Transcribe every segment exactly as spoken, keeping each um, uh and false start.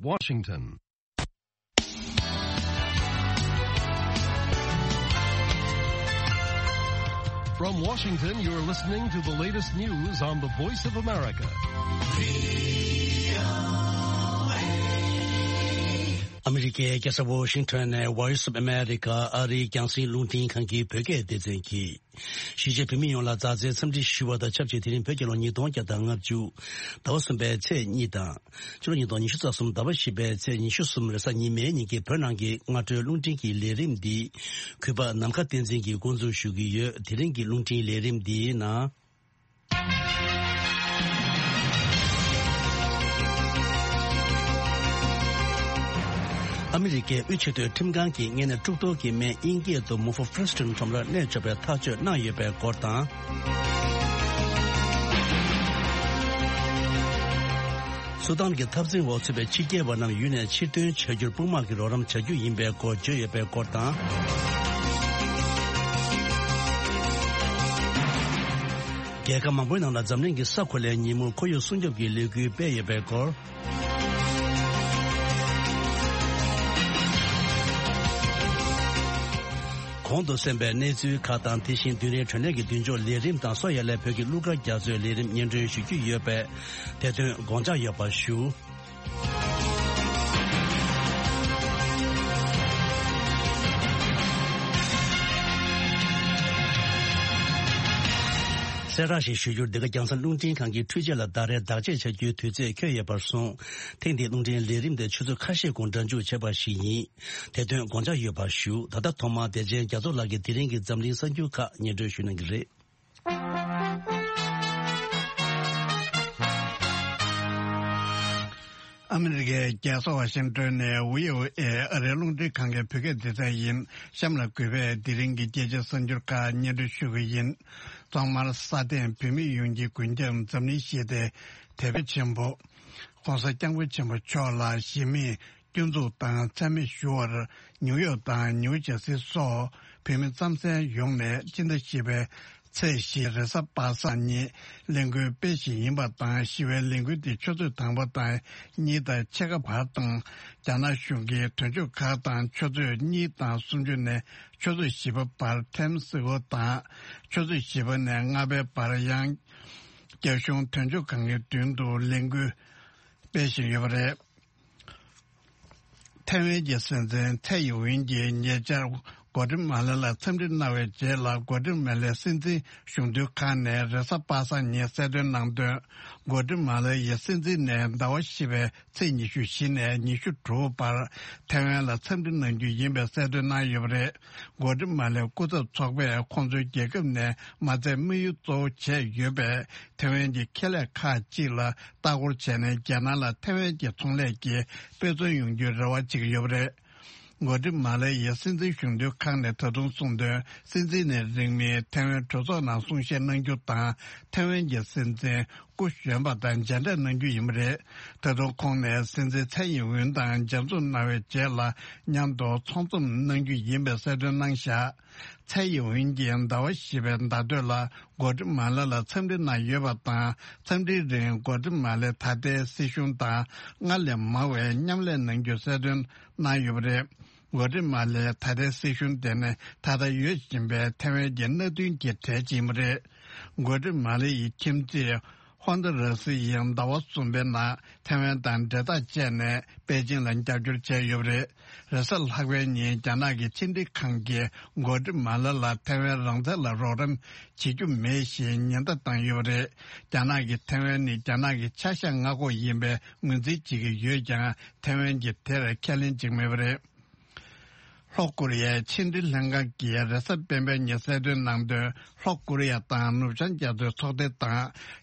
Washington. From Washington, you're listening to the latest news on the Voice of America. ཨ་མི་རི་ཀའི་རྒྱལ་ས་ཝ་ཤིང་ཊོན་ནས་Voice of America ཨ་རིའི་རྒྱང་སྲིང་རླུང་འཕྲིན་ཁང་གི་བོད་སྐད་སྡེ་ཚན་གྱིས། གཞིས་བྱེས་བོད་མི་ཡོངས་ལ་མཛའ་བརྩེའི་འཚམས་འདྲི་ཞུ་བ་དང་ཆབས་ཅིག་དེ་རིང་བོད་རྒྱལ་ལོ་ཉིས་སྟོང་བརྒྱ་དང་ལྔ་བཅུ་ཟླ་བ་གསུམ་པའི་ཚེས་གཉིས་དང་། ཕྱི་ལོ་ཉིས་སྟོང་ཉི་ཤུ་རྩ་གསུམ་ཟླ་བ་བཞི་པའི་ཚེས་ཉི་ཤུ་གསུམ་རེས་གཟའ་ཉི་མའི་ཉིན་གྱི་བོད་ནང་གི་སྔ་དྲོའི་རླུང་འཕྲིན་གྱི་ལས་རིམ་འདི་གུས་པ་ནམ་མཁའ་བསྟན་འཛིན་གྱིས་འགོ་འཛུགས་ཞུ་གི་ཡོད། དེ་རིང་གི་རླུང་འཕྲིན་ལས་རིམ་འདིའི་ནང་། ཨ་མི་རི་ཀའི་དབུས་ཆེས་མཐོའི་ཁྲིམས་ཁང་གིས་ངེད་ནས་གྲུབ་ཐོབ་ཀྱི་སྨན་དབྱིན་སྐད་དུ་Mifepristone ཁྲོམ་རར་གནས་འཇོག་པའི་ཐག་གཅོད་གནང་ཡོད་པའི་སྐོར་དང་། སུ་དཱན་གྱི་འཐབ་འཛིང་འོག་ཚུད་པའི་ཕྱི་རྒྱལ་བ་རྣམས་ཡུལ་ནས་ཕྱིར་ཐོན་བྱ་རྒྱུར་དཔུང་དམག་གི་རོགས་རམ་བྱ་རྒྱུ་ཡིན་པའི་སྐོར་བརྗོད་ཡོད་པའི་སྐོར་དང་། རྒྱལ་ཁབ་མང་པོའི་ནང་ལ་འཛམ་གླིང་གི་ས་གོ་ལའི་ཉིན་མོར་ཁོར་ཡུག་སྲུང་སྐྱོབ་ཀྱི་ལས་འགུལ་སྤེལ་ཡོད་པའི་སྐོར། གོང་དུ་གསན་པའི་གནས་ཚུལ་ཁག་དང་། དེ་བཞིན་དུས་རིང་དྲོ་གནས་ཀྱི་མདུན་ཅོག་ལས་རིམ་དང་སོ་ཡ་ལས་བོད་ཀྱི་གླུ་གར་རྒྱ་མཚོའི་ལས་རིམ་སྙན་སྒྲོན་ཞུ་རྒྱུ་ཡོད་པས། དེ་དོན་དགོངས་འཇགས་ཡོད་པར་ཞུ། གསལ་བསྒྲགས་ཤིག་ཞུ་རྒྱུར། འདི་ག་རྒྱང་སྲིང་རླུང་འཕྲིན་ཁང་གི་འཕྲུལ་ཆས་ལ་ཟླ་རེའི་བརྟག་དཔྱད་བྱ་རྒྱུའི་དུས་ཚོད་འཁེལ་ཡོད་པར་སོང་། ཐེངས་འདིའི་རླུང་འཕྲིན་ལས་རིམ་དེ་ཆུ་ཚོད་ཁ་ཤས་གོང་སྒྲ་འཇུག་བྱས་པ་ཞིག་ཡིན། དེ་དོན་དགོངས་འཇགས་ཡོད་པར་ཞུ། ད་ལྟ་ཐོག་མར་བདེ་ཆེན་རྒྱ་མཚོ་ལགས་ཀྱིས་དེ་རིང་གི་འཛམ་གླིང་གསར་འགྱུར་ཁག་སྙན་སྒྲོན་ཞུ་གནང་གི་རེད། ཨ་མི་རི་ཀའི་རྒྱལ་ས་ཝ་ཤིང་ཏོན་ནས་བྷི་ཨོ་ཨེ་ཨ་རིའི་རླུང་འཕྲིན་ཁང་གི་བོད་སྐད་སྡེ་ཚན་ཡིན། གཤམ་ལ་གུས་པས་དེ་རིང་གི་རྒྱལ་སྤྱིའི་གསར་འགྱུར་ཁག་སྙན་སྒྲོན་ཞུ་གི་ཡིན། ཐོག་མར་སྲ་བརྟན་བོད་མི་ཡོངས་ཀྱི་མགོན་སྐྱབས་འཛམ་གླིང་ཞི་བདེའི་དེད་དཔོན་ཆེན་པོ་༸གོང་ས་༸སྐྱབས་མགོན་ཆེན་པོ་མཆོག་ལ་གཞི་མེད་སྐྱོན་འཛུགས་དང་མཚན་སྨད་ཞུ་བར་ནིའུ་ཡོག་དང་ནིའུ་ཇར་སི་སོགས་བོད་མི་རྩམ་ཟན་ཡོངས་ནས་སྤྱི་ཟླ་བཞི་པའི་ཚེས་བཞི་རེས་གཟའ་པ་སངས་ཉིན་ལས་འགུལ་སྤེལ་བཞིན་ཡིན་པ་དང་། ཞི་བའི་ལས་འགུལ་འདི་ཆུ་ཚོད་དང་པོ་དང་གཉིས་དང་ཕྱེད་ཀ་བར་དང་། རྒྱ་ནག་གཞུང་གིས་དོན་གཅོད་ཁག་དང་ཆུ་ཚོད་གཉིས་དང་སུམ་ཅུ་ནས་ཆུ་ཚོད་བཞི་པ་བར་ཐེམ་སི་ཀོ་དང་། ཆུ་ཚོད་བཞི་པ་ནས་ལྔ་པའི་བར་ཡང་རྒྱ་གཞུང་དོན་གཅོད་ཁང་གི་མདུན་དུ་ལས་འགུལ་སྤེལ་བཞིན་ཡོད་པ་རེད། ཐའེ་ཝན་གྱི་སྲིད་འཛིན་ཚའེ་ཡིན་ཝིན་གྱིས་ཉེ་ཆར་གོ་ཏི་མ་ལ་ལ་འཚམས་འདྲི་གནང་བའི་རྗེས་ལ། གོ་ཏི་མ་ལའི་སྲིད་འཛིན་གཞུང་དོན་ཁང་ནས་རེས་གཟའ་པ་སངས་ཉིན་གསལ་སྟོན་གནང་དོན། གོ་ཏི་མ་ལ་ཡི་སྲིད་འཛིན་ནས་ཟླ་བ་བཞི་པའི་ཚེས་ཉི་ཤུ་བཞི་ནས་ཉི་ཤུ་དྲུག་བར་ཐའེ་ཝན་ལ་འཚམས་འདྲི་གནང་རྒྱུ་ཡིན་པའི་གསལ་སྟོན་གནང་ཡོད་པ་རེད། གོ་ཏི་མ་ལའི་སྐུ་ཚབ་ཚོགས་པས་ཁོང་ཚོའི་རྒྱལ་ཁབ་ནས་མ་ཚད་དམིགས་ཡུལ་གཙོ་བོ་བྱས་ཡོད་པའི་ཐའེ་ཝན་གྱི་ཁེ་ལས་ཁག་ཅིག་ལ་ལྟ་སྐོར་བྱས་ནས། རྒྱལ་ནང་ལ་ཐའེ་ཝན་གྱི་ཚོང་ལས་ཀྱི་དཔེ་མཚོན་ཡོང་རྒྱུའི་རེ་བ་བྱེད་ཀྱི་ཡོད་པ་རེད། གོ་ཏི་མ་ལ་ཡའི་སྲིད་འཛིན་གཞུང་དོན་ཁང་ནས་ད་དུང་གསུངས་དོན། སྲིད་འཛིན་ནས་རིང་མིན་ཐའེ་ཝན་གྲོས་ཚོགས་ནང་གསུང་བཤད་གནང་རྒྱུ་དང་། ཐའེ་ཝན་གྱི་སྲིད་འཛིན་སྐུ་གཞོན་པ་དང་མཇལ་འཕྲད་གནང་རྒྱུ་ཡིན་པ་རེད། ད་དུང་ཁོང་ནས་སྲིད་འཛིན་ཚའེ་ཡིན་ཝིན་དང་མཇལ་འཛོམས་གནང་བའི་རྗེས་ལ། མཉམ་དུ་ཚོང་འཛོམས་གནང་རྒྱུ་ཡིན་པའི་གསལ་སྟོན་གནང་བཞག་ཚའེ་ཡིན་ཝིན་གྱིས་ཟླ་བ་བཞི་པའི་ཟླ་སྟོད་ལ་གོ་ཏི་མ་ལ་ལ་འཚམས་འདྲི་གནང་ཡོད་པ་དང་། འཚམས་འདྲིའི་རིང་གོ་ཏི་མ་ལའི་ད་ལྟའི་སྲིད་གཞུང་དང་སྔར་ལས་མང་བའི་མཉམ་ལས་གནང་རྒྱུ་གསལ་སྟོན་གནང་ཡོད་པ་རེད། གོ་ཏི་མ་ལའི་ད་ལྟའི་སྲིད་གཞུང་དེ་ནི་ད་ལྟ་ཡོད་བཞིན་པའི་ཐའེ་ཝན་གྱི་མནའ་མཐུན་གྱི་གྲས་ཅིག་ཡིན་པ་རེད། གོ་ཏི་མ་ལ་ཡི་ཁྱིམ་མཚེས་ཧོན་ཏུ་ར་སི་ཡིས་ཟླ་བ་གསུམ་པའི་ནང་ཐའེ་ཝན་དང་འབྲེལ་ཐག་བཅད་ནས་པེ་ཅིང་ལ་རྒྱབ་སྐྱོར་བྱས་ཡོད་པ་རེད། རེས་གཟའ་ལྷག་པའི་ཉིན་རྒྱ་ནག་གི་ཕྱི་འབྲེལ་ཁང་གིས་གོ་ཏི་མ་ལ་ལ་ཐའེ་ཝན་རང་བཙན་ལ་རོགས་རམ་བྱེད་རྒྱུ་མེད་ཞེས་ཉེན་བརྡ་བཏང་ཡོད་པ་རེད། རྒྱ་ནག་གིས་ཐའེ་ཝན་ནི་རྒྱ་ནག་གི་ཆ་བཞག་མངའ་ཁོངས་ཡིན་པའི་ངོས་འཛིན་བྱེད་ཀྱི་ཡོད་ཀྱང་། ཐའེ་ཝན་གྱིས་དེར་ཁས་ལེན་བྱེད་ཀྱི་མེད་པ་རེད། ལྷོ་ཀོ་རི་ཡའི་ཕྱི་འབྲེལ་ལྷན་ཁང་གིས་རེས་གཟའ་སྤེན་པའི་ཉིན་གསལ་སྟོན་གནང་དོན། ལྷོ་ཀོ་རི་ཡ་དང་ནུབ་བྱང་རྒྱ་མཚོའི་ཚོགས་སྡེ་དང་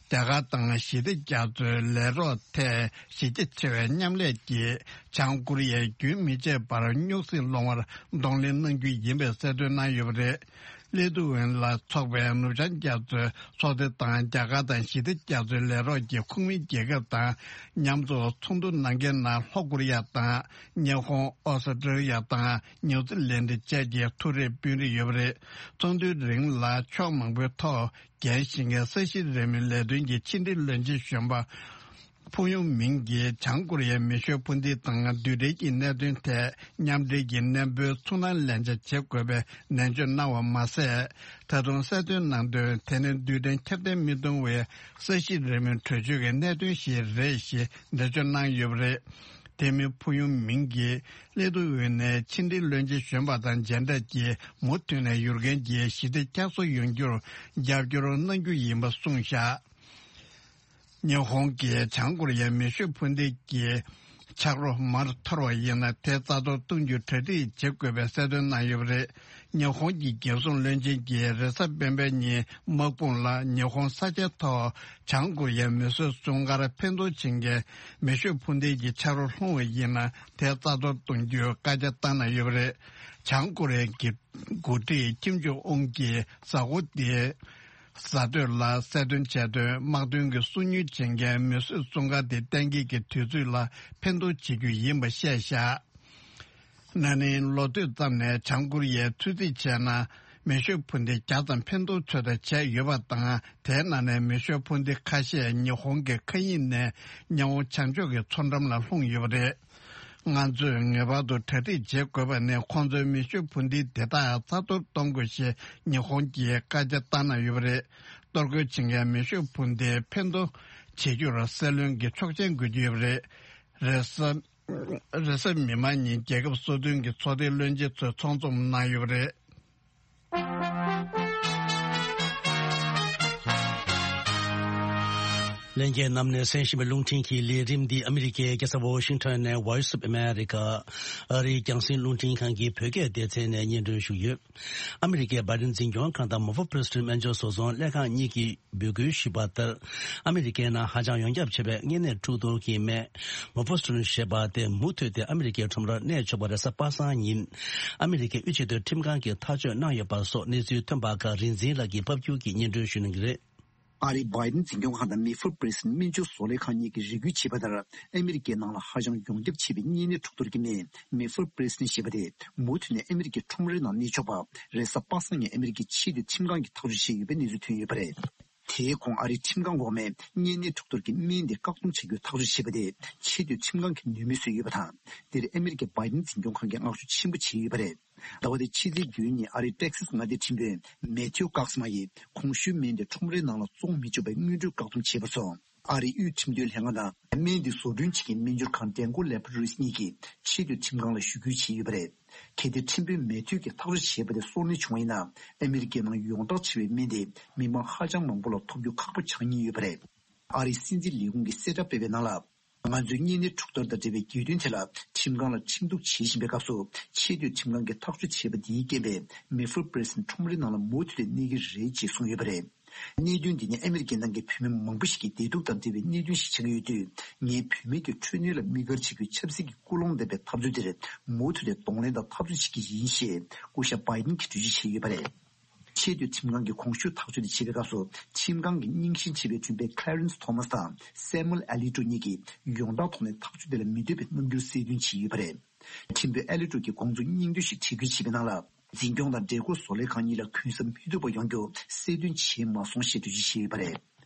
རྒྱ་གར་དང་ཞི་བདེ་རྒྱ་མཚོའི་ལས་རོགས་ཐད་གཞི་རྒྱ་ཆེ་བའི་མཉམ་ལས་ཀྱིས་བྱང་ཀོ་རི་ཡས་རྒྱུན་མི་ཆད་པར་སྨྱུག་སྲིད་སློང་བར་གདོང་ལེན་གནང་རྒྱུ་ཡིན་པའི་གསལ་སྟོན་གནང་ཡོད་པ་རེད། ལི་ཐུ་ཝན་ལ་ཚོགས་པའི་ནུབ་བྱང་རྒྱ་མཚོའི་ཚོགས་སྡེ་དང་རྒྱ་གར་དང་ཞི་བདེ་རྒྱ་མཚོའི་ལས་རོགས་ཀྱི་ཁོངས་མི་རྒྱལ་ཁབ་དང་མཉམ་དུ་ཚོགས་འདུ་གནང་མཁན་ནང་ལྷོ་ཀོ་རི་ཡ་དང་། ཉི་ཧོང་། ཨོ་སི་ཀྲི་ལི་ཡ་དང་ནིའུ་ཛི་ལན་ཌི་བཅས་ཀྱི་ཐུགས་རེ་དཔོན་རིགས་ཡོད་པ་རེད། ཚོགས་འདུའི་རིང་ལ་ཕྱོགས་མང་པོའི་ཐོག་འགན་བཞེས་མཁན་ས་གཞི་རིང་མོའི་ལས་དོན་གྱི་ཕྱི་འབྲེལ་བློན་ཆེན་གཞོན་པ་ ཕུག་ཡུང་མིང་གིས་བྱང་ཀོ་རི་ཡའི་མེ་ཤོད་འཕུར་མདེལ་དང་རྡུལ་ཕྲན་གྱི་གནད་དོན་ཐད་མཉམ་འབྲེལ་གྱི་གནས་སྤོའི་ཚུར་སྣང་ལན་ཆ་བྱེད་དགོས་པའི་ནན་བརྗོད་གནང་བ་མ་ཟད། ད་དུང་གསལ་སྟོན་གནང་དོན། དེ་ནི་རྡུལ་ཕྲན་ཁྱབ་གདལ་མི་གཏོང་བའི་ས་གཞི་རེ་མོའི་གྲོས་ཆོད་ཀྱི་གནད་དོན་ཞིག་རེད་ཞེས་འགྲེལ་བརྗོད་གནང་ཡོད་པ་རེད། དེ་མིན་ཕུག་ཡུང་མིང་གིས་ཀླད་སྟོད་དབུས་ནས་ཕྱི་འབྲེལ་བློན་ཆེན་གཞོན་པ་དང་མཇལ་འཕྲད་ཀྱིས་མུ་མཐུད་ནས་ཡུལ་གན་གྱི་ཞི་བདེ་བསྐྱར་གསོ་ཡོང་རྒྱུར་རྒྱབ་སྐྱོར་གནང་རྒྱུ་ཡིན་པ་གསུངས་བཞག་ཉི་ཧོང་གིས་བྱང་ཀོ་རི་ཡའི་མེ་ཤོད་འཕུར་མདེལ་གྱི་ཆག་རོ་མར་འཐོར་བ་ཡིན་ན་དེ་རྩ་གཏོར་གཏོང་རྒྱུའི་གྲ་སྒྲིག་བྱེད་དགོས་པའི་གསལ་སྟོན་གནང་ཡོད་པ་རེད། ཉི་ཧོང་གི་རྒྱལ་སྲུང་བློན་ཆེན་གྱིས་རེས་གཟའ་སྤེན་པའི་ཉིན་དམག་དཔུང་ལ་ཉི་ཧོང་ས་ཆའི་ཐོག་བྱང་ཀོ་རི་ཡའི་མེ་གསོད་སྲུང་སྐར་འཕེན་གཏོང་བྱེད་མཁན་མེ་ཤོད་འཕུར་མདེལ་གྱི་ཆག་རོ་ལྷུང་བ་ཡིན་ན་དེ་རྩ་གཏོར་གཏོང་རྒྱུའི་བཀའ་རྒྱ་བཏང་གནང་ཡོད་པ་རེད། བྱང་ཀོ་རི་ཡའི་འགོ་ཁྲིད་ཀིམ་ཇོང་ཨུན་གྱིས་གཟའ་འཁོར་འདིའི་གཟའ་སྟོད་ལ་གསལ་སྟོན་བྱས་དོན། དམག་དོན་གྱི་སོ་ཉུལ་བྱེད་མཁན་མེ་གསོད་སྲུང་སྐར་འདི་གཏན་འཁེལ་གྱི་དུས་ཚོད་ལ་འཕེན་གཏོང་བྱེད་རྒྱུ་ཡིན་པ་བཤད་བཞག་ན་ནིང་ལོ་སྟོད་ཙམ་ནས་བྱང་ཀོ་རི་ཡས་ཚོད་རྩིས་བྱས་ན། མེ་ཤོད་འཕུར་མདེལ་བརྒྱ་ཙམ་འཕེན་གཏོང་ཚོད་ལྟ་བྱས་ཡོད་པ་དང་། དེའི་ནང་ནས་མེ་ཤོད་འཕུར་མདེལ་ཁ་ཤས་ཉི་ཧོང་གི་མཁའ་དབྱིངས་ནས་མཉམ་འོང་བྱང་ཕྱོགས་ཀྱི་མཚོ་འགྲམ་ལ་ལྷུང་ཡོད་པ་རེད། ང་ཚོས་ངེས་པར་དུ་གྲ་སྒྲིག་བྱེད་དགོས་པ་ནི། ཁོང་ཚོའི་མེ་ཤོད་འཕུར་མདེལ་དེ་དག་རྩ་གཏོར་གཏོང་དགོས་ཞེས་ཉི་ཧོང་གིས་བཀའ་རྒྱ་བཏང་གནང་ཡོད་པ་རེད། གཏོར་རྒོལ་བྱེད་མཁན་མེ་ཤོད་འཕུར་མདེལ་འཕེན་གཏོང་བྱེད་རྒྱུར་སྲིད་བློན་གྱི་ཆོག་མཆན་དགོས་ཀྱི་ཡོད་པ་རེད། རེས་གཟའ་རེས་གཟའ་མིག་དམར་ཉིན་རྒྱལ་ཁབ་སོ་བདུན་གྱི་ཚོགས་སྡེའི་བློན་ཆེན་ཚོས་ཚོགས་འཛོམས་གནང་ཡོད་པ་རེད། ལྷན་རྒྱས་རྣམས་ནས་གསན་བཞིན་པའི་རླུང་འཕྲིན་གྱི་ལས་རིམ་འདི་ཨ་མི་རི་ཀའི་རྒྱལ་ས་ཝོ་ཤིང་ཊོན་ནས་Voice of America ཨ་རིའི་རྒྱང་སྲིང་རླུང་འཕྲིན་ཁང་གི་བོད་སྐད་སྡེ་ཚན་ནས་སྙན་སྒྲོན་ཞུས་ཡོད། ཨ་མི་རི་ཀའི་བྷའི་ཌེན་འཛིན་སྐྱོང་ཁང་དང་མོ་ཕོ་པི་རེ་སི་ཌེན་ཊི་སྨན་སྦྱོར་བཟོ་ཚོང་ལྷན་ཁང་གཉིས་ཀྱིས་འབོད་སྐུལ་ཞུས་པ་ལྟར། ཨ་མི་རི་ཀའི་ནང་ཧ་ཅང་ཡོངས་ཁྱབ་ཆེ་བའི་གཉན་ནད་འཁྲུག་གཏོར་གྱི་སྨན་མོ་ཕོ་སི་ཊོན་ཞེས་པ་དེ་མུ་མཐུད་དེ་ཨ་མི་རི་ཀའི་ཁྲོམ་རར་གནས་ཆོག་པ་རེས་གཟའ་པ་སངས་ཉིན་ཨ་མི་རི་ཀའི་དབུས་ཆེས་མཐོའི་ཁྲིམས་ཁང་གིས་ཐག་གཅོད་གནང་ཡོད་པ་སོགས་གནས་ཚུལ་ཐོན་པ་ཁག་རིག་འཛིན་ལགས་ཀྱིས་ཕབ་སྒྱུར་གྱིས་སྙན་སྒྲོན་ཞུ་གནང་གི་རེད། ཨ་རིའི་བྷའི་ཌེན་འཛིན་སྐྱོང་ཁང་དང་མེ་ཕུར་པི་རེ་སི་ཌེན་ཊི་སྨན་སྦྱོར་བཟོ་ལས་ཁང་གཉིས་ཀྱིས་རེ་སྐུལ་བྱས་པ་ལྟར། ཨ་མི་རི་ཀའི་ནང་ལ་ཧ་ཅང་ཡོངས་ཁྱབ་ཆེ་བའི་གཉན་ནད་འཁྲུག་གཏོར་གྱི་སྨན་མེ་ཕུར་པི་རེ་སི་ཌེན་ཊི་ཞེས་པ་དེ་མུ་མཐུད་ནས་ཨ་མི་རི་ཀའི་ཁྲོམ་རའི་ནང་གནས་ཆོག་པ་རེས་གཟའ་པ་སངས་ཉིན་ཨ་མི་རི་ཀའི་ཆེས་མཐོའི་ཁྲིམས་ཁང་གིས་ཐག་གཅོད་བྱས་ཡོད་པའི་གནས་ཚུལ་ཐོན་ཡོད་པ་རེད། དེའི་གོང་ཨ་རིའི་ཁྲིམས་ཁང་འོག་མས་གཉན་ནད་འཁྲུག་གཏོར་གྱི་སྨན་དེ་བཀག་སྡོམ་བྱ་རྒྱུའི་ཐག་གཅོད་བྱས་པ་དེ་ཆེས་མཐོའི་ཁྲིམས་ཁང་གིས་ནུས་མེད་བཟོས་ཡོད་པ་དང་། འདིར་ཨ་མི་རི་ཀའི་བྷའི་ཌེན་འཛིན་སྐྱོང་ཁང་གིས་བསྔགས་བརྗོད་ཆེན་པོ་བྱས་ཡོད་པ་རེད། ཟླ་བ་འདིའི་ཕྱི་ཚེས་བརྒྱད་ཉིན་ཨ་རིའི་ཊེག་སཱས་མངའ་སྡེའི་ཁྲིམས་དཔོན་མེ་ཐིའུ་ཀག་སི་མ་ཡིས་གོང་ཞུས་སྨན་དེ་ཁྲོམ་རའི་ནང་ལ་བཙོང་མི་ཆོག་པའི་སྔོན་འགྲོའི་བཀག་སྡོམ་བྱས་པ་སོང་། ཨ་རིའི་དབུས་ཁྲིམས་དོན་ལྷན་ཁང་དང་སྨན་དེ་བཟོ་སྐྲུན་བྱེད་མཁན་སྨན་སྦྱོར་ཁང་ཌན་ཀོ་ལེ་བྷོ་རོ་ཊི་རིས་གཉིས་ཀྱིས་ཆེས་མཐོའི་ཁྲིམས་ཁང་ལ་ཞུ་སྐུལ་བྱས་ཡོད་པ་རེད། གལ་ཏེ་ཁྲིམས་དཔོན་མེ་ཐིའུ་གིས་ཐག་གཅོད་བྱས་པ་དེ་སོར་གནས་བྱུང་བ་ཡིན་ན། ཨ་མི་རི་ཀའི་ནང་ཡོངས་གྲགས་ཆེ་བའི་སྨན་དེ་མི་མང་ཧ་ཅང་མང་པོ་ལ་ཐོབ་རྒྱུ་ཁག་པོ་ཆགས་ཉེན་ཡོད་པ་རེད། ཨ་རིའི་སྲིད་འཛིན་ལས་ཁུངས་ཀྱིས་གསལ་བསྒྲགས་སྤེལ་བའི་ནང་ལ། ང་ཚོས་གཉན་ནད་འཁྲུག་གཏོར་དང་འབྲེལ་བའི་གྱོད་དོན་དེ་ལ་ཁྲིམས་ཁང་ལ་ཁྲིམས་གཏུག་བྱེད་བཞིན་པའི་སྐབས་སུ། ཆེས་མཐོའི་ཁྲིམས་ཁང་གིས་ཐག་གཅོད་བྱས་པ་འདིའི་རྐྱེན་པས་མེ་ཕུར་པི་རེ་སི་ཌེན་ཊི་ཁྲོམ་རའི་ནང་ལ་མུ་མཐུད་དེ་གནས་ཀྱི་རེད་ཅེས་གསུངས་ཡོད་པ་རེད། གནད་དོན་འདི་ནི་ཨ་མི་རི་ཀའི་ནང་གི་བུད་མེད་མང་པོ་ཞིག་གི་བདེ་སྡུག་དང་འབྲེལ་བའི་གནད་དོན་ཞིག་ཆགས་ཀྱི་ཡོད་དུས། ངས་བུད་མེད་ཀྱི་འཕྲོད་བསྟེན་ལ་དམིགས་བཀར་བྱེད་རྒྱུའི་ཆབ་སྲིད་ཀྱི་ཀུན་སློང་ལྡན་པའི་འཐབ་རྩོད་དེར་མུ་མཐུད་དེ་གདོང་ལེན་དང་འཐབ་རྩོད་བྱེད་ཀྱི་ཡིན་ཞེས་སྐུ་ཞབས་བྷའི་ཌེན་གྱིས་གྲོས་ཆོད་བྱས་ཡོད་པ་རེད། ཆེས་མཐོའི་ཁྲིམས་ཁང་གིས་གོང་ཞུས་ཐག་གཅོད་དེ་བྱེད་པའི་སྐབས་སུ། ཁྲིམས་ཁང་གི་རྙིང་ཞེན་ཆེ་བའི་མགྲིན་པ་Clarence Thomas དང་Samuel Alito གཉིས་ཀྱིས་ཡོངས་གྲགས་ཐོག་ནས་ཐག་གཅོད་དེ་ལ་མི་འདོད་པའི་རྣམ་འགྱུར་གསལ་སྟོན་བྱས་ཡོད་པ་རེད། ཁྲིམས་དཔོན་Alito གྱིས་དགོངས་ཚུལ་སྙིང་བསྡུས་ཤིག་འགྲེལ་བརྗོད་བྱས་པའི་ནང་ལ། འཛིན་སྐྱོང་དང་འབྲེལ་སྐོར་བཟོ་ལས་ཁང་གཉིས་ལ་གུན་གསབ་མི་ཐུབ་པ་ཡོང་རྒྱུ་གསལ་སྟོན་བྱས་མ་སོང་ཞེས་འགྲེལ་བརྗོད་བྱས་ཡོད་པ་རེད།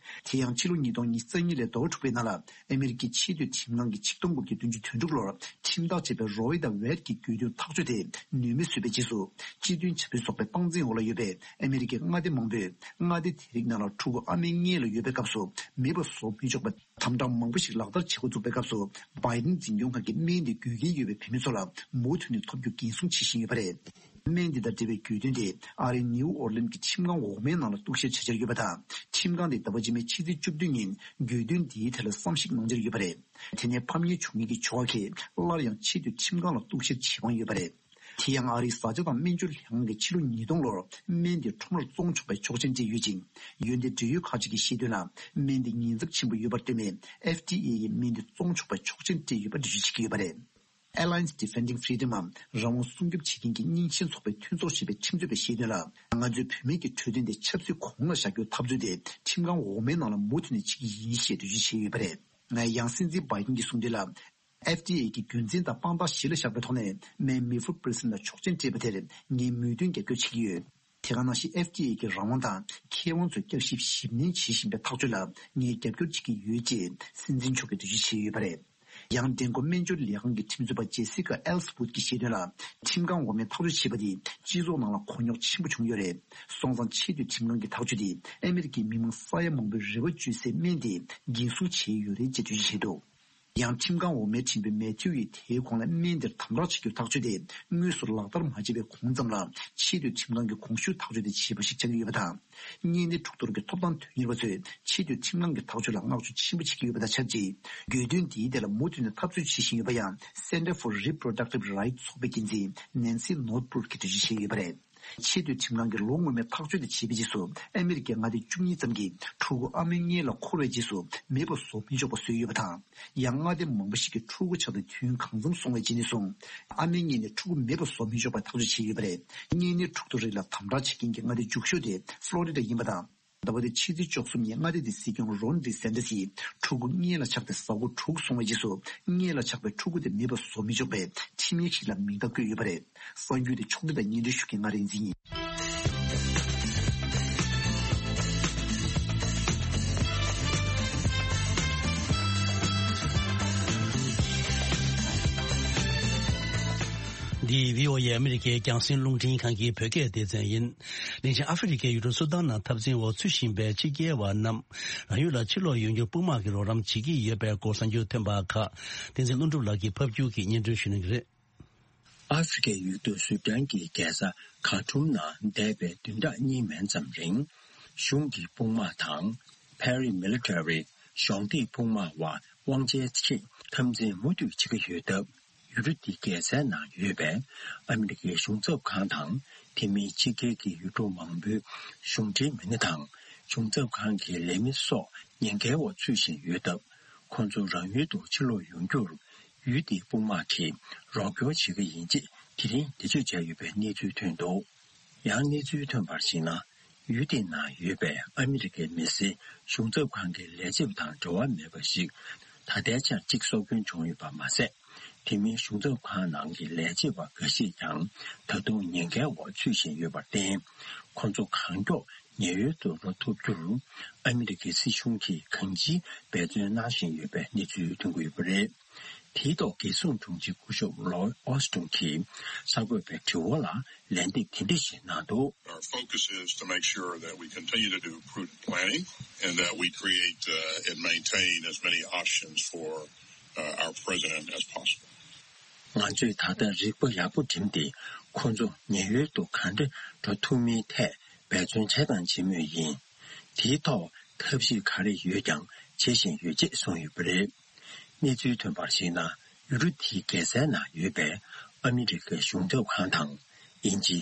དེ་ཡང་ཕྱི་ལོ་ཉིས་སྟོང་ཉི་ཤུ་རྩ་གཉིས་ལོའི་ཟླ་བ་དྲུག་པའི་ནང་ལ་ཨ་མི་རི་ཀའི་ཆེས་མཐོའི་ཁྲིམས་ཁང་གིས་ཆིག་སྟོང་དགུ་བརྒྱ་བདུན་ཅུ་དོན་དྲུག་ལོར་ཁྲིམས་ཐག་བཅད་པའི་Roe དང་Wade གྱི་གྱོད་དོན་ཐག་གཅོད་དེ་ནུས་མེད་བཟོས་པའི་རྗེས་སུ། སྤྱི་མཐུན་བྱ་དཔོན་ཚོགས་པའི་དཔང་འཛིན་འོག་ལ་ཡོད་པའི་ཨ་མི་རི་ཀའི་མངའ་སྡེ་མང་པོས་མངའ་སྡེ་དེ་རིགས་ནང་ལ་ཕྲུ་གུ་ཨ་མའི་མངལ་ལ་ཡོད་པའི་སྐབས་སུ་མེད་པ་བཟོ་མི་ཆོག་པའི་དམ་བསྒྲགས་མང་པོ་ཞིག་ལག་བསྟར་བྱེད་འགོ་བཙུགས་པའི་སྐབས་སུ། བྷའི་ཌེན་འཛིན་སྐྱོང་ཁང་གིས་སྨན་དེ་དགོས་གལ་ཡོད་པའི་བུད་མེད་ཚོ་ལ་མུ་མཐུད་ནས་ཐོབ་རྒྱུ་འགན་སྲུང་བྱེད་བཞིན་ཡོད་པ་རེད། སྨན་འདི་དང་འབྲེལ་བའི་གྱོད་དོན་དེ་ཨ་རིའི་ནིའུ་ཨོར་ལིན་གྱི་ཁྲིམས་ཁང་འོག་མའི་ནང་ལ་གཏུག་བཤེར་བྱེད་འཆར་ཡོད་པ་དང་། ཁྲིམས་ཁང་དེས་ཟླ་བ་རྗེས་མའི་ཕྱི་ཚེས་བཅུ་བདུན་ཉིན་གྱོད་དོན་འདིའི་ཐད་ལ་བསམ་གཞིག་གནང་འཆར་ཡོད་པ་རེད། དེ་ནས་ཕམ་ཉེས་བྱུང་མཁན་གྱི་ཕྱོགས་ཁག་གིས་སླར་ཡང་ཆེས་མཐོའི་ཁྲིམས་ཁང་ལ་གཏུག་བཤེར་བྱེད་དབང་ཡོད་པ་རེད། དེ་ཡང་ཨ་རིའི་བཟའ་བཅའ་དང་སྨན་སྦྱོར་ལྷན་ཁང་གིས་ཕྱི་ལོ་ཉིས་སྟོང་ལོར་སྨན་དེ་ཁྲོམ་རར་བཙོང་ཆོག་པའི་ཆོག་མཆན་སྤྲད་ཡོད་ཅིང་། འོན་ཏེ་འབྲེལ་ཡོད་ཁག་ཅིག་གིས་བཤད་དོན་ལ། སྨན་དེ་ཉེན་ཚབས་ཆེན་པོ་ཡོད་པར་བརྟེན་ནས་ཨེཕ་ཌི་ཨེ་ཡིས་སྨན་དེ་བཙོང་ཆོག་པའི་ཆོག་མཆན་སྤྲད་ཡོད་པ་འགྲེལ་བརྗོད་བྱེད་ཀྱི་ཡོད་པ་རེད། Alliance Defending Freedom འམ་རང་དབང་སྲུང་སྐྱོབ་བྱེད་མཁན་གྱི་རྙིང་ཞེན་ཚོགས་པའི་མཐུན་ཚོགས་ཞེས་པའི་ཁྲིམས་རྩོད་པས་བཤད་དོན་ལ། ང་ཚོའི་བུད་མེད་ཀྱི་འཕྲོད་བསྟེན་དེ་ཆབ་སྲིད་གོང་ལ་བཞག་རྒྱུའི་འཐབ་རྩོད་དེ་ཁྲིམས་ཁང་འོག་མའི་ནང་ལ་མུ་མཐུད་ནས་བྱེད་ཀྱི་ཡིན་ཞེས་འགྲེལ་བརྗོད་བྱས་ཡོད་པ་རེད། ང་ཡང་སྲིད་འཛིན་བྷའི་ཌེན་གྱིས་གསུངས་དོན་ལ། ཨེཕ་ཌི་ཨེ་གི་རྒྱུ་མཚན་དང་དཔང་རྟགས་གཞི་ལ་བཞག་པའི་ཐོག་ནས་སྨན་མེ་ཕུར་པི་རི་སིན་ལ་ཆོག་མཆན་སྤྲད་པ་དེར་ངས་མོས་མཐུན་རྒྱབ་སྐྱོར་བྱེད་ཀྱི་ཡོད། དེ་ག་ནང་བཞིན་ཨེཕ་ཌི་ཨེ་གི་རང་དབང་དང་མཁས་དབང་ཚོས་བསྐྱར་ཞིབ་ཞིབ་ནན་བྱེད་བཞིན་པའི་ཐག་གཅོད་ལ་ངས་རྒྱབ་སྐྱོར་བྱེད་ཀྱི་ཡོད་ཅེས་སྲིད་འཛིན་མཆོག་གིས་འགྲེལ་བརྗོད་བྱས་ཡོད་པ་རེད། ཡང་འགྲན་སྒོ་སྨན་སྦྱོར་ལས་ཁང་གི་ཁྲིམས་རྩོད་པ་ཇེ་སི་ཀ་ཨེལ་སི་ཝུད་ཀྱིས་བཤད་དོན་ལ། ཁྲིམས་ཁང་འོག་མའི་ཐག་གཅོད་བྱས་པ་དེས་སྤྱི་ཚོགས་ནང་ལ་གོ་རྙོག་ཆེན་པོ་བྱུང་ཡོད་རེད། སོང་ཙང་ཆེས་མཐོའི་ཁྲིམས་ཁང་གི་ཐག་གཅོད་དེས་ཨ་མི་རི་ཀའི་མི་མང་ས་ཡ་མང་པོའི་རེ་བ་བཅོལ་སའི་སྨན་དེ་འགན་སྲུང་བྱས་ཡོད་རེད་ཅེས་འགྲེལ་བརྗོད་བྱས་འདུག་ཡང་ཁྲིམས་ཁང་འོག་མའི་ཁྲིམས་དཔོན་མེ་ཐིའུ་ཡིས་དེའི་གོང་ལ་སྨན་དེར་དམ་དྲག་བྱེད་རྒྱུའི་ཐག་གཅོད་དེ་དངོས་སུ་ལག་བསྟར་མ་བྱས་པའི་གོང་ཙམ་ལ་ཆེས་མཐོའི་ཁྲིམས་ཁང་གིས་གོང་ཞུས་ཐག་གཅོད་དེ་བྱས་པ་ཞིག་ཆགས་ཀྱི་ཡོད་པ་དང་། གཉན་ནད་འཁྲུག་གཏོར་གྱི་ཐོབ་ཐང་དོན་གཉེར་བ་ཚོས་ཆེས་མཐོའི་ཁྲིམས་ཁང་གི་ཐག་གཅོད་ལ་བསྔགས་བརྗོད་ཆེན་པོ་བྱེད་ཀྱི་ཡོད་པ་དང་ཆབས་ཅིག་གྱོད་དོན་འདིའི་ཐད་ལ་མུ་མཐུད་ནས་འཐབ་རྩོད་བྱེད་བཞིན་ཡོད་པ་ཡང་Center for Reproductive Rights ཚོགས་པའི་འགན་འཛིན་Nancy Northbrook གིས་འགྲེལ་བརྗོད་བྱས་ཡོད་པ་རེད། ཆེས་མཐོའི་ཁྲིམས་ཁང་གིས་ལོ་སྔོན་མའི་ཐག་གཅོད་དེ་བྱས་པའི་རྗེས་སུ་ཨ་མི་རི་ཀའི་མངའ་སྡེ་བཅུ་གཉིས་ཙམ་གྱིས་ཕྲུ་གུ་ཨ་མའི་མངལ་ལ་འཁོར་བའི་རྗེས་སུ་མེད་པ་བཟོ་མི་ཆོག་པ་བཟོས་ཡོད་པ་དང་། ཡང་མངའ་སྡེ་མང་པོ་ཞིག་གིས་ཕྲུ་གུ་ཆགས་ཏེ་དུས་ཡུན་གང་འཚམ་སོང་བའི་རྗེས་ནས་བཟུང་ཨ་མའི་མངལ་ནས་ཕྲུ་གུ་མེད་པ་བཟོ་མི་ཆོག་པའི་ཐག་གཅོད་བྱས་ཡོད་པ་རེད། གཉན་ནད་འཁྲུག་གཏོར་རིགས་ལ་དམ་དྲག་བྱེད་མཁན་གྱི་མངའ་སྡེ་མཇུག་ཤོས་དེ་ཕློ་རི་ཌ་ཡིན་པ་དང་། ཟླ་བ་འདིའི་ཕྱི་ཚེས་བཅུ་གསུམ་ཉིན་མངའ་སྡེ་དེའི་སྲིད་སྐྱོང་རོན་ཌི་སན་ཏི་སིས་ཕྲུ་གུ་མངལ་ལ་ཆགས་ཏེ་གཟའ་འཁོར་དྲུག་སོང་བའི་རྗེས་སུ་མངལ་ལ་ཆགས་པའི་ཕྲུ་གུ་དེ་མེད་པ་བཟོ་མི་ཆོག་པའི་ཁྲིམས་ཡིག་ཞིག་ལ་མིང་རྟགས་བཀོད་ཡོད་པ་རེད། གསར་འགྱུར་དེ་ཕྱོགས་སྒྲིག་དང་སྙན་སྒྲོན་ཞུ་མཁན་ང་རིག་འཛིན་ཡིན། འདི་བྷི་ཨོ་ཨེ་ཨ་མི་རི་ཀའི་རྒྱང་སྲིང་རླུང་འཕྲིན་ཁང་གི་བོད་སྐད་སྡེ་ཚན་ཡིན། དེ་བཞིན་ཨ་ཧྥེ་རི་ཁའི་ཡུལ་གྲུ་སུ་དཱན་ནང་འཐབ་འཛིང་འོག་ཚུད་བཞིན་པའི་ཕྱི་རྒྱལ་བ་རྣམས་རང་ཡུལ་ལ་ཕྱིར་ལོག་ཡོང་རྒྱུར་དཔུང་དམག་གིས་རོགས་རམ་བྱེད་ཀྱི་ཡོད་པའི་སྐོར་གསར་འགྱུར་ཐོན་པ་ཁག་བསྟན་འཛིན་ཀླུ་སྒྲུབ་ལགས་ཀྱིས་ཕབ་སྒྱུར་གྱིས་སྙན་སྒྲོན་ཞུ་གནང་གི་རེད། ཨ་ཧྥེ་རི་ཁའི་ཡུལ་གྲུ་སུ་དཱན་གྱི་རྒྱལ་ས་ཁ་ཐུམ་ནང་འདས་པའི་བདུན་ཕྲག་གཉིས་མན་ཙམ་རིང་གཞུང་གི་དཔུང་དམག་དང་། Paramilitary གཞོགས་འདེགས་དཔུང་དམག་དབར་དབང་ཆའི་ཆེད་འཐབ་འཛིང་མུ་མཐུད་བྱེད་ཀྱི་ཡོད་སྟབས། ཡུལ་གྲུ་འདིའི་རྒྱལ་སའི་ནང་ཡོད་པའི་ཨ་མི་རི་ཀའི་གཞུང་ཚབ་ཁང་དང་དེ་མིན་ཕྱི་རྒྱལ་གྱི་ཡུལ་གྲུ་མང་པོའི་གཞུང་འབྲེལ་མི་སྣ་དང་གཞུང་ཚབ་ཁང་གི་ལས་མི་སོགས་ཉེན་ཁའི་འོག་ཚུད་བཞིན་ཡོད་སྟབས། ཁོང་ཚོ་རང་ཡུལ་དུ་ཕྱིར་ལོག་ཡོང་རྒྱུར་ཡུལ་དེའི་དཔུང་དམག་གིས་རོགས་སྐྱོར་བྱེད་ཀྱི་ཡིན་ཅེས་དེ་རིང་འགྲེལ་བརྗོད་བྱས་ཡོད་པའི་གནས་ཚུལ་ཐོན་འདུག་ཡང་གནས་ཚུལ་ཐོན་པར་གཞིགས་ན། ཡུལ་དེའི་ནང་ཡོད་པའི་ཨ་མི་རི་ཀའི་མི་སེར་གཞུང་ཚབ་ཁང་གི་ལས་བྱེད་པ་དང་འབྲེལ་བ་མེད་པ་ཞིག་ད་ལྟའི་ཆར་གཅིག་སྲོག་སྐྱོན་བྱུང་ཡོད་པ་མ་ཟད། དེ་མིན་གཞུང་ཚབ་ཁང་ནང་གི་ལས་བྱེད་པ་འགའ་ཤས་ཀྱང་ད་དུང་ཉེན་ཁའི་འོག་ཚུད་བཞིན་ཡོད་པར་བརྟེན། ཁོང་ཚོ་གང་མགྱོགས་ཉེན་གཡོལ་དུ་འགྲོ་ཐུབ་རྒྱུར་ཨ་མི་རི་ཀའི་སྲིད་གཞུང་གིས་གང་ཅིའི་འབད་བརྩོན་གནང་བཞིན་ཡོད་པའི་གནས་ཚུལ་ཐོན་གྱི་ཡོད་པ་རེད། དེའི་ཐོག་རྒྱལ་སྲུང་དྲུང་ཆེ་སྐུ་ཞབས་ལོའི་ཨོ་སི་ཏོན་གྱིས་གསར་འགོད་པའི་དྲི་བ་ལ་ལན་འདེབས་དེ་འདྲ་ཞིག་གནང་འདུག Our focus is to make sure that we continue to do prudent planning and that we create uh, and maintain as many options for uh, our president as possible. ང་ཚོས་ད་ལྟ་རིག་པ་ཡག་པོ་བསྒྲིམས་ཏེ་ཁོ་ཚོ་ཉེན་གཡོལ་དུ་གང་འདྲ་འགྲོ་ཐུབ་མིན་ཐད་འབད་བརྩོན་བྱས་དང་བྱེད་མུས་ཡིན། དེའི་ཐོག་ཐབས་ཤེས་ག་རེ་ཡོད་ཀྱང་བྱེད་བཞིན་ཡོད་ཅེས་གསུངས་ཡོད་པ་རེད། གནས་ཚུལ་ཐོན་པར་གཞིགས་ན། ཡུལ་གྲུ་དེའི་རྒྱལ་སའི་ནང་ཡོད་པའི་ཨ་མི་རི་ཀའི་གཞུང་ཚབ་ཁང་དང་། དབྱིན་ཇི།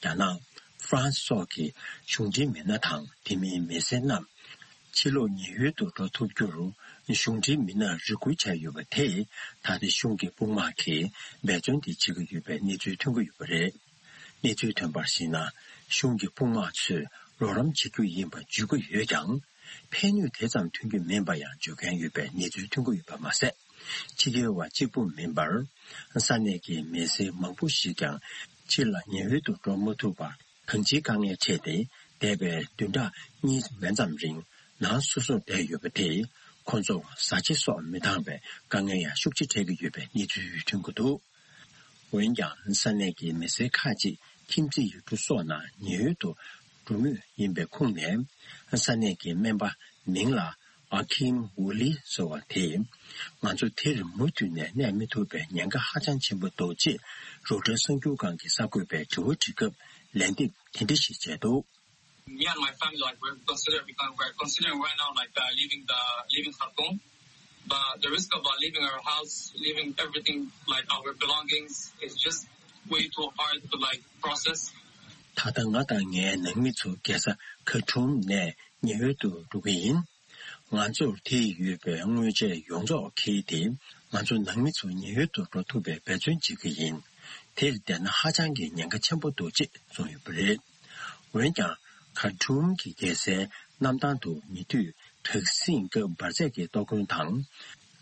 རྒྱ་ནག་ཧྥ་རན་སི་སོགས་ཀྱི་གཞུང་འབྲེལ་མི་སྣ་དང་དེ་མིན་མི་སེར་རྣམས། ཕྱིར་ལོག་ཉེན་གཡོལ་དུ་འགྲོ་ཐུབ་རྒྱུར། གཞུང་འབྲེལ་མི་སྣར་རེ་སྐུལ་བྱས་ཡོད་པ་དེས། ད་ལྟ་གཞུང་གི་དཔུང་དམག་གིས་འབད་བརྩོན་དེ་བྱེད་ཀྱི་ཡོད་པའི་གནས་ཚུལ་ཐོན་གྱི་ཡོད་པ་རེད། གནས་ཚུལ་ཐོན་པར་གཞིགས་ན། གཞུང་གི་དཔུང་དམག་ཚོས་རོགས་རམ་བྱེད་རྒྱུ་ཡིན་པ་བརྗོད་ཀྱི་ཡོད་ཀྱང་། ཕན་ནུས་དེ་ཙམ་ཐོན་རྒྱུ་མིན་པ་ཡང་བརྗོད་མཁན་ཡོད་པའི་གནས་ཚུལ་ཐོན་གྱི་ཡོད་པ་མ་ཟད། ཕྱི་རྒྱལ་བ་གཅིག་པུ་མིན་པར། ས་གནས་ཀྱི་མི་སེར་མང་པོ་ཞིག་ཀྱང་ཕྱི་ལ་ཉེན་གཡོལ་དུ་འགྲོ་མ་ཐུབ་པར། གང་ཅིའི་དཀའ་ངལ་འཕྲད་དེ། འདས་པའི་བདུན་ཕྲག་གཉིས་མན་ཙམ་རིང་ནང་སོ་སོར་བསྡད་ཡོད་པ་དེས། ཁོང་ཚོར་བཟའ་བཅའ་སོགས་མི་འདང་བའི་དཀའ་ངལ་ཡང་ཤུགས་ཆེ་འཕྲད་ཀྱི་ཡོད་པའི་གནས་ཚུལ་ཐོན་གྱི་འདུག་འོན་ཀྱང་། ས་གནས་ཀྱི་མི་སེར་ཁག་ཅིག་ཁྱིམ་མཚེས་ཡུལ་གྲུ་སོགས་ནང་ཉེན་གཡོལ་དུ་འགྲོ་མུས་ཡིན་པའི་ཁོངས་ནས། ས་གནས་ཀྱི་སྨན་པ་མིང་ལ་ཨ་ཁིམ་ཝུ་ལི་ཟེར་བ་དེས། ང་ཚོ་དེར་མུ་མཐུད་ནས་གནས་མི་ཐུབ་པའི་ཉེན་ཁ་ཧ་ཅང་ཆེན་པོ་འདུག་ཅེས་རོའི་ཊར་གསར་འགྱུར་ཁང་གི་གསར་འགོད་པའི་དྲི་བ་དྲིས་སྐབས་ལན་འདེབས་དེ་འདྲ་ཞིག་བྱས་འདུག Me and my family, like, we're considering, we're considering right now, like, uh, leaving the, leaving Khartoum. But the risk of, uh, leaving our house, leaving everything, like, our belongings, is just way too hard to, like, process. ད་ལྟ་ང་དང་ངའི་ནང་མི་ཚོ་རྒྱལ་ས་ཁ་ཐུམ་ནས་ཉེན་གཡོལ་དུ་འགྲོ་གི་ཡིན། ང་ཚོར་དེར་ཡོད་པའི་དངོས་ཆས་ཡོངས་རྫོགས་ཁྱེར་ཏེ། ང་ཚོ་ནང་མི་ཚོ་ཉེན་གཡོལ་དུ་འགྲོ་ཐུབ་པའི་འབད་བརྩོན་བྱེད་ཀྱི་ཡིན། དེར་བསྡད་ན་ཧ་ཅང་གི་ཉེན་ཁ་ཆེན་པོ་འདུག་ཅེས་གསུངས་ཡོད་པ་རེད། འོན་ཀྱང་། ཁར་ཊུམ་གྱི་རྒྱལ་སའི་གནམ་ཐང་དུ་ཉེ་དུས་དྲག་ཟིང་སྐབས་འབར་རྫས་ཀྱི་གཏོར་སྐོན་དང་།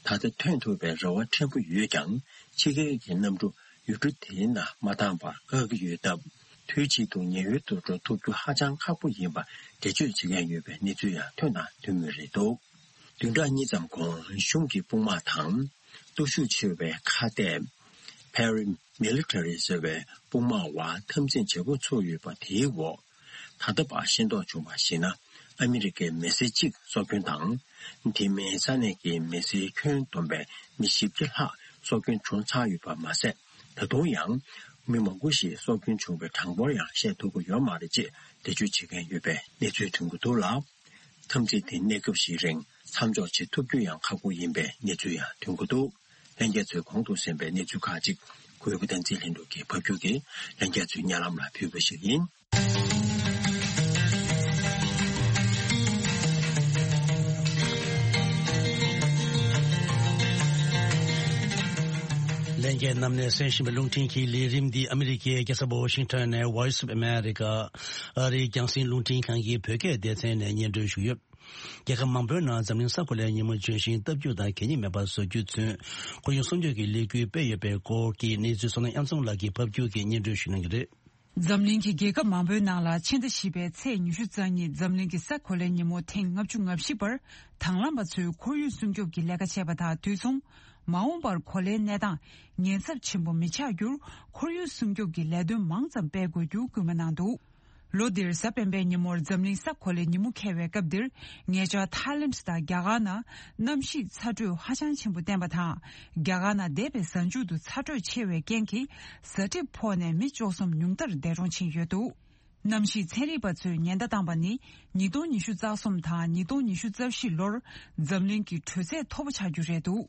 ད་ལྟ་ཐོན་ཐུབ་པའི་རེ་བ་ཕྲན་བུ་ཡོད་ཀྱང་། ཕྱི་རྒྱལ་གྱི་གནམ་གྲུ་ཡུལ་གྲུ་དེའི་ནང་མ་བཏང་བར་བཀག་གི་ཡོད་སྟབས། དུས་གཅིག་ཏུ་ཉེན་གཡོལ་དུ་འགྲོ་ཐུབ་རྒྱུ་ཧ་ཅང་ཁག་པོ་ཡིན་པ་འགྲེལ་བརྗོད་བྱེད་མཁན་ཡོད་པའི་གནས་ཚུལ་ཡང་ཐོན་དང་ཐོན་མུས་རེད་འདུག་བདུན་ཕྲག་གཉིས་ཙམ་གོང་གཞུང་གི་དཔུང་དམག་དང་སྟོབས་ཤུགས་ཆེ་བའི་ཁ་གཏད་Paramilitary ཟེར་བའི་དཔུང་དམག་དབར་འཐབ་འཛིང་བྱེད་འགོ་ཚུགས་ཡོད་པ་དེའི་འོག་ད་ལྟ་བར་ཤེས་རྟོགས་བྱུང་བར་གཞིགས་ན། ཨ་མི་རི་ཀའི་མི་སེར་གཅིག་སྲོག་སྐྱོན་དང་། དེ་མིན་ས་གནས་ཀྱི་མི་སེར་ཁྱོན་བསྡོམས་པའི་མི་བཞི་བརྒྱ་ལྷག་སྲོག་སྐྱོན་བྱུང་ཚར་ཡོད་པ་མ་ཟད། ད་དུང་ཡང་མི་མང་པོ་ཞིག་སྲོག་སྐྱོན་བྱུང་བའི་གྲངས་འབོར་ཡང་བཤད་ཐུབ་ཀྱི་ཡོད་མ་རེད་ཅེས་འགྲེལ་བརྗོད་བྱེད་མཁན་ཡོད་པའི་གནས་ཚུལ་ཐོན་གྱི་འདུག་ལ། འཐབ་འཛིང་དེ་གནས་སྐབས་ཤིག་རིང་མཚམས་འཇོག་བྱེད་ཐུབ་རྒྱུ་ཡང་ཁག་པོ་ཡིན་པའི་གནས་ཚུལ་ཡང་ཐོན་གྱི་འདུག་ལྷན་རྒྱས་ཚོས་གོང་དུ་གསན་པའི་གནས་ཚུལ་ཁག་ཅིག་གུས་པ་བསྟན་འཛིན་ལྷུན་གྲུབ་ཀྱིས་ཕབ་སྒྱུར་གྱིས་ལྷན་རྒྱས་ཚོའི་སྙན་ལམ་ལ་ཕུལ་བ་ཞིག་ཡིན། ལྷན་རྒྱས་རྣམས་ནས་གསན་བཞིན་པའི་རླུང་འཕྲིན་གྱི་ལས་རིམ་འདི་ཨ་མི་རི་ཀའི་རྒྱལ་ས་ཝ་ཤིང་ཊོན་ནས་Voice of America ཨ་རིའི་རྒྱང་སྲིང་རླུང་འཕྲིན་ཁང་གི་བོད་སྐད་སྡེ་ཚན་ནས་སྙན་སྒྲོན་ཞུས་ཡོད། རྒྱལ་ཁབ་མང་པོའི་ནང་འཛམ་གླིང་ས་གོ་ལའི་ཉིན་མོ་ལྗོན་ཤིང་བཏབ་རྒྱུ་དང་གད་སྙིགས་མེད་པར་བཟོ་རྒྱུ་ཚུན་ཁོར་ཡུག་སྲུང་སྐྱོབ་ཀྱི་ལས་འགུལ་སྤེལ་ཡོད་པའི་སྐོར་གྱི་གནས་ཚུལ་བསོད་ནམས་དབྱངས་འཛོམས་ལགས་ཀྱིས་ཕབ་སྒྱུར་གྱིས་སྙན་སྒྲོན་ཞུ་གནང་གི་རེད། འཛམ་གླིང་གི་རྒྱལ་ཁབ་མང་པོའི་ནང་ལ་ཕྱི་ཟླ་བཞི་པའི་ཚེས་ཉི་ཤུ་རྩ་གཉིས་འཛམ་གླིང་གི་ས་གོ་ལའི་ཉིན་མོ་ཐེངས་ལྔ་བཅུ་ང་བཞི་པར་དང་བླངས་པ་ཚོས་ཁོར་ཡུག་སྲུང་སྐྱོབ་ཀྱི་ལས་ཀ་བྱས་པ་དང་དུས་མཚུངས། མ་འོངས་པར་གོ་ལའི་གནས་སྟངས་ཉེན་ཚབས་ཆེན་པོ་མི་ཆགས་རྒྱུར་ཁོར་ཡུག་སྲུང་སྐྱོབ་ཀྱི་ལས་དོན་མང་ཙམ་སྤེལ་དགོས་རྒྱུ་སྐུལ་མ་གནང་འདུག་ལོ་འདིར་གཟའ་སྤེན་པའི་ཉིན་མོར་འཛམ་གླིང་ས་གོ་ལའི་ཉིན་མོ་འཁེལ་བའི་སྐབས་འདིར། ཉེ་ཆར་ཐའི་ལེནྜ་དང་རྒྱ་གར་ནང་གནམ་གཤིས་ཚ་དྲོད་ཧ་ཅང་ཆེན་པོ་བསྟན་པ་དང་། རྒྱ་གར་ནང་འདས་པའི་གཟའ་མཇུག་ཏུ་ཚ་དྲོད་ཆེ་བའི་རྐྱེན་གྱིས་གཟའ་གྲིབ་ཕོག་ནས་མི་བཅུ་གསུམ་ཉུང་མཐར་འདས་གྲོངས་ཕྱིན་ཡོད་འདུག་གནམ་གཤིས་ཚན་རིག་པ་ཚོས་ཉེན་བརྡ་བཏང་པ་ནི། ཉིས་སྟོང་ཉི་ཤུ་རྩ་གསུམ་དང་ཉིས་སྟོང་ཉི་ཤུ་རྩ་བཞི་ལོར་འཛམ་གླིང་གི་དྲོད་ཚད་མཐོ་པོ་ཆགས་རྒྱུ་རེད་འདུག་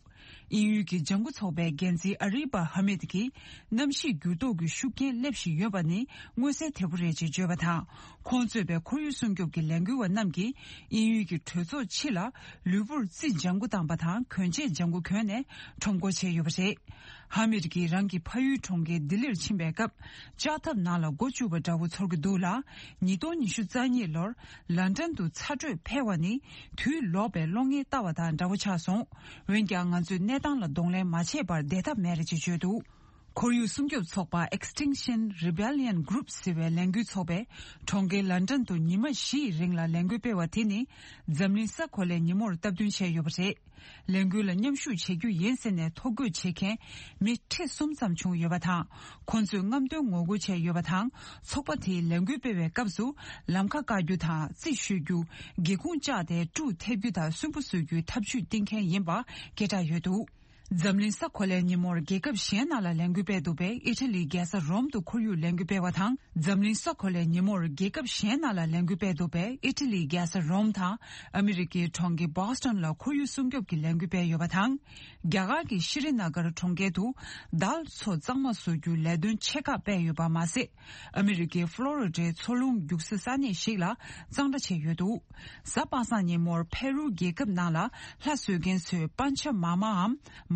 དབྱིན་ཡུལ་གྱི་ལྗང་གུ་ཚོགས་པའི་འགན་འཛིན་ཨ་རི་པ་ཧ་མིད་ཀྱིས། གནམ་གཤིས་འགྱུར་ལྡོག་གི་ཤུགས་རྐྱེན་སླེབས་བཞིན་ཡོད་པ་ནི་མངོན་གསལ་དོད་པོ་རེད་ཅེས་བརྗོད་པ་དང་། ཁོང་གཙོས་པའི་ཁོར་ཡུག་སྲུང་སྐྱོབ་ཀྱི་ལས་འགུལ་བ་རྣམས་ཀྱིས། དབྱིན་ཡུལ་གྱི་གྲོས་ཚོགས་ཕྱི་ལ་ལུས་པོར་རྩི་ལྗང་གུ་བཏང་པ་དང་གོན་ཆས་ལྗང་གུ་གོན་ནས་ཁྲོམ་སྐོར་བྱས་ཡོད་པ་རེད། ཧ་མིད་ཀྱིས་རང་གི་ཕ་ཡུལ་གྲོང་ཁྱེར་ལྡི་ལིར་ཕྱིན་པའི་སྐབས། ལྕགས་ཐབ་ནང་ལ་མགོ་བཅུག་པ་འདྲ་བོ་ཚོར་གྱི་འདུག་ལ། ཉིས་སྟོང་ཉི་ཤུ་རྩ་གཉིས་ལོར་ལན་ཀྲན་དུ་ཚ་དྲོད་འཕེལ་བ་ནི་དུས་ལོག་པའི་གློག་བརྙན་ལྟ་བ་དང་འདྲ་བོ་ཆགས་སོང་། འོན་ཀྱང་ང་ཚོས་གནས་སྟངས་ལ་གདོང་ལེན་མ་བྱས་པར་བསྡད་ཐབས་མེད་རེད་ཅེས་བརྗོད་འདུག་ཁོར་ཡུག་སྲུང་སྐྱོབ་ཚོགས་པ་Extinction Rebellion Group ཟེར་བའི་ལས་འགུལ་ཚོགས་པས་གྲོང་ཁྱེར་ལན་ཀྲན་དུ་ཉི་མ་བཞིའི་རིང་ལ་ལས་འགུལ་སྤེལ་བ་དེ་ནི་འཛམ་གླིང་ས་གོ་ལའི་ཉིན་མོར་སྟབས་བསྟུན་བྱས་ཡོད་པ་རེད། ལས་འགུལ་ལ་མཉམ་ཞུགས་བྱེད་རྒྱུ་ཡིན་ཟེར་ནས་ཐོ་འགོད་བྱེད་མཁན་མི་ཁྲི་གསུམ་ཙམ་བྱུང་ཡོད་པ་དང་། ཁོང་ཚོས་རྔམ་སྟོན་ངོ་རྒོལ་བྱས་ཡོད་པ་དང་། ཚོགས་པ་དེའི་ལས་འགུལ་སྤེལ་བའི་སྐབས་སུ་ལམ་ཁ་བཀག་རྒྱུ་དང་རྩིས་ཞུ་རྒྱུ། སྒེའུ་ཁུང་བཅག་སྟེ་ཀྲུ་འཐེབ་རྒྱུ་དང་སུན་པོ་བཟོ་རྒྱུའི་ཐབས་ཇུས་བཏིང་མཁན་ཡིན་པ་སྐད་གྲགས་ཡོད་འདུག་འཛམ་གླིང་ས་གོ་ལའི་ཉིན་མོར་རྒྱལ་ཁབ་གཞན་ནང་ལ་ལས་འགུལ་སྤེལ་འདུག་པས། ཨི་ཊ་ལིའི་རྒྱལ་ས་རོམ་དུ་ཁོར་ཡུག་ལས་འགུལ་སྤེལ་བ་དང་། འཛམ་གླིང་ས་གོ་ལའི་ཉིན་མོར་རྒྱལ་ཁབ་གཞན་ནང་ལ་ལས་འགུལ་སྤེལ་འདུག་པས། ཨི་ཊ་ལིའི་རྒྱལ་ས་རོམ་དང་ཨ་མི་རི་ཀའི་གྲོང་ཁྱེར་བྷོ་སི་ཊོན་ལ་ཁོར་ཡུག་སྲུང་སྐྱོབ་ཀྱི་ལས་འགུལ་སྤེལ་ཡོད་པ་དང་། རྒྱ་གར་གྱི་ཤྲི་ནཱ་གར་གྲོང་ཁྱེར་དུ་དཱལ་མཚོ་གཙང་མ་བཟོ་རྒྱུའི་ལས་དོན་ཆེ་ཁག་སྤེལ་ཡོད་པ་མ་ཟད། ཨ་མི་རི་ཀའི་ཕློ་རི་ཌའི་མཚོ་རླུང་རྒྱུག་ས་ས་གནས་ཤིག་ལ་གཙང་སྦྲ་བྱས་ཡོད་འདུག་གཟའ་པ་སངས་ཉིན་མོར་ཕེ་རུ་རྒྱལ་ཁབ་ནང་ལ་ལྷ་གསོལ་མཁན་ཚོས་པཱན་ཆ་མཱ་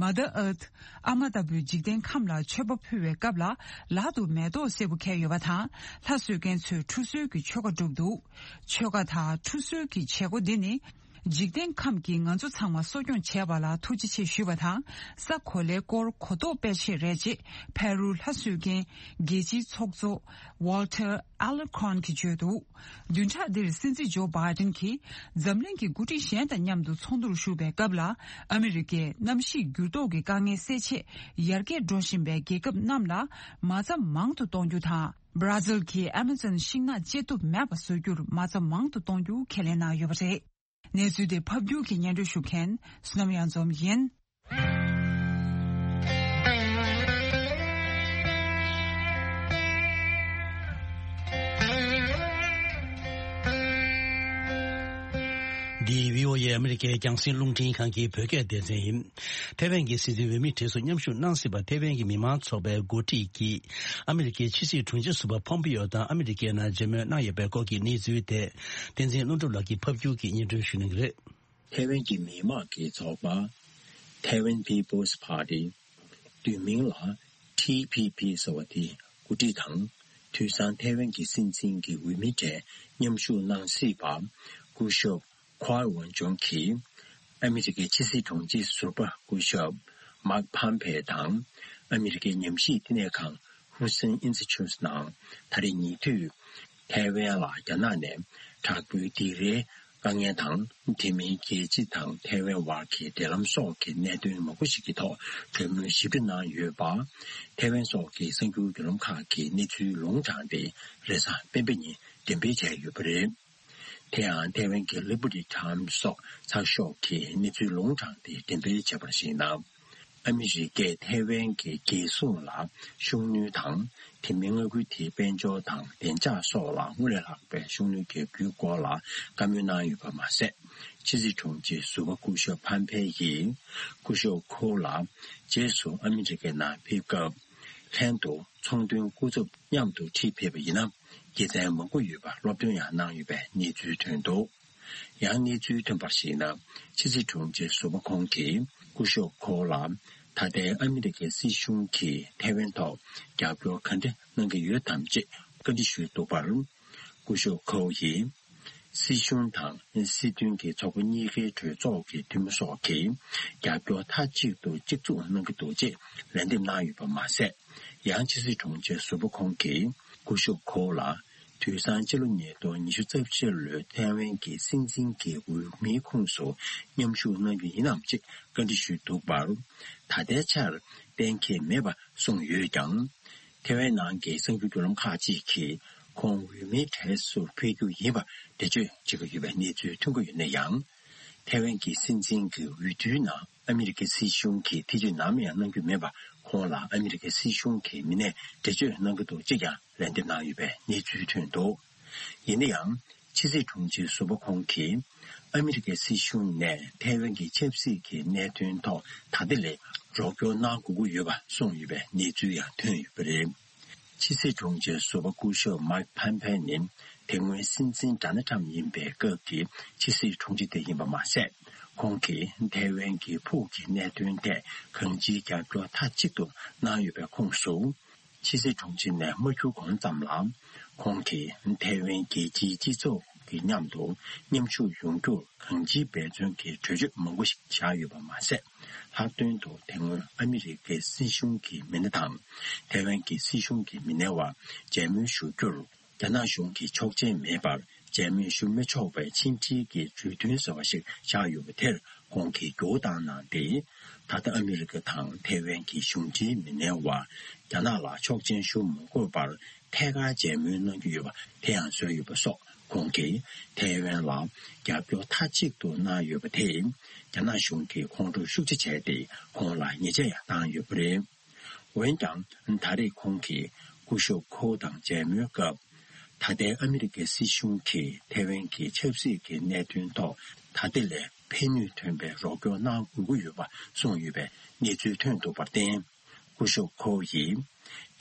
མའམ་Mother Earth ཨ་མ་ལྟ་བུའི་འཇིག་རྟེན་ཁམས་ལ་མཆོད་པ་ཕུལ་བའི་སྐབས་ལ། ལག་ཏུ་མེ་ཏོག་སེར་པོ་འཁྱེར་ཡོད་པ་དང་། ལྷ་གསོལ་མཁན་ཚོས་ཁྲུས་གསོལ་གྱི་ཆོ་ག་བསྒྲུབས་འདུག་ཆོ་ག་དང་ཁྲུས་གསོལ་གྱི་བྱེད་སྒོ་འདི་ནི། འཇིག་རྟེན་ཁམས་ཀྱིས་ང་ཚོ་ཚང་མ་གསོ་སྐྱོང་བྱས་པ་ལ་ཐུགས་རྗེ་ཆེ་ཞུས་པ་དང་། ས་གོ་ལའི་སྐོར་གོ་རྟོགས་སྤེལ་ཆེད་རེད་ཅེས་ཕེ་རུའི་ལྷ་གསོལ་མཁན་རྒྱལ་སྤྱིའི་ཚོགས་གཙོ་Walter Alarcón གིས་བརྗོད་འདུག་བདུན་ཕྲག་འདིར་སྲིད་འཛིན་ཇོ་བྷའི་ཌེན་གྱིས་འཛམ་གླིང་གི་འགོ་ཁྲིད་གཞན་དང་མཉམ་དུ་ཚོགས་འདུར་ཞུགས་པའི་སྐབས་ལ། ཨ་མི་རི་ཀས་གནམ་གཤིས་འགྱུར་ལྡོག་གི་དཀའ་ངལ་སེལ་ཆེད་ཡར་རྒྱས་འགྲོ་བཞིན་པའི་རྒྱལ་ཁབ་རྣམས་ལ་མ་རྩ་མང་དུ་གཏོང་རྒྱུ་དང་། སྦྲ་ཛིལ་གྱིས་ཨ་མ་ཛོན་ཤིང་ནགས་བཅད་གཏུབ་མེད་པ་བཟོ་རྒྱུར་མ་རྩ་མང་དུ་གཏོང་རྒྱུ་ཁས་ལེན་གནང་ཡོད་པ་རེད། གནས་ཚུལ་དེ་ཕབ་སྒྱུར་གྱིས་སྙན་སྒྲོན་ཞུ་མཁན་བསོད་ནམས་གཡང་འཛོམས་ཡིན། འདི་བྷི་ཨོ་ཨེ་ཨ་མི་རི་ཀའི་རྒྱང་སྲིང་རླུང་འཕྲིན་ཁང་གི་བོད་སྐད་སྡེ་ཚན་ཡིན། ཐའེ་ཝན་གྱི་སྲིད་འཛིན་འོས་མི་གྲས་སུ་མཉམ་ཞུགས་གནང་སྲིད་པ་ཐའེ་ཝན་གྱི་མི་མང་ཚོགས་པའི་འགོ་ཁྲིད་ཀྱིས། ཨ་མི་རི་ཀའི་ཕྱི་སྲིད་དྲུང་ཆེ་ཟུར་པ་ཕོམ་པེ་ཡོ་དང་ཨ་མི་རི་ཀའི་ནང་མཇལ་མོལ་གནང་ཡོད་པའི་སྐོར་གྱི་གནས་ཚུལ་དེ། བསྟན་འཛིན་ལྷུན་གྲུབ་ལགས་ཀྱིས་ཕབ་སྒྱུར་གྱིས་སྙན་སྒྲོན་ཞུ་གནང་གི་རེད། ཐའེ་ཝན་གྱི་མི་དམངས་ཀྱི་ཚོགས་པ། Taiwan People's Party། བསྡུས་མིང་ལ་ཊི་པི་པི་ཟེར་བ་དེའི་འགོ་ཁྲིད་དང་། དུས་སང་ཐའེ་ཝན་གྱི་སྲིད་འཛིན་གྱི་འོས་མི་གྲས་མཉམ་ཞུགས་གནང་སྲིད་པ། སྐུ་ཞབས་ཁོའེ་ཝུན་ཅུང་གིས། ཨ་མི་རི་ཀའི་ཕྱི་སྲིད་དྲུང་ཆེ་ཟུར་པ་སྐུ་ཞབས་མཱག་ཕམ་ཕེ་དང་། ཨ་མི་རི་ཀའི་ཉམས་ཞིབ་བསྟི་གནས་ཁང་། Hudson Institute ནང་ད་རེས་ཉེ་དུས་ཐའེ་ཝན་ལ་རྒྱ་ནག་ནས་དྲག་པོའི་སྡིགས་རའི་དཀའ་ངལ་དང་། དེ་མིན་རྒྱལ་སྤྱི་དང་ཐའེ་ཝན་བར་གྱི་འབྲེལ་ལམ་སོགས་ཀྱི་གནད་དོན་མང་པོ་ཞིག་གི་ཐོག་གྲོས་མོལ་ཞིབ་ཕྲ་གནང་ཡོད་པ། ཐའེ་ཝན་སོགས་ཀྱི་གསར་འགྱུར་བརྒྱུད་ལམ་ཁག་གིས་གནས་ཚུལ་ལུང་དྲངས་ཏེ། རེས་གཟའ་སྤེན་པ་ཉིན་འགྲེམས་སྤེལ་བྱས་ཡོད་པ་རེད། དེ་ཡང་ཐའེ་ཝན་གྱི་Liberty Times སོགས་ཚགས་ཤོག་གིས་གནས་ཚུལ་ལུང་དྲངས་ཏེ་འགྲེམས་སྤེལ་བྱས་པར་གཞིགས་ན། ཨ་མི་རི་ཀས་ཐའེ་ཝན་གྱི་རྒྱལ་སྲུང་ལ་ཤུགས་སྣོན་དང་། དེ་མིན་མངའ་ཁུལ་དེའི་དཔལ་འབྱོར་དང་བདེ་འཇགས་སོགས་ལ་སྔར་ལས་ལྷག་པའི་ཤུགས་སྣོན་བརྒྱབ་རྒྱུའི་སྐོར་ལ་བཀའ་མོལ་གནང་ཡོད་པ་མ་ཟད། ཕྱི་སྲིད་དྲུང་ཆེ་ཟུར་པ་སྐུ་ཞབས་ཕམ་ཕེ་ཡིས་སྐུ་ཞབས་ཁོ་ལ་རྗེས་སུ་ཨ་མི་རི་ཀའི་ནང་ཕེབས་སྐབས། ལྷན་དུ་ཚོང་དོན་སྐུ་ཚབ་མཉམ་དུ་ཁྲིད་ཕེབས་པ་ཡིན་ན། དགེ་མཚན་མང་པོ་ཡོད་པ་སློབ་སྟོན་ཡང་གནང་ཡོད་པའི་གནས་ཚུལ་ཐོན་འདུག་ཡང་གནས་ཚུལ་ཐོན་པར་གཞིགས་ན། ཕྱི་སྲིད་དྲུང་ཆེ་ཟུར་པ་ཁོང་གིས་སྐུ་ཞབས་ཁོ་ལ་ད་ལྟའི་ཨ་མི་རི་ཀའི་སྲིད་གཞུང་གིས་ཐའེ་ཝན་ཐོག་རྒྱབ་སྐྱོར་ག་འདྲ་གནང་གི་ཡོད་དམ་ཅེས་བཀའ་འདྲི་ཞུས་འདུག་པར། སྐུ་ཞབས་ཁོ་ཡིས། སྲིད་གཞུང་དང་སྲིད་དོན་གྱི་ཚོགས་པ་གཉིས་ཀའི་གྲོས་ཚོགས་ཀྱི་འཐུས་མི་སོགས་ཀྱིས་རྒྱབ་སྐྱོར་མཐའ་གཅིག་ཏུ་གཅིག་མཚུངས་གནང་གི་འདུག་ཅེས་ལན་འདེབས་གནང་ཡོད་པ་མ་ཟད། ཡང་ཕྱི་སྲིད་དྲུང་ཆེ་ཟུར་པ་ཁོང་གིས་སྐུ་ཞབས་ཁོ་ལ་དུས་སང་སྤྱི་ལོ་ཉིས་སྟོང་ཉི་ཤུ་རྩ་བཞི་ལོའི་ཐའེ་ཝན་གྱི་སྲིད་འཛིན་གྱི་འོས་མིའི་ཁོངས་སུ་མཉམ་ཞུགས་གནང་རྒྱུ་ཡིན་ནམ་ཅེས་བཀའ་འདྲི་ཞུས་འདུག་པར། ད་ལྟའི་ཆར་གཏན་འཁེལ་མེད་པ་གསུངས་ཡོད་ཀྱང་། ཐའེ་ཝན་ནང་གི་གསར་འགྱུར་བརྒྱུད་ལམ་ཁག་ཅིག་གིས་ཁོང་འོས་མིའི་གྲས་སུ་ཕེབས་རྒྱུ་ཡིན་པ་འགྲེལ་བརྗོད་བྱེད་ཀྱི་ཡོད་པའི་གནས་ཚུལ་ཐོན་གྱི་ཡོད་ན་ཡང་། ཐའེ་ཝན་གྱི་སྲིད་འཛིན་གྱི་འོས་བསྡུའི་ནང་ཨ་མི་རི་ཀའི་སྲིད་གཞུང་གིས་ཐེ་བྱུས་ནམ་ཡང་གནང་རྒྱུ་མེད་པ། ཁོང་ལ་ཨ་མི་རི་ཀའི་སྲིད་གཞུང་གི་མི་སྣས་འགྲེལ་བརྗོད་གནང་གི་འདུག་ཅེས་ཀྱང་ལན་འདེབས་གནང་ཡོད་པའི་གནས་ཚུལ་ཐོན་འདུག་ཡིན་ན་ཡང་། ཕྱི་སྲིད་དྲུང་ཆེ་ཟུར་པ་ཁོང་གིས་ཨ་མི་རི་ཀའི་སྲིད་གཞུང་ནས་ཐའེ་ཝན་གྱི་ཆབ་སྲིད་ཀྱི་གནད་དོན་ཐོག་ད་ལྟ་ལས་རོགས་སྐྱོར་གནང་དགོས་ཀྱི་ཡོད་པ་གསུངས་ཡོད་པའི་གནས་ཚུལ་ཡང་ཐོན་ཡོད་པ་རེད། ཕྱི་སྲིད་དྲུང་ཆེ་ཟུར་པ་སྐུ་ཞབས་མཱིག་ཕམ་ཕེ་ནི་དེ་སྔོན་སྲིད་འཛིན་ཌོ་ནལ་ཁྲམ་ཡིན་པའི་སྐབས་ཀྱི་ཕྱི་སྲིད་དྲུང་ཆེ་དེ་ཡིན་པ་མ་ཟད། ཁོང་གིས་ཐའེ་ཝན་གྱི་ཕུགས་ཀྱི་གནད་དོན་ཐད་གང་ཅིའི་རྒྱབ་སྐྱོར་མཐའ་གཅིག་ཏུ་གནང་ཡོད་པའི་ཁོངས་སུ། ཕྱི་སྲིད་དྲུང་ཆེ་ནས་མ་འཁྱུར་གོང་ཙམ་ལ། ཁོང་གིས་ཐའེ་ཝན་རྒྱལ་སྤྱིའི་སྤྱི་ཚོགས་ཀྱི་མཉམ་དུ་མཉམ་ཞུགས་ཡོང་རྒྱུར་གང་ཅིའི་འབད་བརྩོན་གྱི་གྲོས་ཆོད་མང་པོ་ཞིག་བཞག་ཡོད་པ་མ་ཟད། ལྷག་དོན་དུ་དེ་སྔོན་ཨ་མི་རི་ཀའི་སྲིད་གཞུང་གི་མི་སྣ་དང་། ཐའེ་ཝན་གྱི་སྲིད་གཞུང་གི་མི་སྣའི་བར་མཇལ་མོལ་ཞུ་རྒྱུར། རྒྱ་ནག་གཞུང་གིས་ཆོག་མཆན་མེད་པར་མཇལ་མོལ་ཞུ་མི་ཆོག་པའི་ཆིངས་འགྲིག་གི་གྲོས་མཐུན་ཟེར་བ་ཞིག་བཞག་ཡོད་པ་དེར་ཁོང་གིས་འགྱུར་བ་བཏང་གནང་སྟེ། ད་ལྟ་ཨ་མི་རི་ཀ་དང་ཐའེ་ཝན་གྱི་གཞུང་འབྲེལ་མི་སྣའི་བར་རྒྱ་ནག་ལ་ཆོག་མཆན་ཞུ་མ་དགོས་པར་ཐད་ཀར་མཇལ་མོལ་གནང་རྒྱུ་ཡོད་པ་དེ་ཡང་བཟོས་ཡོད་པ་སོགས། ཁོང་གིས་ཐའེ་ཝན་ལ་རྒྱབ་སྐྱོར་མཐའ་གཅིག་ཏུ་གནང་ཡོད་པ་དེས་རྒྱ་ནག་གཞུང་གིས་ཁོང་ཁྲོ་ཤུགས་ཆེ་བྱས་ཏེ་ཁོང་ལ་ཉེས་ཆད་ཡང་བཏང་ཡོད་པ་རེད། འོན་ཀྱང་། ད་རེས་ཁོང་གིས་སྐུ་ཞབས་ཁོ་དང་མཇལ་མོལ་སྐབས། ད་ལྟའི་ཨ་མི་རི་ཀའི་སྲིད་གཞུང་གིས་ཐའེ་ཝན་གྱི་ཆབ་སྲིད་ཀྱི་གནད་དོན་ཐོག་ད་ལྟ་ལས་ཕན་ནུས་ཐོན་པའི་རོགས་སྐྱོར་གནང་དགོས་ཀྱི་ཡོད་པ་གསུངས་ཡོད་པའི་གནས་ཚུལ་ཐོན་འདུག་པར་བརྟེན། སྐུ་ཞབས་ཁོ་ཡིས།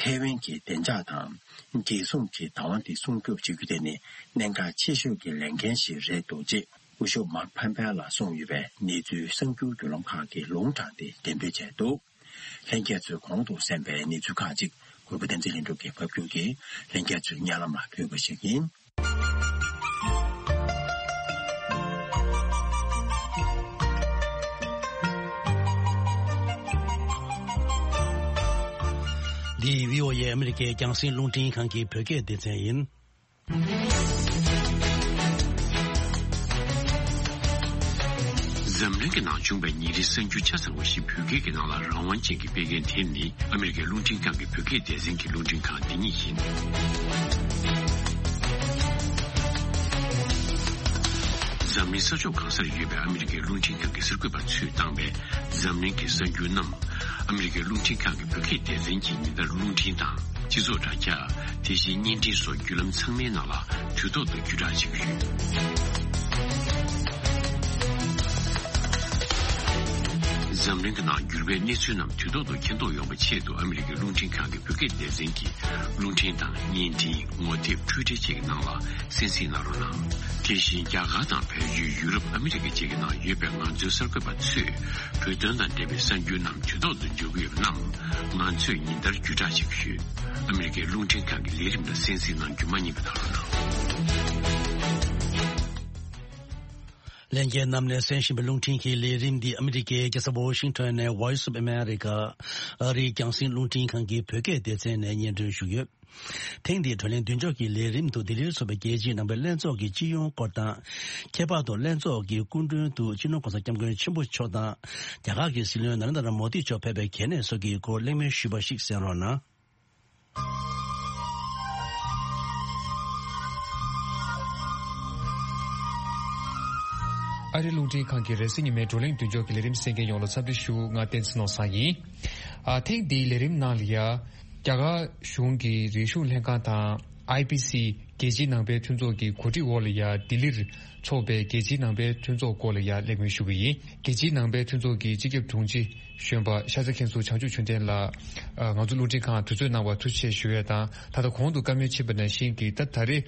ཐའེ་ཝན་གྱི་བདེ་འཇགས་དང་། རྒྱལ་སྲུང་གི་བདག་དབང་དེ་སྲུང་སྐྱོབ་བྱེད་རྒྱུ་དེ་ནི་གནད་འགག་ཆེ་ཤོས་ཀྱི་ལས་འགན་ཞིག་རེད་འདུག་ཅེས་སྐུ་ཞབས་མཱིག་ཕམ་ཕེ་ལ་གསུངས་ཡོད་པའི་གནས་ཚུལ་གསར་འགྱུར་བརྒྱུད་ལམ་ཁག་གིས་ལུང་དྲངས་ཏེ་འགྲེམས་སྤེལ་བྱས་འདུག་ལྷན་རྒྱས་ཚོས་གོང་དུ་གསན་པའི་གནས་ཚུལ་ཁག་ཅིག་གུས་པ་བསྟན་འཛིན་ལྷུན་གྲུབ་ཀྱིས་ཕབ་སྒྱུར་གྱིས་ལྷན་རྒྱས་ཚོའི་སྙན་ལམ་ལ་ཕུལ་བ་ཞིག་ཡིན། འདི་བྷི་ཨོ་ཨེ་ཨ་མི་རི་ཀའི་རྒྱང་སྲིང་རླུང་འཕྲིན་ཁང་གི་བོད་སྐད་སྡེ་ཚན་ཡིན། འཛམ་གླིང་གི་ནང་བྱུང་བའི་ཉིན་རེའི་གསར་འགྱུར་ཆ་ཚང་བ་ཞིག་བོད་སྐད་ཀྱི་ནང་ལ་རང་དབང་ཅན་གྱིས་སྤེལ་མཁན་དེ་ནི་ཨ་མི་རི་ཀའི་རླུང་འཕྲིན་ཁང་གི་བོད་སྐད་སྡེ་ཚན་གྱི་རླུང་འཕྲིན་ཁང་འདི་ཉིད་ཡིན། འཛམ་གླིང་ས་ཕྱོགས་གང་སར་ཡོད་པའི་ཨ་མི་རི་ཀའི་རླུང་འཕྲིན་ཁང་གི་གསར་འགོད་པ་ཚོས་བཏང་བའི་འཛམ་གླིང་གི་གསར་འགྱུར་རྣམས། ཨ་མི་རི་ཀའི་རླུང་འཕྲིན་ཁང་གི་བོད་སྐད་སྡེ་ཚན་གྱིས་ཉིན་ལྟར་རླུང་འཕྲིན་དང་། སྤྱི་ཚོགས་དྲ་རྒྱ། དེ་བཞིན་བརྙན་འཕྲིན་སོགས་བརྒྱུད་ལམ་ཚང་མའི་ནང་ལ་དུས་ཐོག་ཏུ་བརྒྱུད་བསྒྲགས་བྱེད་ཀྱི་ཡོད། འཛམ་གླིང་གི་ནང་འགྱུར་བའི་གནས་ཚུལ་རྣམས་དུས་ཐོག་ཏུ་མཁྱེན་རྟོགས་ཡོང་བའི་ཆེད་དུ་ཨ་མི་རི་ཀའི་རླུང་འཕྲིན་ཁང་གི་བོད་སྐད་སྡེ་ཚན་གྱིས་རླུང་འཕྲིན་དང་བརྙན་འཕྲིན། ངོ་དེབ། འཕྲུལ་འཕྲིན་བཅས་ཀྱི་ནང་ལ་གསན་གཟིགས་གནང་རོགས་གནང་། དེ་བཞིན་རྒྱ་གར་དང་བལ་ཡུལ། ཡུ་རོབ། ཨ་མི་རི་ཀ་བཅས་ཀྱི་ནང་ཡོད་པའི་ང་ཚོའི་གསར་འགོད་པ་ཚོས་བོད་དོན་དང་འབྲེལ་བའི་གསར་འགྱུར་རྣམས་དུས་ཐོག་ཏུ་འབྱོར་གྱི་ཡོད་པ་རྣམས་ང་ཚོས་ཉིན་ལྟར་བརྒྱུད་བསྒྲགས་བྱེད་ཀྱི་ཡོད། ཨ་མི་རི་ཀའི་རླུང་འཕྲིན་ཁང་གི་ལས་རིམ་ལ་གསན་གཟིགས་གནང་རྒྱུ་མ་བསྙེལ་བ་གནང་རོགས་གནང་། ལྷན་རྒྱས་རྣམས་ནས་གསན་བཞིན་པའི་རླུང་འཕྲིན་གྱི་ལས་རིམ་འདི་ཨ་མི་རི་ཀའི་རྒྱལ་ས་ཝོ་ཤིང་ཊོན་ནས་Voice of America ཨ་རིའི་རྒྱང་སྲིང་རླུང་འཕྲིན་ཁང་གི་བོད་སྐད་སྡེ་ཚན་ནས་སྙན་སྒྲོན་ཞུས་ཡོད། ཐེངས་འདིའི་བགྲོ་གླེང་མདུན་ཅོག་གི་ལས་རིམ་དུ་ལྡི་ལིར་འཚོགས་པའི་རྒྱལ་སྤྱིའི་ནང་པའི་ལྷན་ཚོགས་ཀྱི་སྤྱི་ཡོངས་སྐོར་དང་། ཁྱད་པར་དུ་ལྷན་ཚོགས་ཀྱི་སྐུ་མགྲོན་དུ་སྤྱི་ནོར་༸གོང་ས་༸སྐྱབས་མགོན་ཆེན་པོ་མཆོག་དང་། རྒྱ་གར་གྱི་སྲིད་བློན་ན་རེན་དྲ་མོ་དི་མཆོག་ཕེབས་པའི་གལ་གནད་སོགས་ཀྱི་སྐོར་གླེང་མོལ་ཞུས་པ་ཞིག་གསན་རོགས་གནང་། ཨ་རི་རླུང་འཕྲིན་ཁང་གི་རེས་གཟའ་ཉི་མའི་བགྲོ་གླེང་མདུན་ཅོག་གི་ལས་རིམ་གསན་མཁན་ཡོངས་ལ་འཚམས་འདྲི་ཞུ། ང་བསྟན་འཛིན་ནོར་བཟང་ཡིན། ཨ། ཐེངས་འདིའི་ལས་རིམ་ནང་ལ་ཡ། རྒྱ་གར་གཞུང་གི་རིག་གཞུང་ལྷན་ཁང་དང་། ཨའི་པི་སི། རྒྱལ་སྤྱིའི་ནང་པའི་མཐུན་ཚོགས་ཀྱི་གོ་སྒྲིག་འོག་ལ་ཡ་ལྡི་ལིར་འཚོགས་པའི་རྒྱལ་སྤྱིའི་ནང་པའི་མཐུན་ཚོགས་སྐོར་ལ་ཡ་གླེང་མོལ་ཞུ་གི་ཡིན། རྒྱལ་སྤྱིའི་ནང་པའི་མཐུན་ཚོགས་ཀྱི་སྤྱི་ཁྱབ་དྲུང་ཆེ་གཞོན་པ་ཤ་ཚ་མཁན་ཟུར་བྱང་ཆུབ་ཆོས་ལྡན་ལགས། ཨ། ང་ཚོ་རླུང་འཕྲིན་ཁང་དུས་ཚོད་གནང་བར་ཐུགས་རྗེ་ཆེ་ཞུ་ཡས་དང་། ད་ལྟ་གོང་དུ་བཀའ་མོལ་ཕྱིན་པ་ནང་བཞིན་གྱི་ད་ད་རེས་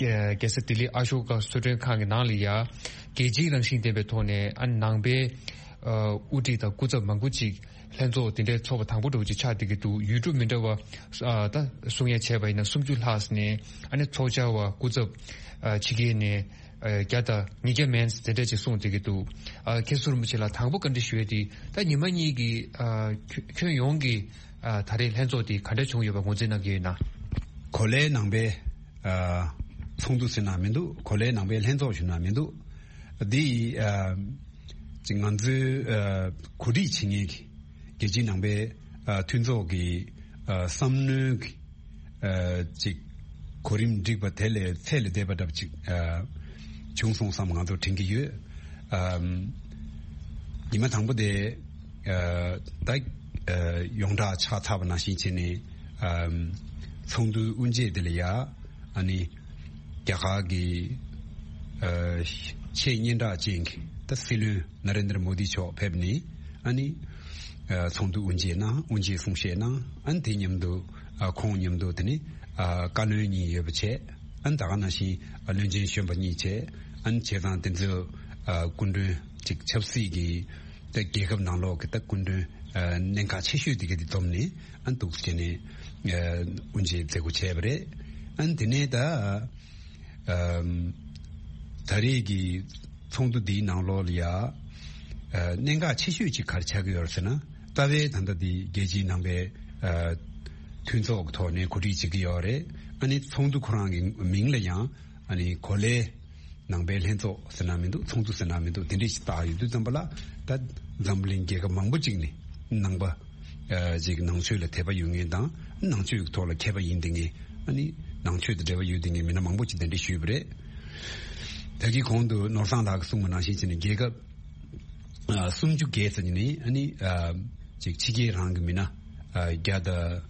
རྒྱལ་ས་ལྡི་ལི་ཨ་ཤོ་ཀ་གསོལ་མགྲོན་ཁང་གི་ནང་ལ་ཡ་རྒྱལ་སྤྱིའི་རང་བཞིན་ལྡན་པའི་ཐོག་ནས། ཨ། ནང་པའི་ཨ། དབུ་ཁྲིད་དང་སྐུ་ཚབ་མང་པོ་ཅིག་ལྷན་ཚོགས་དེ་འདྲའི་ཚོགས་པ་དང་པོ་འདྲ་བོ་ཅིག་ཆགས་བསྡད་ཀྱི་འདུག་ཡུལ་གྲུ་མི་འདྲ་བ། ཨ། ད་གསུང་ཡ་བྱས་པ་ཡིན་ན་སུམ་ཅུ་ལྷག་ནས། ཨ་ནི་ཚོགས་བཅར་བ་སྐུ་ཚབ། ཨ། ཕྱི་རྒྱལ་ནས། ཨ། བརྒྱ་དང་ཉིས་བརྒྱ་མན་དེ་འདྲ་ཅིག་གསུངས་བསྡད་ཀྱི་འདུག་ཨ། མཁན་ཟུར་རིན་པོ་ཆེ་ལ་དང་པོ་བཀའ་འདྲི་ཞུ་ཡ་དེ། ད་ཉི་མ་གཉིས་ཀྱི། ཨ། ཁྱོན་ཁྱོན་ཡོངས་ཀྱི། ཨ། ད་རེས་ལྷན་ཚོགས་དེ་ག་འདྲ་བྱུང་ཡོད་པ་ངོས་འཛིན་གནང་གི་ཡོད་ན། གོ་ལའི་ནང་པའི། ཨ། ཚོགས་འདུ་ཟེར་ན་མི་འདུག་གོ་ལའི་ནང་པའི་ལྷན་ཚོགས་ཞུ་ན་མི་འདུག་འདི། ཨ། ཅིག་ང་ཚོའི། ཨ། གོ་སྒྲིག་བྱེད་མཁན་གྱི་རྒྱལ་སྤྱིའི་ནང་པའི། ཨ། མཐུན་ཚོགས་ཀྱི། ཨ། བསམ་མནོའི། ཨ། ཅིག་གོ་རིམ་སྒྲིག་པ་དེ་ལས་ཚད་ལས་འདས་པ་འདྲ་པོ་ཅིག་ཨ། བྱུང་སོང་བསམ་ང་ཚོ་དྲན་གྱི་ཡོད། ཨ། ཉི་མ་དང་པོ་དེ། ཨ། ད། ཨ། ཡོངས་གྲགས་ཆགས་ཚར་བ་ནང་བཞིན་བྱས་ནས། ཨ། ཚོགས་འདུའི་དབུ་འབྱེད་དེ་ལ་ཡ། ཨ་ནི། རྒྱ་གར་གྱི། ཨ། ཆེས་སྙན་གྲགས་ཅན་གྱི་ད་སྲིད་བློན་ན་རེན་དྲ་མོ་དི་མཆོག་ཕེབས་ནས། ཨ་ནི། ཨ། ཚོགས་འདུ་དབུ་འབྱེད་གནང་། དབུ་འབྱེད་གསུང་བཤད་གནང་། ཨ་ནི་དེ་མཉམ་དུ། ཨ། ཁོང་མཉམ་དུ་དེ་ནི། ཨ། བཀའ་བློན་གཉིས་ཡོད་པ་བྱས། ཨ་ནི་ད་ག་ནང་བཞིན། ཨ། བློན་ཆེན་གཞོན་པ་གཉིས་བྱས། ཨ་ནི་བྱས་ཙང་དེ་ཚོའི། ཨ། སྐུ་མགྲོན་ཅིག་ཆབ་སྲིད་ཀྱི་ད་རྒྱལ་ཁབ་ནང་ལོགས་ཀྱི་ད་སྐུ་མགྲོན། ཨ། གནད་འགག་ཆེ་ཤོས་དེ་ག་དེ་འཛོམས་ནས། ཨ་ནི་འདུག་སེ་བྱས་ནས། ཨ། དབུ་འབྱེད་མཛད་སྒོ་བྱས་པ་རེད། ཨ་ནི་དེ་ནས་ད། ཨམ། ད་རེས་ཀྱི་ཚོགས་འདུ་འདིའི་ནང་ལོགས་ལ་ཡ། ཨ། གནད་འགག་ཆེ་ཤོས་ཅིག་ག་རེ་ཆགས་ཀྱི་ཡོད་རེད་ཟེར་ན། རྩ་བའི་ད་ལྟ་འདི་རྒྱལ་སྤྱིའི་ནང་པའི། ཨ། མཐུན་ཚོགས་ཀྱི་ཐོག་ནས་གོ་སྒྲིག་བྱེད་ཀྱི་ཡོད་རེད། ཨ་ནི་ཚོགས་འདུ་ཁོ་རང་གི་མིང་ལ་ཡང་། ཨ་ནི་གོ་ལའི་ནང་པའི་ལྷན་ཚོགས་ཟེར་ན་མི་འདུག་ཚོགས་འདུ་ཟེར་ན་མི་འདུག་དེ་འདྲས་ཞིག་བཏགས་ཡོད་དུས་ཙམ་པ་ལ། ད་འཛམ་བུ་གླིང་རྒྱལ་ཁབ་མང་པོ་ཅིག་ནས་ནང་པ། ཨ། ཅིག་ནང་ཆོས་ལ་དད་པ་ཡོད་མཁན་དང་། ནང་ཆོས་ཀྱི་ཐོག་ལ་མཁས་པ་ཡིན་བསྡད་མཁན། ཨ་ནི་ནང་ཆོས་དང་འབྲེལ་བ་ཡོད་བསྡད་མཁན་མི་སྣ་མང་པོ་ཅིག་གདན་འདྲེན་ཞུས་པ་རེད། ད་གིན་གོང་དུ་ནོར་བཟང་ལགས་ཀྱིས་གསུངས་པ་ནང་བཞིན་བྱས་ནས། རྒྱལ་ཁབ། ཨ། སུམ་ཅུ་བརྒལ་ཙམ་ནས། ཨ་ནི། ཨ། ཅིག་ཕྱི་རྒྱལ་རང་གི་མི་སྣ། ཨ། བརྒྱ་དང་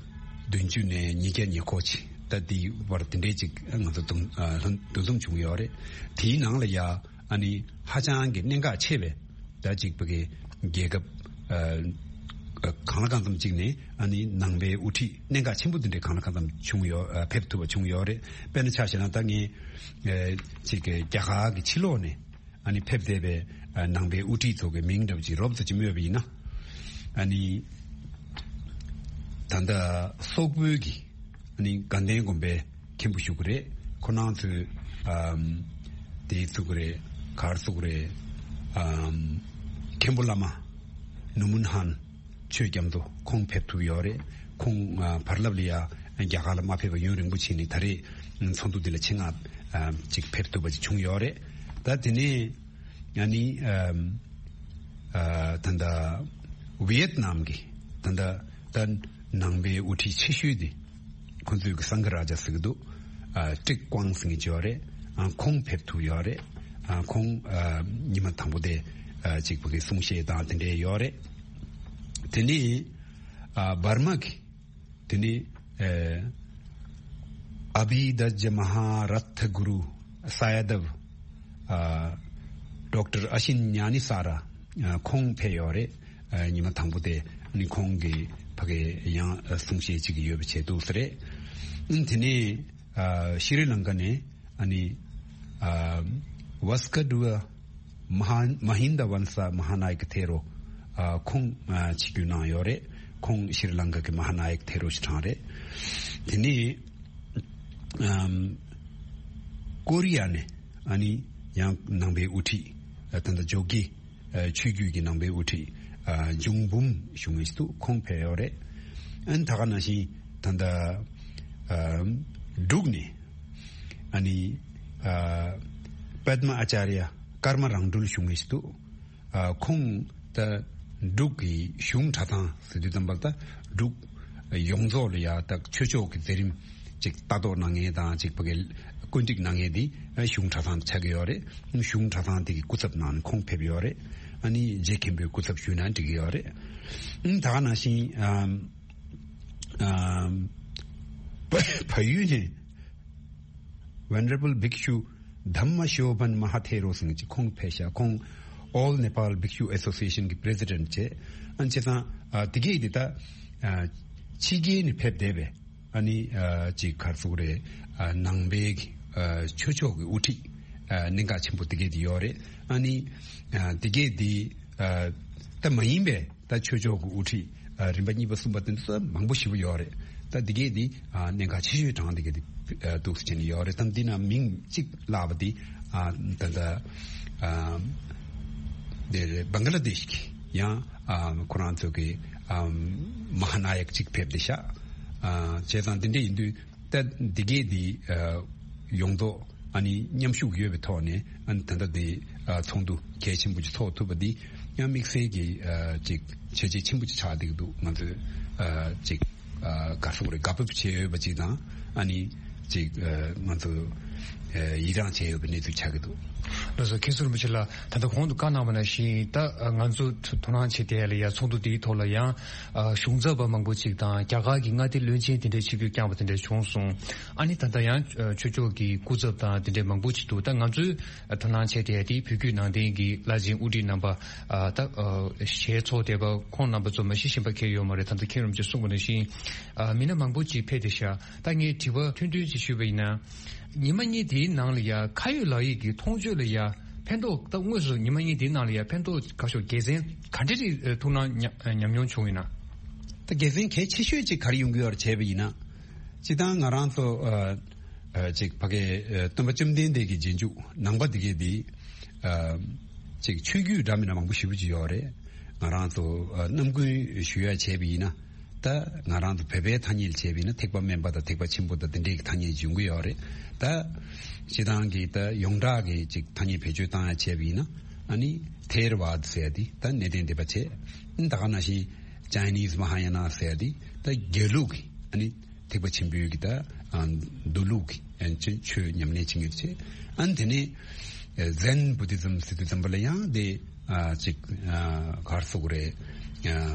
བདུན་ཅུ་ནས་ཉིས་བརྒྱ་ཉེར་སྐོར་ཅིག་ད་འདིའི་བར་དེ་འདྲའི་ཅིག་ང་ཚོ་འདུ། ཨ། འདུ་འཛོམས་བྱུང་ཡོད་རེད། དེའི་ནང་ལ་ཡ། ཨ་ནི་ཧ་ཅང་གི་གནད་འགག་ཆེ་བའི། ད་ཅིག་བོད་ཀྱི་རྒྱལ་ཁབ། ཨ། ཨ། གང་ལ་གང་འཚམ་ཅིག་ནས། ཨ་ནི་ནང་པའི་དབུ་ཁྲིད་གནད་འགག་ཆེན་པོ་འདི་འདྲའི་གང་ལ་གང་འཚམ་བྱུང་ཡོད། ཨ། ཕེབས་ཐུབ་པ་བྱུང་ཡོད་རེད། དཔེར་ན་ཆ་བཞག་ན། ད་ངས། ཨ། ཅིག་གི་རྒྱ་གར་གྱི་ཕྱི་ལོགས་ནས། ཨ་ནི་ཕེབས་བསྡད་པའི། ཨ། ནང་པའི་དབུ་ཁྲིད་ཚོ་གི་མིང་འདྲ་པོ་ཅིག་རོབ་ཙམ་ཅིག་སྨོས་པ་ཡིན་ན། ཨ་ནི་ད་ལྟ་སོག་པོའི་གི། ཨ་ནི་དགའ་ལྡན་དགོན་པའི་མཁན་པོ་བཞུགས་ཀྱི་རེད། ཁོང་རྣམ་ཚོས། ཨམ། དེ་བཙུགས་ཀྱི་རེད། ག་རེ་བཙུགས་ཀྱི་རེད། ཨམ། མཁན་པོ་བླ་མ་ནུ་མུན་ཧན་ཆོས་རྒྱ་མཚོ་ཁོང་ཕེབས་ཐུབ་ཡོད་རེད། ཁོང་། ཨ། བར་ལམ་ལ་ཡ་རྒྱ་གར་ལ་མ་ཕེབས་པ་ཡུན་རིང་པོ་ཕྱིན་ནས། ད་རེས་ཚོགས་འདུ་འདི་ལ་ཆེད་མངགས། ཨ། ཅིག་ཕེབས་ཐུབ་པ་ཅིག་བྱུང་ཡོད་རེད། ད་དེ་ནས། ཨ་ནི། ཨམ། ཨ། ད་ལྟ་ཝི་ཡེད་ནམ་གྱི། ད་ལྟ་ད་ནང་པའི་དབུ་ཁྲིད་ཆེ་ཤོས་དེ། ཁོང་ཚོས་ཀྱི་སངྒ་རཱ་ཛ་ཟེར་གྱི་འདུག་ཨ། ཀྲིག་ཀོང་ཟེར་མཁན་ཅིག་ཡོད་རེད། ཨ། ཁོང་ཕེབས་ཐུབ་ཡོད་རེད། ཨ། ཁོང་། ཨ། ཉི་མ་དང་པོ་དེ། ཨ། ཅིག་བོད་ཀྱི་གསུང་བཤད་དང་དེ་འདྲས་ཡོད་རེད། དེ་ནས། ཨ། འབར་མ་གི། དེ་ནས། ཨ། ཨ་བྷི་དྷ་ཇ་མ་ཧཱ་ར་ཐ་གུ་རུ་ས་ཡ་དབ། ཨ། ཌོག་ཊར་ཨ་ཤིན་ཉ་ནི་ས་ར། ཨ། ཁོང་ཕེབས་ཡོད་རེད། ཨ། ཉི་མ་དང་པོ་དེ་ནི་ཁོང་གིས་ཕ་གིར་ཡང་གསུང་བཤད་ཅིག་ཡོད་པ་བྱས་འདུག་ཟེར་རེད། ཨ། དེ་ནས། ཨ། ཤྲི་ལང་ཀ་ནས། ཨ་ནི། ཨ། ཝཱ་སྐ་ཌུ་ཝ་མ་ཧ། མ་ཧིན་ད་ཝན་ས་མ་ཧ་ན་ཡ་ཀ་ཐེ་རོ། ཨ། ཁོང་། ཨ། ཆིབས་བསྒྱུར་གནང་ཡོད་རེད། ཁོང་ཤྲི་ལང་ཀ་གི་མ་ཧ་ན་ཡ་ཀ་ཐེ་རོ་ཞིག་གྲངས་རེད། དེ་ནས། ཨམ། ཀོ་རི་ཡ་ནས། ཨ་ནི་ཡང་ནང་པའི་དབུ་ཁྲིད། ད་ལྟ་ཇོ་གི་ཆོས་བརྒྱུད་ཀྱི་ནང་པའི་དབུ་ཁྲིད་འབྱུང་འབུམ་ཞུ་མཁན་ཞིག་འདུག་ཁོང་ཕེབས་ཡོད་རེད། ཨ་ནི་ད་ག་ནང་བཞིན་ད་ལྟ་འབྲུག་ནས་ཨ་ནི་པདྨ་ཨ་ཅཱརྱ་ཀརྨ་རང་གྲོལ་ཞུ་མཁན་ཞིག་འདུག་ཁོང་ད་འབྲུག་གི་གཞུང་གྲྭ་ཚང་ཟེར་དུས་ཙམ་པ་ད་འབྲུག་ཡོངས་རྫོགས་ལ་ཡ་ད་ཆོས་ཕྱོགས་ཀྱི་མཛད་རིམ་ཅིག་ལྟ་རྟོག་གནང་མཁན་དང་ཅིག་ཕ་གི་བཀོད་སྒྲིག་གནང་མཁན་དེ་གཞུང་གྲྭ་ཚང་ཆགས་ཀྱི་ཡོད་རེད། གཞུང་གྲྭ་ཚང་དེ་གི་སྐུ་ཚབ་གནང་ནས་ཁོང་ཕེབས་ཡོད་རེད། ཨ་ནི་རྗེ་མཁན་པོའི་སྐུ་ཚབ་ཞུས་ན་འགྲིག་གི་ཡོད་རེད། ཨ་ནི་ད་ག་ནང་བཞིན་ཨམ་ཨམ་བལ་ཡུལ་ནས་Venerable Bhikshu Dhamma Shobhan Mahathero ཟེར་གྱི་ཁོང་ཕེབས་ཤག་ཁོང་All Nepal Bhikshu Association གི་President བྱས། ཨ་ནི་བྱས་ཙང་ཨ་དེ་གས་དེ་ད་ཨ་ཕྱི་རྒྱལ་ནས་ཕེབས་བསྡད་པའི་ཨ་ནི་ཨ་ཅིག་ག་རེ་ཟེར་དགོས་རེད། ཨ་ནང་པའི་ཨ་ཆོས་ཕྱོགས་ཀྱི་དབུ་ཁྲིད་ཨ་གནད་འགག་ཆེན་པོ་དེ་གས་དེ་ཡོད་རེད། ཨ་ནི་ཨ་དེ་གས་དེ་ཨ་ད་མ་ཡིན་པའི་ད་ཆོས་ཕྱོགས་ཀྱི་དབུ་ཁྲིད་ཨ་རིམ་པ་གཉིས་པ་གསུམ་པ་དེ་ཚོ་མང་པོ་ཞེ་པོ་ཡོད་རེད། ད་དེ་གས་དེ་ཨ་གནད་འགག་ཆེ་ཤོས་གྲས་དེ་གས་དེ་ཨ་འདུག་སེ་བྱས་ནས་ཡོད་རེད། ད་འདི་ན་མིང་གཅིག་བརླགས་པ་དེ་ཨ་ད་ད་ཨ་དེ་རེད། བང་ག་ལ་དེཤ་གི་ཡང་ཨ་ཁོ་རང་ཚོ་གི་ཨ་མ་ཧཱ་ན་ཡག་གཅིག་ཕེབས་བསྡད་ཤག་ཨ་བྱས་ཙང་དེ་འདྲ་ཡིན་དུས་ད་འདི་གས་འདི་ཨ་ཡོངས་རྫོགས་ཨ་ནི་མཉམ་ཞུགས་ཡོད་པའི་ཐོག་ནས་ཨ་ནི་ད་ལྟ་འདི་ཨ་ཚོགས་འདུ་གལ་ཆེན་པོ་ཅིག་ཚོགས་ཐུབ་པ་འདི་ཡང་དམིགས་བསལ་གྱི་ཨ་ཅིག་བྱས་རྗེས་ཆེན་པོ་ཅིག་ཆགས་བསྡད་ཀྱི་འདུག་ང་ཚོས་ཨ་ཅིག་ཨ་ག་རེ་ཟེར་དགོས་རེད། དགའ་སྤོབས་བྱེད་འོས་པ་ཅིག་དང་ཨ་ནི་ཅིག་ཨ་ང་ཚོ་ཨ་ཡི་རངས་བྱེད་འོས་པའི་གནས་ཚུལ་ཆགས་ཀྱི་འདུག་ལགས་སོ། མཁན་ཟུར་རིན་པོ་ཆེ་ལགས། ད་ལྟ་གོང་དུ་བཀའ་གནང་བ་ནང་བཞིན་ད་ང་ཚོ་དོ་སྣང་བྱེད་བསྡད་ཡ་ལ་ཡ་ཚོགས་འདུ་འདིའི་ཐོག་ལ་ཡང་ཨ་གཞུང་ཚབ་པ་མང་པོ་ཅིག་དང་རྒྱ་གར་གྱི་མངའ་སྡེ་བློན་ཆེན་དེ་འདྲའི་ཆིབས་བསྒྱུར་བསྐྱངས་པ་དེ་འདྲ་བྱུང་སོང་། ཨ་ནི་ད་ལྟ་ཡང་ཨ་ཆོས་ཕྱོགས་ཀྱི་སྐུ་ཚབ་དང་དེ་འདྲའི་མང་པོ་ཅིག་འདུག་ད་ང་ཚོས་ཨ་དོ་སྣང་བྱས་བསྡད་ཡ་དེ་བོད་བརྒྱུད་ནང་བསྟན་གྱི་བླ་ཆེན་དབུ་ཁྲིད་རྣམ་པ་ཨ་ད་ཨ་ཞལ་ཚོགས་བསྡད་པ་ཁོང་རྣམ་པ་ཚོ་མ་གཞི་གཞན་པ་གང་ཡང་ཡོད་མ་རེད། ད་ལྟ་མཁན་རིན་པོ་ཆེ་གསུངས་པ་ནང་བཞིན་ཨ་མི་སྣ་མང་པོ་ཅིག་ཕེབས་བསྡད་ཤག་ད་ངས་དྲི་བ་ཐུང་ཐུང་ཅིག་ཞུས་པ་ཡིན་ན། ཉི་མ་གཉིས་དེའི་ནང་ལ་ཡ་ཁ་ཡོད་ལག་ཡོད་ཀྱི་མཐོང་ཆོས་ལ་ཡ་ཕན་ཐོགས། ད་དངོས་སུ་ཉི་མ་གཉིས་དེའི་ནང་ལ་ཡ་ཕན་ཐོགས་ག་ཤོག་དགེ་མཚན་ག་འདྲ་ཞིག་ཐུགས་སྣང་ཉམས་ཉམས་མྱོང་བྱུང་ཡོད་ན། ད་དགེ་མཚན་གལ་ཆེ་ཤོས་ཅིག་ག་རེ་ཡོང་གི་ཡོད་རེད་བྱས་པ་ཡིན་ན། སྤྱིར་བཏང་ང་རང་ཚོ་ཨ་ཨ་ཅིག་ཕ་གི་ཨ་སྟོན་པ་བཅོམ་ལྡན་འདས་ཀྱི་རྗེས་འཇུག་ནང་པ་འདི་གས་འདི་ཨ་ཅིག་ཆོས་བརྒྱུད་འདྲ་མིན་ན་མང་པོ་ཞེ་པོ་ཅིག་ཡོད་རེད། ང་རང་ཚོ་ཨ་རྣམ་ཀུན་ཞུ་ཡ་བྱས་པ་ཡིན་ན། ད་ང་རང་ཚོ་བོད་པའི་ཐ་སྙད་བྱས་པ་ཡིན་ན་ཐེག་པ་དམན་པ་དང་ཐེག་པ་ཆེན་པོ་དང་དེ་འདྲའི་ཐ་སྙད་ཡོང་གི་ཡོད་རེད། ད་སྤྱིར་བཏང་གི་ད་ཡོངས་གྲགས་ཀྱི་ཅིག་ཐ་སྙད་བེད་སྤྱོད་བཏང་ཡ་བྱས་པ་ཡིན་ན་ཨ་ནི་ཐེ་ར་ཝཱ་ད་ཟེར་ཡ་དེ་ད་གནས་བརྟན་སྡེ་པ་བྱས། ཨ་ནི་ད་ག་ནང་བཞིན་ཅའི་ནིས་མ་ཧཱ་ཡ་ན་ཟེར་ཡ་དེ་ད་དགེ་ལུགས་ཀྱི་ཨ་ནི་ཐེག་པ་ཆེན་པོའི་གི་ད་ཨ་མདོ་ལུགས་ཀྱི་ཨ་ནི་ཆོས་ཉམས་ལེན་བྱེད་མཁན་བྱས། ཨ་ནི་དེ་ནས་ཨ་ཛེན་བུ་དི་ཛམ་ཟེར་དུས་ཙམ་པ་ལ་ཡང་དེ་ཨ་ཅིག་ཨ་ག་རེ་ཟེར་དགོས་རེད།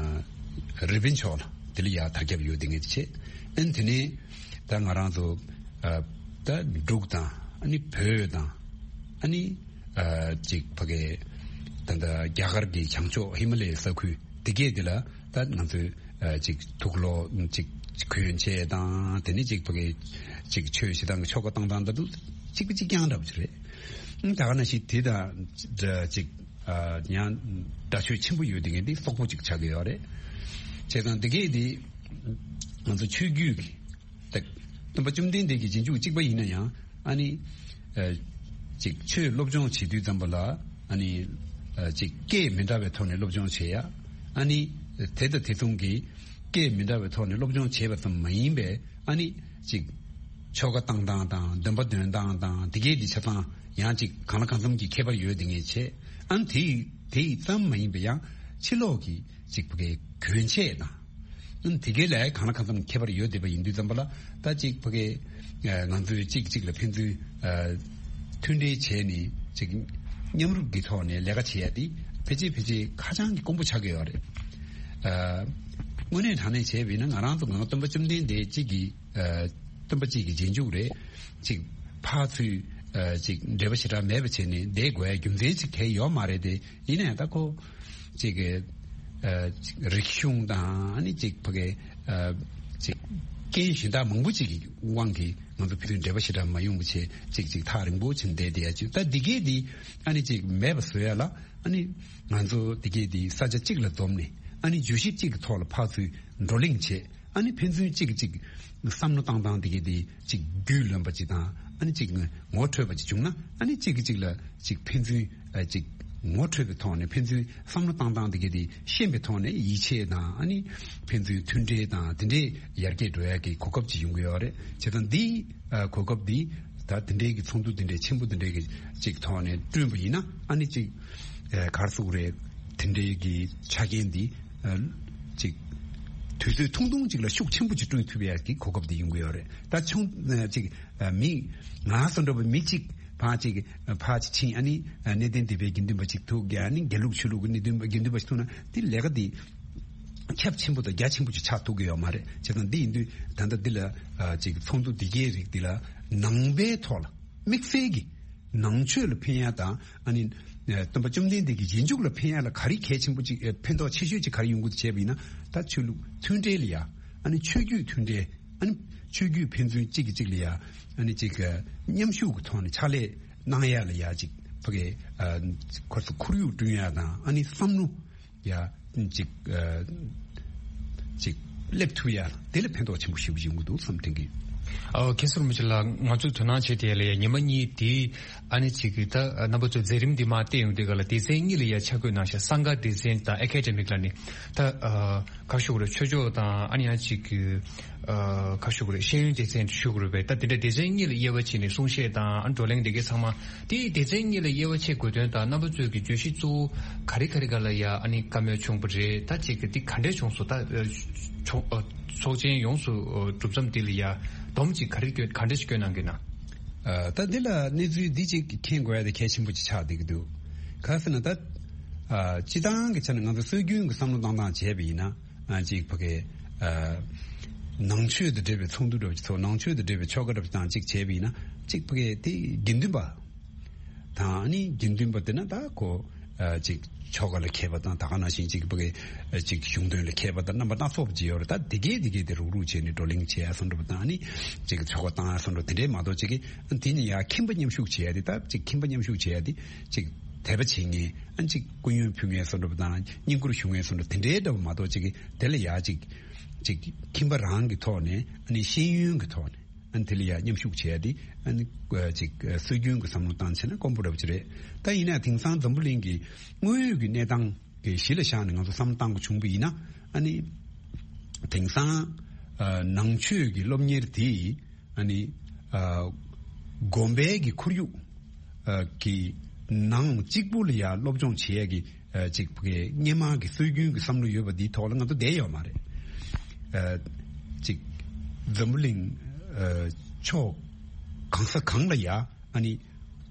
ཨ་རི་པིན་ཕྱོགས་ལ་དེ་ལ་ཡ་དར་ཁྱབ་ཡོད་དེ་ངེས་བྱས། ཨ་ནི་དེ་ནས་ད་ང་རང་ཚོ་ཨ་ད་འབྲུག་དང་ཨ་ནི་བོད་དང་ཨ་ནི་ཨ་ཅིག་ཕ་གི་ད་ད་རྒྱ་གར་གྱི་བྱང་ཕྱོགས་ཧི་མ་ལ་ཡའི་ས་ཁུལ་དེ་གས་དེ་ལ་ད་ང་ཚོས་ཨ་ཅིག་དུག་ལོག་ཅིག་གོན་ཆས་དང་དེ་ནས་ཅིག་ཕ་གི་ཅིག་ཆོས་བྱེད་སྟངས་ཀྱི་ཆོ་ག་བཏང་སྟངས་ད་དུ་གཅིག་པ་གཅིག་རྐྱང་འདྲ་པོ་ཅིག་རེད། ད་ག་ནང་བཞིན་དེ་དང་འདྲ་ཅིག་ཨ་ཡང་འདྲ་ཆོས་ཆེན་པོ་ཡོད་དེ་ངས་འདི་སོག་པོ་ཅིག་ཆགས་ཀྱི་ཡོད་རེད། བྱས་ཙང་དེ་གས་འདི་ང་ཚོ་ཆོས་བརྒྱུད་ཀྱི་ད་སྟོན་པ་བཅོམ་ལྡན་འདས་ཀྱི་རྗེས་འཇུག་གཅིག་པ་ཡིན་ན་ཡང་ཨ་ནི་ཨ་ཅིག་ཆོས་སློབ་སྦྱོང་བྱེད་དུས་ཙམ་པ་ལ་ཨ་ནི་ཨ་ཅིག་སྐད་མི་འདྲ་བའི་ཐོག་ནས་སློབ་སྦྱོང་བྱེད་ཡ། ཨ་ནི་དེ་དང་དེ་མཚུངས་ཀྱི་སྐད་མི་འདྲ་བའི་ཐོག་ནས་སློབ་སྦྱོང་བྱས་པ་ཙམ་མ་ཡིན་པའི་ཨ་ནི་ཅིག་ཆོ་ག་བཏང་སྟངས་དང་འདོན་པ་འདོན་སྟངས་དང་དེ་གས་འདི་ཆ་ཚང་ཡང་ཅིག་གང་ལ་གང་འཚམ་གྱི་ཁྱད་པར་ཡོད་དེ་ངས་བྱས། ཨ་ནི་དེ་དེ་ཙམ་མ་ཡིན་པའི་ཡང་ཕྱི་ལོགས་ཀྱི་ཅིག་ཕ་གི་གྱོན་ཆས་དང་། ཨ་ནི་དེ་གས་ལ་གང་ལ་གང་འཚམ་ཁྱད་པར་ཡོད་བསྡད་པ་ཡིན་དུས་ཙམ་པ་ལ་ད་ཅིག་ཕ་གི་ང་ཚོས་གཅིག་གཅིག་ལ་ཕན་ཚུན་མཐུན་སྒྲིལ་བྱས་ནས་ཅིག་མཉམ་རུབ་ཀྱི་ཐོག་ནས་ལས་ཀ་བྱེད་ཡ་དེ་ཕལ་ཆེར་ཕལ་ཆེར་ཧ་ཅང་གི་དཀོན་པོ་ཆགས་ཀྱི་ཡོད་རེད། དངོས་གནས་དྲང་གནས་བྱས་པ་ཡིན་ན་ང་རང་ཚོ་ང་སྟོན་པ་བཅོམ་ལྡན་འདས་གཅིག་གི་སྟོན་པ་གཅིག་གི་རྗེས་འཇུག་རེད། ཅིག་ཕར་ཚུར་ཅིག་འབྲེལ་བ་ཞེ་དྲག་མེད་པ་བྱས་ནས་བསྡད་དགོས་ཡ་རྒྱུ་མཚན་ཅིག་གང་ཡང་ཡོད་མ་རེད་དེ། ཡིན་ན་ཡང་ད་ཁོ་ཅིག་གི་ཨ་ཅིག་རིག་གཞུང་དང་ཨ་ནི་ཅིག་ཕ་གི་ཨ་ཅིག་རྐྱེན་གཞན་དག་མང་པོ་ཅིག་གི་དབང་གིས་ང་ཚོ་ཕན་ཚུན་འབྲེལ་བ་ཞེ་དྲག་མ་ཡོང་བ་བྱས་ཅིག་ཅིག་ཐག་རིང་པོ་ཕྱིན་བསྡད་བསྡད་ཡ་ཅིག་ད་འདི་གས་འདི་ཨ་ནི་ཅིག་མེད་པ་བཟོ་ཡ་ལ་ཨ་ནི་ང་ཚོ་འདི་གས་འདི་ས་ཆ་གཅིག་ལ་འཛོམས་ནས་ཨ་ནི་བརྗོད་གཞི་གཅིག་གི་ཐོག་ལ་ཕར་ཚུར་བགྲོ་གླེང་བྱས། ཨ་ནི་ཕན་ཚུན་གཅིག་གིས་གཅིག་བསམ་བློ་བཏང་སྟངས་དེ་གའི་དེ་གཅིག་རྒྱུས་ལོན་པ་ཅིག་དང་ཨ་ནི་གཅིག་ངོ་འཕྲོད་པ་ཅིག་བྱུང་ན་ཨ་ནི་གཅིག་གིས་གཅིག་ལ་གཅིག་ཕན་ཚུན་ཨ་གཅིག་ ངོ་འཕྲོད་པའི་ཐོག་ནས་ཕན་ཚུན་བསམ་བློ་བཏང་སྟངས་དེ་ག་དེ་ཤེས་པའི་ཐོག་ནས་ཡིད་ཆེས་དང་ཨ་ནི་ཕན་ཚུན་མཐུན་འབྲེལ་དང་དེ་འདྲའི་ཡར་རྒྱས་འགྲོ་ཡ་གི་གོ་སྐབས་ཅིག་ཡོང་གི་ཡོད་རེད། བྱས་ཙང་འདི་ཨ་གོ་སྐབས་འདི་ད་དེ་འདྲའི་གི་ཚོགས་འདུ་དེ་འདྲའི་ཆེན་པོ་དེ་འདྲའི་གི་ཅིག་ཐོག་ནས་བསྐྲུན་པ་ཡིན་ན་ཨ་ནི་ཅིག་ཨ་ག་རེ་ཟེར་དགོས་རེད། དེ་འདྲའི་གི་ཆ་རྐྱེན་འདི་ཨ་ཅིག་དུས་ཚོད་ཐུང་ཐུང་ཅིག་ལ་ཤུགས་ཆེན་པོ་ཅིག་བསྐྲུན་ཐུབ་ཡ་གི་གོ་སྐབས་འདི་ཡོང་གི་ཡོད་རེད། ད་ཆུང་ཨ་ཅིག་ཨ་མི་ང་བསམ་འགྲོ་བ་མི་གཅིག་ཕར་ཅིག་ཕར་ཅིག་ཕྱིན་ཨ་ནི་གནས་བརྟན་སྡེ་པའི་དགེ་འདུན་པ་ཅིག་ཐུག་གི་ཨ་ནི་དགེ་ལུགས་ཆོས་ལུགས་ཀྱི་གནས་བརྟན་པ་དགེ་འདུན་པ་ཞིག་ཐུག་ན་དེ་ལས་ཀ་དེ་ཁྱབ་ཆེན་པོ་དང་རྒྱ་ཆེན་པོ་ཅིག་ཆགས་ཐུབ་ཀྱི་ཡོད་མ་རེད། བྱས་ཙང་འདི་ཡིན་དུས་ད་ལྟ་འདི་ལ་ཨ་ཅིག་ཚོགས་འདུ་འདི་གའི་རིགས་འདི་ལ་ནང་པའི་ཐོག་ལ་དམིགས་བསལ་གྱི་ནང་ཆོས་ལ་ཕན་ཡ་དང་ཨ་ནི་སྟོན་པ་བཅོམ་ལྡན་འདས་ཀྱི་རྗེས་འཇུག་ལ་ཕན་ཡ་ལ་ག་རེ་གལ་ཆེན་པོ་ཅིག་ཕན་ཐོགས་ཆེ་ཤོས་ཅིག་ག་རེ་ཡོང་གི་འདུག་བྱས་པ་ཡིན་ན་ད་ཆོས་ལུགས་མཐུན་འབྲེལ་ལ་ཡ་ཨ་ནི་ཆོས་བརྒྱུད་མཐུན་འབྲེལ། ཨ་ནི་ཆོས་བརྒྱུད་ཕན་ཚུན་གཅིག་གིས་གཅིག་ལ་ཡ་ཨ་ནི་གཅིག་གི་མཉམ་ཞུགས་ཀྱི་ཐོག་ནས་ཕྱག་ལས་གནང་ཡ་ལ་ཡ་གཅིག་ཕ་གི་ཨ་ཁོ་ཚོ་ཁོར་ཡུག་བསྐྲུན་ཡ་དང་ཨ་ནི་བསམ་བློ་ཡ་གཅིག་ཨ་གཅིག་སླེབས་ཐུབ་ཡ་དེ་ལ་ཕན་ཐོགས་ཆེན་པོ་ཞེ་པོ་ཡོང་གི་འདུག་བསམ་དྲན་གི། ཨ་མཁན་ཟུར་མི་ཆེ་ལགས་ང་ཚོས་དོ་སྣང་བྱེད་དེ་ལ་ཡ་ཉི་མ་གཉིས་དེ་ཨ་ནི་གཅིག་གི་ད་རྣམ་པ་ཚོས་མཛད་རིམ་འདི་མ་བལྟས་ཡོང་དུས་ག་ལ་སྡེ་ཚན་གཉིས་ལ་ཡ་ཆ་བགོས་གནང་ཤག་གསང་སྒར་སྡེ་ཚན་དང་ཨེ་ཀེ་ཌེ་མིག་ལ་ནི་ད་ཨ། ཁ་ཤུགས་རེ་ཆོས་ཕྱོགས་དང་ཨ་ནི་ཡང་གཅིག་གི་ཨ་ཁ་ཤུགས་རེ་ཤེས་ཡོན་སྡེ་ཚན་ཞུ་དགོས་རེད་པས། ད་དེ་འདྲ་སྡེ་ཚན་གཉིས་ལ་དབྱེ་བ་ཕྱེ་ནས་གསུང་བཤད་དང་ཨ་བགྲོ་གླེང་དེ་གའི་ཚང་མ་དེ་སྡེ་ཚན་གཉིས་ལ་དབྱེ་བ་ཕྱེ་དགོས་དོན་དང་རྣམ་པ་ཚོས་ཀྱི་བརྗོད་གཞི་གཙོ་བོ་ག་རེ་ག་རེ་ག་ལ་ཡ་ཨ་ནི་བཀའ་མོལ་བྱུང་པ་རེད། ད་གཅིག་གི་འདི་ག་འདྲས་བྱུང་སོང་། ད་ཨ་ཚོགས་ཨ་ཚོགས་ཆེན་ཡོངས་སུ་ཨ་གྲུབ་མཚམས་འདི་ལ་ཡ་སྡོམ་གཅིག་ག་རེ་སྐྱོན་ག་འདྲས་ཞིག་སྐྱོན་གནང་གི་ན། ཨ་ད་འདི་ལ་གནས་ཚུལ་འདི་གཅིག་མཁྱེན་དགོས་ཡ་དེ་གལ་ཆེན་པོ་ཅིག་ཆགས་བསྡད་ཀྱི་འདུག་ག་རེ་ཟེར་ན་ད་ཨ་སྤྱི་བཏང་གི་ཆ་ནས་ང་ཚོ་སྲོལ་རྒྱུན་གྱི་བསམ་བློ་བཏང་སྟངས་བྱས་པ་ཡིན་ན། ཨ་ཅིག་ཕ་གི་ཨ་ནང་ཆོས་དང་འབྲེལ་བའི་ཚོགས་འདུ་འདྲ་བོ་ཅིག་ཚོགས། ནང་ཆོས་དང་འབྲེལ་བའི་ཆོ་ག་འདྲ་བོ་ཅིག་དང་ཅིག་བྱས་པ་ཡིན་ན་ཅིག་ཕ་གི་དེ་དགེ་འདུན་པ་དང་ཨ་ནི་དགེ་འདུན་པ་དེ་ན་ད་ཁོ་ཨ་ཅིག་ཆོ་ག་ལ་མཁས་པ་དང་ད་ག་ནང་བཞིན་ཅིག་ཕ་གི་ཨ་ཅིག་གཞུང་དོན་ལ་མཁས་པ་དང་རྣམ་པ་སྣ་ཚོགས་པ་ཅིག་ཡོད་རེད། ད་དེ་གས་དེ་གས་དེ་རུག་རུག་བྱས་ནས་བགྲོ་གླེང་བྱས་ཡ་བཟོ་འདྲ་བ་དང་ཨ་ནི་ཅིག་ཆོ་ག་བཏང་ཡ་བཟོ་འདྲ་དེ་འདྲས་མ་གཏོགས་ཅིག་གི་དེ་ནི་ཡ་ཁྱིམ་པ་མཉམ་ཞུགས་བྱས་ཡ་དེ་ད་ཅིག་ཁྱིམ་པ་མཉམ་ཞུགས་བྱས་ཡ་དེ་ཅིག་དད་པ་བྱེད་མཁན་ཨ་ཅིག་སྐུ་ཡོན་ཕུལ་མཁན་བཟོ་འདྲ་བ་དང་བསྙེན་བཀུར་ཞུ་མཁན་བཟོ་འདྲ་དེ་འདྲའི་འདྲ་བ་མ་གཏོགས་ཅིག་གི་དེ་ལ་ཡ་ཅིག་ཅིག་ཁྱིམ་པ་རང་གི་ཐོག་ནས་ཨ་ནི་ཤེས་ཡོན་གྱི་ཐོག་ནས་ཨ་ནི་དེ་ལ་ཡ་མཉམ་ཞུགས་བྱས་ཏེ་ཨ་ནི་ཅིག་སྲོལ་རྒྱུན་གྱི་བསམ་བློ་བཏང་བྱས་ན་དཀོན་པོ་འདྲ་པོ་ཅིག་རེད། ད་ཡིན་ན་དེང་སང་འཛམ་བུ་གླིང་གི་དངོས་ཡོད་ཀྱི་གནས་སྟངས་ཀྱི་གཞི་ལ་བཞག་ནས་ང་ཚོ་བསམ་བློ་བཏང་དགོས་བྱུང་བ་ཡིན་ན་ཨ་ནི་དེང་སང་ཨ་ནང་ཆོས་ཀྱི་སློབ་གཉེར་དེ། ཨ་ནི་ཨ་དགོན་པའི་གི་ཁོར་ཡུག་ཨ་གི་ནང་གཅིག་པུ་ལ་ཡ་སློབ་སྦྱོང་བྱེད་ཡ་གི་ཨ་ཅིག་གི་སྔོན་མ་གི་སྲོལ་རྒྱུན་གི་བསམ་བློ་ཡོད་པ་འདིའི་ཐོག་ལ་ང་ཚོ་བསྡད་ཡོད་མ་རེད། ཨ་ཅིག་འཛམ་བུ་གླིང་ཨ་ཕྱོགས་གང་ས་གང་ལ་ཡ་ཨ་ནི་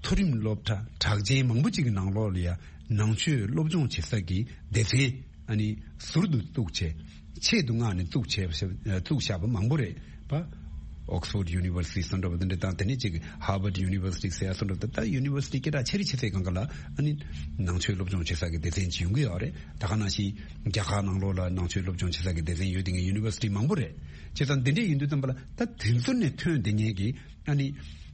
མཐོ་རིམ་སློབ་གྲྭ་གྲགས་ཅན་མང་པོ་ཅིག་གི་ནང་ལོགས་ལ་ཡ་ནང་ཆོས་སློབ་སྦྱོང་བྱེད་ས་གི་སྡེ་ཚན། ཨ་ནི་ཟུར་དུ་བཙུགས་བྱས། ཆེད་དུ་མངགས་ནས་བཙུགས་བྱས་བཙུགས་བཞག་པ་མང་པོ་རེད་པ། Oxford University་བཟོ་འདྲ་བ་འདི་འདྲ་དང་དེ་ནས་ཅིག་Harvard University་ཟེར་ཡ་བཟོ་འདྲ་བ་ད་ད་University་སྐད་གྲགས་ཆེ་རིགས་ཆེ་ཚད་སྒང་ག་ལ་ཨ་ནི་ནང་ཆོས་སློབ་སྦྱོང་བྱེད་ས་གི་སྡེ་ཚན་ཅིག་ཡོང་གི་ཡོད་རེད། ད་ག་ནང་བཞིན་རྒྱ་གར་ནང་ལོགས་ལ་ནང་ཆོས་སློབ་སྦྱོང་བྱེད་ས་གི་སྡེ་ཚན་ཡོད་དེ་ངའི་University་མང་པོ་རེད། བྱས་ཙང་འདི་འདྲས་ཡིན་དུས་ཙམ་པ་ལ་ད་དེ་ཚོ་ནས་ཐོན་བསྡད་མཁན་གི་ཨ་ནི་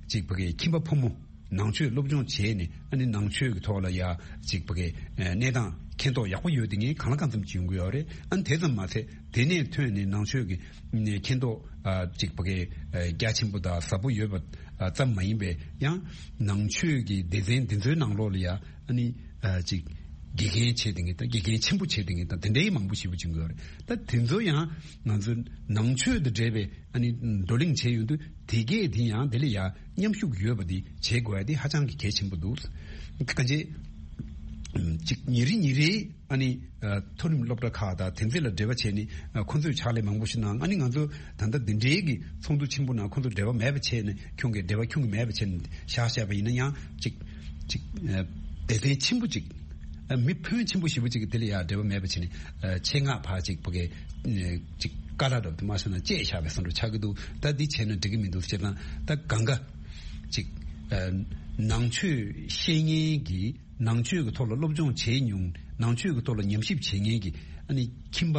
ཅིག་ཕ་གི་ཁྱིམ་པ་ཕོ་མོ། ནང་ཆོས་སློབ་སྦྱོང་བྱས་ནས་ཨ་ནི་ནང་ཆོས་ཀྱི་ཐོག་ལ་ཡ་ཅིག་ཕ་གི་གནས་སྟངས་མཁྱེན་རྟོགས་ཡག་པོ་ཡོད་དེ་ངས་གང་ལ་གང་འཚམ་ཅིག་ཡོང་གི་ཡོད་རེད། ཨ་ནི་དེ་ཙམ་མ་ཚད་དེ་ནས་ཐོན་ནས་ནང་ཆོས་ཀྱི་མཁྱེན་རྟོགས་ཅིག་ཕ་གི་རྒྱ་ཆེན་པོ་དང་ཟབ་པོ་ཡོད་པ་ཙམ་མ་ཡིན་པའི་ཡང་ནང་ཆོས་ཀྱི་སྡེ་ཚན་འདི་ཚོའི་ནང་ལོགས་ལ་ཡ་ཨ་ནི་ཅིག་དགེ་རྒན་བྱས་དེ་ངས་དང་དགེ་རྒན་ཆེན་པོ་བྱས་དེ་ངས་དང་དེ་འདྲའི་མང་པོ་ཞེ་པོ་ཅིག་ཡོད་རེད། ད་དེ་ཚོ་ཡང་ང་ཚོ་ནང་ཆོས་དང་འབྲེལ་བའི་ཨ་ནི་བགྲོ་གླེང་བྱས་ཡོང་དུས་དེ་གས་དེ་ཡང་དེ་ལ་ཡང་མཉམ་ཞུགས་ཡོད་པ་དེ་བྱེད་དགོས་ཡ་དེ་ཧ་ཅང་གི་གལ་ཆེན་པོ་འདུག་གང་ཅི་ཅིག་ཉིན་རེ་ཉིན་རེ་ཨ་ནི་མཐོ་རིམ་སློབ་གྲྭ་ཁག་དང་དེ་ཚོ་ལ་འབྲེལ་བ་བྱས་ནས་ཁོང་ཚོས་ཕྱག་ལས་མང་པོ་ཞིག་གནང་། ཨ་ནི་ང་ཚོ་ད་ལྟ་འདི་འདྲའི་གི་ཚོགས་འདུ་ཆེན་པོ་ནང་ཁོང་ཚོ་འབྲེལ་བ་མེད་པ་བྱས་ནས་ཁྱོད་ཀྱིས་འབྲེལ་བ་ཁྱོད་ཀྱིས་མེད་པ་བྱས་ནས་བཞག་བཞག་པ་ཡིན་ན་ཡང་ཅིག་ཅིག་སྡེ་ཚན་ཆེན་པོ་ཅིག་མི་ཕོན་ཆེན་པོ་ཞེ་པོ་ཅིག་གིས་དེ་ལ་ཡང་འབྲེལ་བ་མེད་པ་བྱས་ནས་ཆེད་མངགས་ཕར་ཅིག་ཕ་གི་ཅིག་དཀའ་ལས་འདྲ་པོ་དེ་མ་སོང་ན་སྤྲད་བཞག་པའི་བཟོ་འདྲ་ཆགས་ཀྱི་འདུག་ད་འདི་བྱས་ན་འགྲིག་གི་མི་འདུག་བྱས་ཙང་ད་གང་ག་ཅིག་ནང་ཆོས་ཤེས་མཁན་གྱི་ནང་ཆོས་ཀྱི་ཐོག་ལ་སློབ་སྦྱོང་བྱས་མྱོང་། ནང་ཆོས་ཀྱི་ཐོག་ལ་ཉམས་ཞིབ་བྱེད་མཁན་གྱི་ཨ་ནི་ཁྱིམ་པ་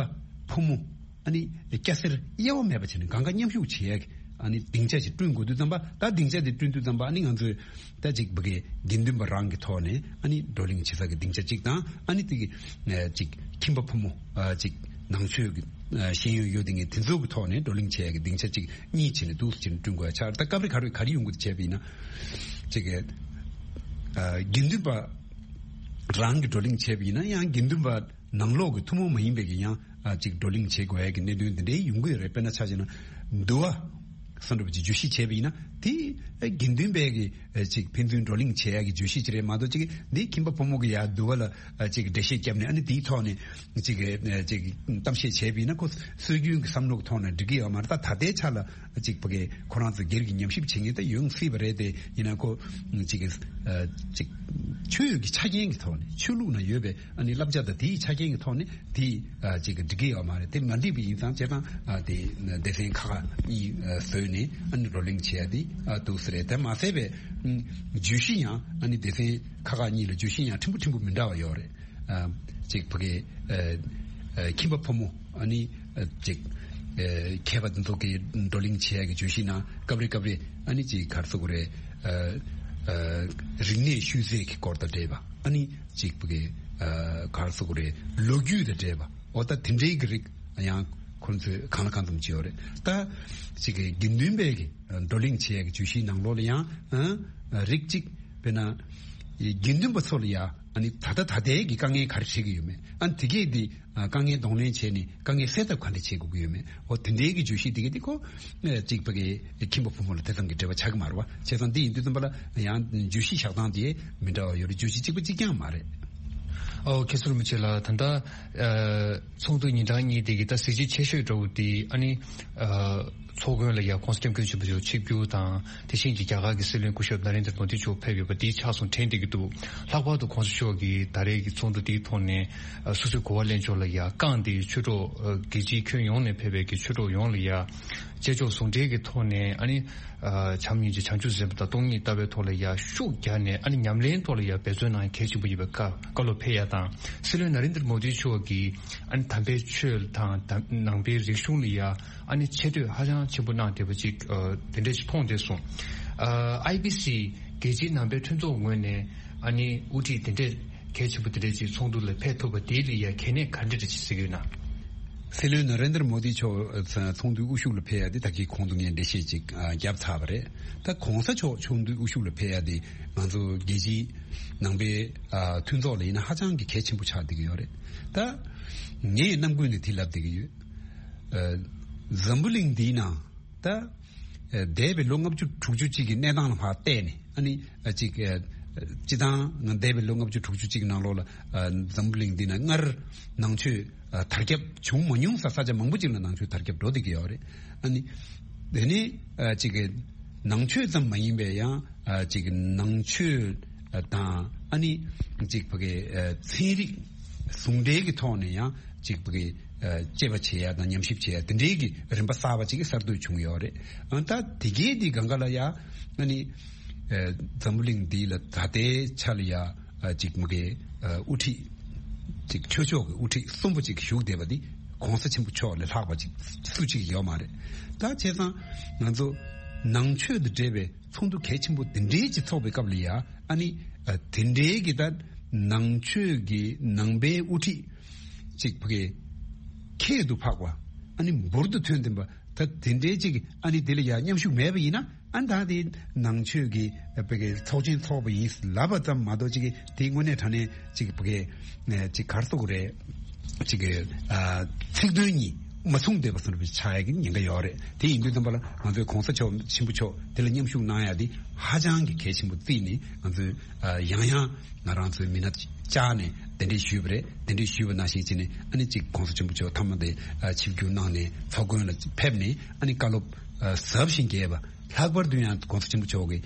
ཕོ་མོ་ཨ་ནི་སྐྱ་སེར་དབྱེ་བ་མེད་པ་བྱས་ནས་གང་ག་མཉམ་ཞུགས་བྱེད་ཡ་གི་ཨ་ནི་སྡིངས་ཆ་ཞིག་བསྐྲུན་དགོས་དུས་ཙམ་པ། ད་སྡིངས་ཆ་དེ་བསྐྲུན་དུས་ཙམ་པ་ཨ་ནི་ང་ཚོས་ད་ཅིག་ཕ་གི་དགེ་འདུན་པ་རང་གི་ཐོག་ནས་ཨ་ནི་བགྲོ་གླེང་བྱེད་ས་གི་སྡིངས་ཆ་གཅིག་དང་ཨ་ནི་དེ་གི་ཅིག་ཁྱིམ་པ་ཕོ་མོ་ཅིག་ནང་ཆོས་ཀྱི་ཤེས་ཡོན་ཡོད་དེ་ངས་དེ་ཚོ་གི་ཐོག་ནས་བགྲོ་གླེང་བྱེད་ཡ་གི་སྡིངས་ཆ་གཅིག་གཉིས་བྱས་ནས་འདུག་སེ་བྱས་ནས་བསྐྲུན་དགོས་ཡ་ཆགས། ད་སྐབས་རེ་ག་རེ་ག་རེ་ཡོང་གི་འདུག་བྱས་པ་ཡིན་ན་ཅིག་གི་དགེ་འདུན་པ། རང་གི་བགྲོ་གླེང་བྱས་པ་ཡིན་ན་ཡང་དགེ་འདུན་པ་ནང་ལོགས་ཀྱི་ཐུན་མོང་མ་ཡིན་པའི་གི་ཡང་ཨ་ཅིག་བགྲོ་གླེང་བྱེད་དགོས་ཡ་གི་གནད་དོན་འདི་འདྲའི་ཡོང་གི་ཡོད་རེད། དཔེར་ན་ཆ་བཞག་ན་འདུལ་བ་སོགས་འདྲ་པོ་ཅིག་བརྗོད་གཞི་བྱས་པ་ཡིན་ན་དེ་དགེ་འདུན་པའི་གི་ཅིག་ཕན་ཚུན་བགྲོ་གླེང་བྱེད་ཡ་གི་བརྗོད་གཞི་ཅིག་རེད་མ་གཏོགས་ཅིག་འདི་ཁྱིམ་པ་ཕོ་མོ་གི་ཡ་འདུལ་བ་ལ་ཅིག་འགྲེལ་བཤད་བརྒྱབ་ནས་ཨ་ནི་དེའི་ཐོག་ནས་ཅིག་ཅིག་གཏམ་བཤད་བྱས་པ་ཡིན་ན་ཁོ་སྲོལ་རྒྱུན་གྱི་བསམ་བློ་གི་ཐོག་ནས་འགྲིག་གི་ཡོད་མ་རེད། ད་ད་ལྟའི་ཆ་ལ་ཅིག་ཕ་གི་ཁོ་རང་ཚོ་སྒེར་གྱི་ཉམས་ཞིབ་བྱེད་མཁན་ད་ཡོང་སྲིད་པ་རེད་དེ། ཡིན་ན་ཁོ་ཅིག་གི་ཅིག་ཆོས་ཀྱི་ཆ་རྐྱེན་གྱི་ཐོག་ནས་ཆོས་ལུགས་ན་ཡོད་པའི་ཨ་ནི་བསླབ་བྱ་དང་དེའི་ཆ་རྐྱེན་གྱི་ཐོག་ནས་དེ་ཅིག་གི་འགྲིག་གི་ཡོད་མ་རེད། དེ་མ་འགྲིག་པ་ཡིན་ཙང་བྱས་ཙང་དེ་སྡེ་ཚན་ཁག་ཁག་གཉིས་བཟོས་ནས་ཨ་ནི་བགྲོ་གླེང་བྱེད་ཡ་དེ་འདུག་ས་རེད། དེ་མ་ཟད་པའི་བརྗོད་གཞི་ཡང་ཨ་ནི་སྡེ་ཚན་ཁག་ཁག་གཉིས་ལ་བརྗོད་གཞི་ཡང་ཕྲན་བུ་ཕྲན་བུ་མི་འདྲ་བ་ཡོད་རེད། ཅིག་ཕ་གི་ཁྱིམ་པ་ཕོ་མོ་ཨ་ནི་ཅིག་མཁས་པ་འདི་ཚོ་གི་བགྲོ་གླེང་བྱེད་ཡ་གི་བརྗོད་གཞི་ནང་སྐབས་རེ་སྐབས་རེ་ཨ་ནི་ཅིག་ག་རེ་ཟེར་དགོས་རེད། རིག་གནས་ཤུལ་རྫས་ཀྱི་སྐོར་དང་འབྲེལ་བ་ཨ་ནི་ཅིག་ཕ་གི་ག་རེ་ཟེར་དགོས་རེད། ལོ་རྒྱུས་དང་འབྲེལ་བ་འོ་ད་དེ་འདྲའི་གི་རིགས་ཡང་ཁོང་ཚོས་གང་ལ་གང་འཚམ་བྱས་ཡོད་རེད། ད་ཅིག་གི་དགེ་འདུན་པའི་གི་བགྲོ་གླེང་བྱེད་ཡ་གི་བརྗོད་གཞིའི་ནང་ལོགས་ལ་ཡང་རིགས་གཅིག་དཔེར་ན་དགེ་འདུན་པ་ཚོ་ལ་ཡང་ཨ་ནི་ད་ལྟ་ད་ལྟའི་གི་དཀའ་ངལ་ག་རེ་འཕྲད་ཀྱི་ཡོད་མེད། ཨ་ནི་དེ་གས་དེ་དཀའ་ངལ་གདོང་ལེན་བྱས་ནས་དཀའ་ངལ་སེལ་ཐབས་ག་འདྲ་བྱེད་དགོས་ཀྱི་ཡོད་མེད། འོ་དེ་འདྲའི་གི་བརྗོད་གཞི་དེ་གས་དེ་ཁོ་གཅིག་པ་གི་ཁྱིམ་པ་ཕོ་མོ་ལ་དེ་ཙམ་གྱི་འབྲེལ་བ་ཆགས་ཀྱི་མ་རེད་བ། བྱས་ཙང་དེ་ཡིན་དུས་ཙམ་པ་ལ་ཡང་བརྗོད་གཞི་བཞག་སྟངས་དེ་མི་འདྲ་བ་ཡོད་རེད། བརྗོད་གཞི་གཅིག་པ་གཅིག་རྐྱང་མ་རེད། ཨོ་ཁེ་སུར་མི་ཆེ་ལ་ད་ལྟ་ཚོགས་འདུ་ཉིན་གྲངས་གཉིས་དེ་གི་ད་གཟི་བརྗིད་ཆེ་ཤོས་འདྲ་བོ་དེ་ཨ་ནི་ཚོགས་མགོན་ལ་ཡ་༸གོང་ས་༸སྐྱབས་མགོན་ཆེན་པོ་མཆོག་ཆིབས་བསྒྱུར་དང་དེ་བཞིན་གྱི་རྒྱ་གར་གྱི་སྲིད་བློན་སྐུ་ཞབས་ན་རེན་དྲ་མོ་དི་མཆོག་ཕེབས་ཡོད་པ་དེ་ཆགས་སོང་དྲན་བསྡད་ཀྱི་འདུག་ལྷག་པར་དུ་༸གོང་ས་མཆོག་གིས་ད་རེས་ཀྱི་ཚོགས་འདུ་དེའི་ཐོག་ནས་སོ་སོའི་གོ་བ་ལེན་ཕྱོགས་ལ་ཡ་བསྐངས་ཏེ་ཆོས་གྲོགས་རྒྱལ་སྤྱིའི་ཁྱོན་ཡོངས་ནས་ཕེབས་པའི་གི་ཆོས་གྲོགས་ཡོངས་ལ་ཡ་བྱེད་ཕྱོགས་ཟུང་འབྲེལ་གྱི་ཐོག་ནས་ཨ་ནི་བྱམས་སྙིང་རྗེ་བྱང་ཆུབ་སེམས་དཔའ་དང་སྟོང་ཉིད་ལྟ་བའི་ཐོག་ལ་ཡ་ཤུགས་རྒྱག་ནས་ཨ་ནི་ཉམས་ལེན་ཐོག་ལ་ཡ་འབད་བརྩོན་གནང་གལ་ཆེན་པོ་ཡིན་པའི་བཀའ་བཀའ་སློབ་ཕེབས་ཡ་དང་། སྲིད་བློན་ན་རེན་དྲ་མོ་དི་མཆོག་གིས་ཨ་ནི་དམ་པའི་ཆོས་དང་དམ་ནང་པའི་རིག་གཞུང་ལ་ཡ་ཨ་ནི་ཆེ་བསྟོད་ཧ་ཅང་ཆེན་པོ་གནང་བསྡད་པ་ཅིག་དེ་འདྲ་ཞིག་མཐོང་བསྡད་སོང་། ཨ་ཨའི་པི་སི་རྒྱལ་སྤྱིའི་ནང་པའི་མཐུན་ཚོགས་ངོས་ནས་ཨ་ནི་དབུ་ཁྲིད་དེ་འདྲས་གལ་ཆེན་པོ་དེ་འདྲས་ཅིག་ཚོགས་འདུ་ལ་ཕེབས་ཐུབ་པ་དེའི་ལ་ཡ་གལ་གནད་ག་འདྲ་འདྲ་ཅིག་གཟིགས་ཡོད་ན། སྲིད་བློན་ན་རེན་དྲ་མོ་དི་མཆོག་ཚོགས་འདུའི་དབུ་བཞུགས་ལ་ཕེབས་ཡ་དེ་ད་གིན་གོང་དུ་ངས་འགྲེལ་བཤད་ཅིག་བརྒྱབ་ཚར་བ་རེད། ད་༸གོང་ས་མཆོག་ཚོགས་འདུའི་དབུ་བཞུགས་ལ་ཕེབས་ཡ་དེ་ང་ཚོ་རྒྱལ་སྤྱིའི་ནང་པའི་མཐུན་ཚོགས་ལ་ཡིན་ན་ཧ་ཅང་གི་གལ་ཆེན་པོ་ཆགས་བསྡད་ཀྱི་ཡོད་རེད། ད་ངས་རྣམ་ཀུན་ནས་དེ་ལབ་བསྡད་ཀྱི་ཡོད། འཛམ་བུ་གླིང་འདིའི་ནང་ད་འདས་པའི་ལོ་ལྔ་བཅུ་དྲུག་ཅུ་གཅིག་གི་གནས་སྟངས་ལ་ཕར་བལྟས་ནས་ཨ་ནི་ཅིག་སྤྱི་བཏང་ང་འདས་པའི་ལོ་ལྔ་བཅུ་དྲུག་ཅུ་གཅིག་ནང་ལོགས་ལ་འཛམ་བུ་གླིང་འདི་ན་སྔར་ནང་ཆོས་དར་ཁྱབ་བྱུང་མ་མྱོང་ས་ས་ཆ་མང་པོ་ཅིག་ལ་ནང་ཆོས་དར་ཁྱབ་འགྲོ་བསྡད་ཀྱི་ཡོད་རེད། ཨ་ནི་དེ་ནི་ཅིག་ནང་ཆོས་ཙམ་མ་ཡིན་པའི་ཡང་ཅིག་ནང་ཆོས་དང་ཨ་ནི་ཅིག་ཕ་གི་ཚན་རིག་ཟུང་འབྲེལ་གྱི་ཐོག་ནས་ཡང་ཅིག་ཕ་གི་དཔྱད་པ་བྱེད་ཡ་དང་ཉམས་ཞིབ་བྱེད་ཡ་དེ་འདྲའི་གི་རིམ་པ་གསར་པ་ཅིག་གི་གསར་གཏོད་བྱུང་ཡོད་རེད། ཨ་ད་དེ་གའི་དེ་སྒང་ག་ལ་ཡ་ཨ་ནི་འཛམ་བུ་གླིང་འདི་ལ་ད་ལྟའི་ཆ་ལ་ཡ་ཅིག་མ་གི་དབུ་ཁྲིད་ཅིག་ཆོས་ཕྱོགས་ཀྱི་དབུ་ཁྲིད་གསུམ་པོ་ཅིག་བཞུགས་བསྡད་པ་འདི་༸གོང་ས་ཆེན་པོ་མཆོག་ལས་ལྷག་པ་ཅིག་སུ་ཅིག་ཡོད་མ་རེད། ད་བྱས་ཙང་ང་ཚོ་ནང་ཆོས་དང་འབྲེལ་བའི་ཚོགས་འདུ་གལ་ཆེན་པོ་འདི་འདྲའི་ཅིག་ཚོགས་པའི་སྐབས་ལ་ཡ་ཨ་ནི་དེ་འདྲའི་གི་ད་ནང་ཆོས་ཀྱི་ནང་པའི་དབུ་ཁྲིད་ཅིག་ཕ་གི་ཁྱད་དུ་འཕགས་པ་ཨ་ནི་འབུར་དུ་ཐོན་ལྡན་པ་ད་དེ་འདྲའི་ཅིག་ཨ་ནི་དེ་ལ་ཡ་མཉམ་ཞུགས་མེད་པ་ཡིན་ན། ཨ་ད་དེ་ནང་ཆོས་ཀྱི་བོད་ཀྱི་ཚོགས་ཆེན་ཚོགས་པ་ཡིན་ལབ་པ་ཙམ་མ་གཏོགས་ཅིག་གི་དེ་དངོས་གནས་དྲང་གནས་ཅིག་བོད་ཀྱི་ཅིག་ག་རེ་ཟེར་དགོས་རེད། ཅིག་གི་ཚིག་དོན་གཉིས་མ་མཚུངས་བསྡད་པ་བཟོ་འདྲ་ཆགས་ཡ་གི་ཉེན་ཁ་ཡོད་རེད། དེ་ཡིན་དུས་ཙམ་པ་ལ་ང་ཚོའི་གོང་ས་མཆོག་ཆེན་པོ་མཆོག་དེ་ལ་མཉམ་ཞུགས་གནང་ཡ་དེ་ཧ་ཅང་གི་གལ་ཆེན་པོ་བརྩིས་ནས་ང་ཚོས་ཡང་ཡང་ང་རང་ཚོའི་མི་སྣ་བཅར་ནས་གདན་འདྲེན་ཞུས་པ་རེད། གདན་འདྲེན་ཞུས་པ་ནང་བཞིན་བྱས་ནས་ཨ་ནི་ཅིག་གོང་ས་ཆེན་པོ་མཆོག་མཐའ་མ་དེ་ཆིབས་བསྒྱུར་གནང་ནས་ཚོགས་མགོན་ལ་ཕེབས་ནས་ཨ་ནི་བཀའ་སློབ་ཟབ་ཞིང་རྒྱས་པ། ལྷག་པར་དུ་ཡང་གོང་ས་ཆེན་པོ་མཆོག་གིས་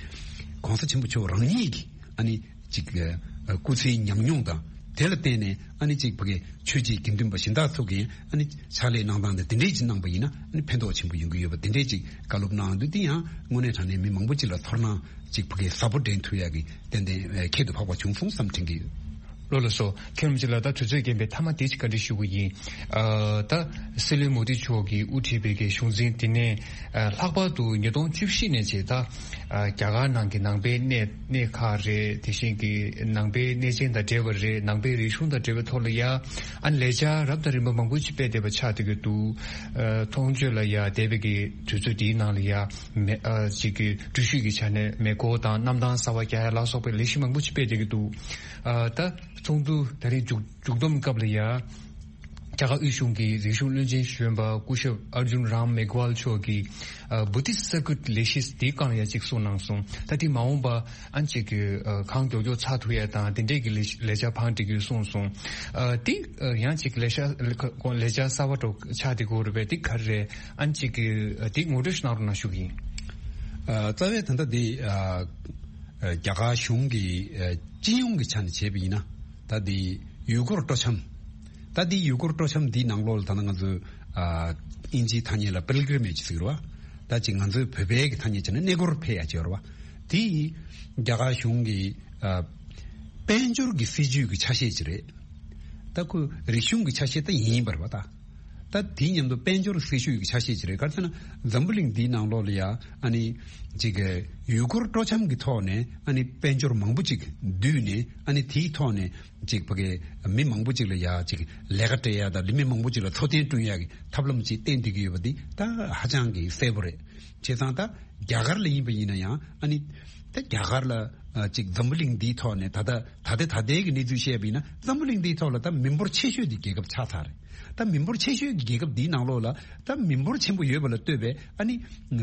གོང་ས་ཆེན་པོ་མཆོག་རང་ཉིད་ཀྱིས་ཨ་ནི་ཅིག་སྐུ་ཚེའི་ཉམས་མྱོང་དང་དེ་ལ་བརྟེན་ནས་ཨ་ནི་ཅིག་ཕ་གི་ཆོས་བརྒྱུད་དགེ་འདུན་པ་གཞན་དག་ཚོ་གིས་ཨ་ནི་ཕྱག་ལས་གནང་སྟངས་དེ་དེ་འདྲས་ཅིག་གནང་པ་ཡིན་ན་ཨ་ནི་ཕན་ཐོགས་ཆེན་པོ་ཡོང་གི་ཡོད་པ་དེ་འདྲས་ཅིག་བཀའ་སློབ་གནང་འདུག་དེ་ཡང་དངོས་གནས་དྲང་གནས་མི་མང་པོ་ཅིག་ལ་ཚོར་སྣང་ཅིག་ཕ་གི་ཟབ་པོ་འདྲེན་ཐུབ་ཡག་གི་ཏན་ཏན་ཁྱད་དུ་འཕགས་པ་བྱུང་སོང་བསམ་དྲན་གྱི་ཡོད། ལགས་སོ། མཁན་རིན་པོ་ཆེ་ལགས། ད་དུས་ཚོད་རྐྱེན་པས་མཐའ་མ་དེ་ཅིག་བཀའ་འདྲི་ཞུ་གི་ཡིན། ཨ་ད་སྲིད་བློན་མོ་དི་མཆོག་གིས་དབུ་ཁྲིད་པའི་གི་གཞུང་འཛིན་དེ་ནས་ཨ་ལྷག་པར་དུ་ཉིས་སྟོང་བཅུ་བཞི་ནས་བྱས་ད་ཨ་རྒྱ་གར་ནང་གི་ནང་པའི་གནས་གནས་ཁག་རེད། དེ་བཞིན་གྱི་ནང་པའི་གནས་ཆེན་དང་འབྲེལ་བ་རེད། ནང་པའི་རིག་གཞུང་དང་འབྲེལ་བའི་ཐོག་ལ་ཡ་ཨ་ལས་འཆར་རབ་དང་རིམ་པ་མང་པོ་ཅིག་སྤེལ་བསྡད་པ་ཆགས་བསྡད་ཀྱི་འདུག་ཨ་མཐོང་ཆོས་ལ་ཡ་འདས་པའི་གི་དུས་ཚོད་འདིའི་ནང་ལ་ཡ་མེ་ཨ་ཅིག་གི་འགྲུལ་བཞུད་ཀྱི་ཆ་ནས་མེ་འཁོར་དང་གནམ་ཐང་གསར་པ་རྒྱག་ཡ་ལ་སོགས་པའི་ལས་གཞི་མང་པོ་ཅིག་སྤེལ་བསྡད་ཀྱི་འདུག་ཨ་ད། ཚོགས་འདུ་ད་རེས་མཇུག་མཇུག་བསྡོམས་སྐབས་ལ་ཡ། རྒྱ་གར་དབུས་གཞུང་གི་རིག་གཞུང་བློན་ཆེན་གཞོན་པ་སྐུ་ཞབས་ཨར་ཇུན་རམ་མེག་ཝལ་མཆོག་གིས་ཨ་Buddhist Circuit ལས་གཞི་དེའི་སྒང་ལ་ཡ་གཅིག་གསུངས་གནང་སོང་། ད་དེ་མ་འོངས་པ་ཨ་ནི་གཅིག་གི་ཨ་གང་མགྱོགས་མགྱོགས་ཚར་ཐུབ་ཡ་དང་དེ་འདྲས་ཀྱི་ལས་ལས་འཆར་བང་སྒྲིག་རྒྱུ་གསུངས་སོང་། ཨ་དེ་ཨ་ཡང་གཅིག་ལས་འཆར་ལས་འཆར་གསར་པ་འདྲ་ཆགས་བསྡད་ཀྱི་ཡོད་རེད་པས། དེ་ག་རེ་རེད། ཨ་ནི་གཅིག་གི་ཨ་དེ་ངོ་སྤྲོད་ཞིག་གནང་རོགས་གནང་ཞུ་གི་ཡིན། ཨ་རྩ་བའི་ད་ལྟ་དེ་ཨ་ཨ་རྒྱ་གར་གཞུང་གི་ཨ་སྤྱི་ཡོངས་ཀྱི་ཆ་ནས་བྱས་པ་ཡིན་ན། ད་འདི་ཡུལ་སྐོར་སྤྲོ་འཆམ། ད་འདི་ཡུལ་སྐོར་སྤྲོ་འཆམ་འདིའི་ནང་ལོགས་ལ་ད་ནི་ང་ཚོས་ཨ་ཨིན་ཇིའི་ཐ་སྙད་ལ་པིལ་གྲིམ་ཨེཇ་ཟེར་གི་རེད་བ། ད་ཅིག་ང་ཚོའི་བོད་པའི་གི་ཐ་སྙད་བྱས་ན་གནས་སྐོར་ཕེབས་ཡ་ཅིག་ཡོད་རེད་བ། དེ་ཡིས་རྒྱ་གར་གཞུང་གི་ཨ་དཔལ་འབྱོར་གྱི་སྲིད་ཇུས་ཀྱི་ཆ་ཤས་ཅིག་རེད། ད་ཁོ་རིག་གཞུང་གི་ཆ་ཤས་ད་ཡིན་པ་རེད་བ་ད། ད་དེའི་མཉམ་དུ་དཔལ་འབྱོར་སྲིད་ཇུས་ཀྱི་ཆ་ཤས་ཅིག་རེད། ག་རེ་ཟེར་ན་འཛམ་བུ་གླིང་འདིའི་ནང་ལོགས་ལ་ཡ་ཨ་ནི་ཅིག་ཡུལ་སྐོར་སྤྲོ་འཆམ་གྱི་ཐོག་ནས་ཨ་ནི་དཔལ་འབྱོར་མང་པོ་ཅིག་བསྡུས་ནས་ཨ་ནི་དེའི་ཐོག་ནས་ཅིག་ཕ་གི་མི་མང་པོ་ཅིག་ལ་ཡ་ཅིག་ལས་ཀ་སྤྲད་ཡ་དང་མི་མང་པོ་ཅིག་ལ་འཚོ་རྟེན་བསྐྲུན་ཡ་གི་ཐབས་ལམ་ཅིག་བསྟན་བསྡད་ཀྱི་ཡོད་པ་འདི་ད་ཧ་ཅང་གི་གསལ་པོ་རེད། བྱས་ཙང་ད་རྒྱ་གར་ལ་ཡིན་པ་ཡིན་ན་ཡང་ཨ་ནི་ད་རྒྱ་གར་ལ་ཨ་ཅིག་འཛམ་བུ་གླིང་འདིའི་ཐོག་ནས་ད་ལྟ་ད་ལྟའི་ད་ལྟའི་གི་གནས་ཚུལ་བཤད་པ་ཡིན་ན་འཛམ་བུ་གླིང་འདིའི་ཐོག་ལ་ད་མི་འབོར་ཆེ་ཤོས་འདི་རྒྱལ་ཁབ་ཆགས་ཚར་རེད། ད་མི་འབོར་ཆེ་ཤོས་ཀྱི་རྒྱལ་ཁབ་འདིའི་ནང་ལོགས་ལ་ད་མི་འབོར་ཆེན་པོ་ཡོད་པ་ལ་ལྟོས་པའི་ཨ་ནི་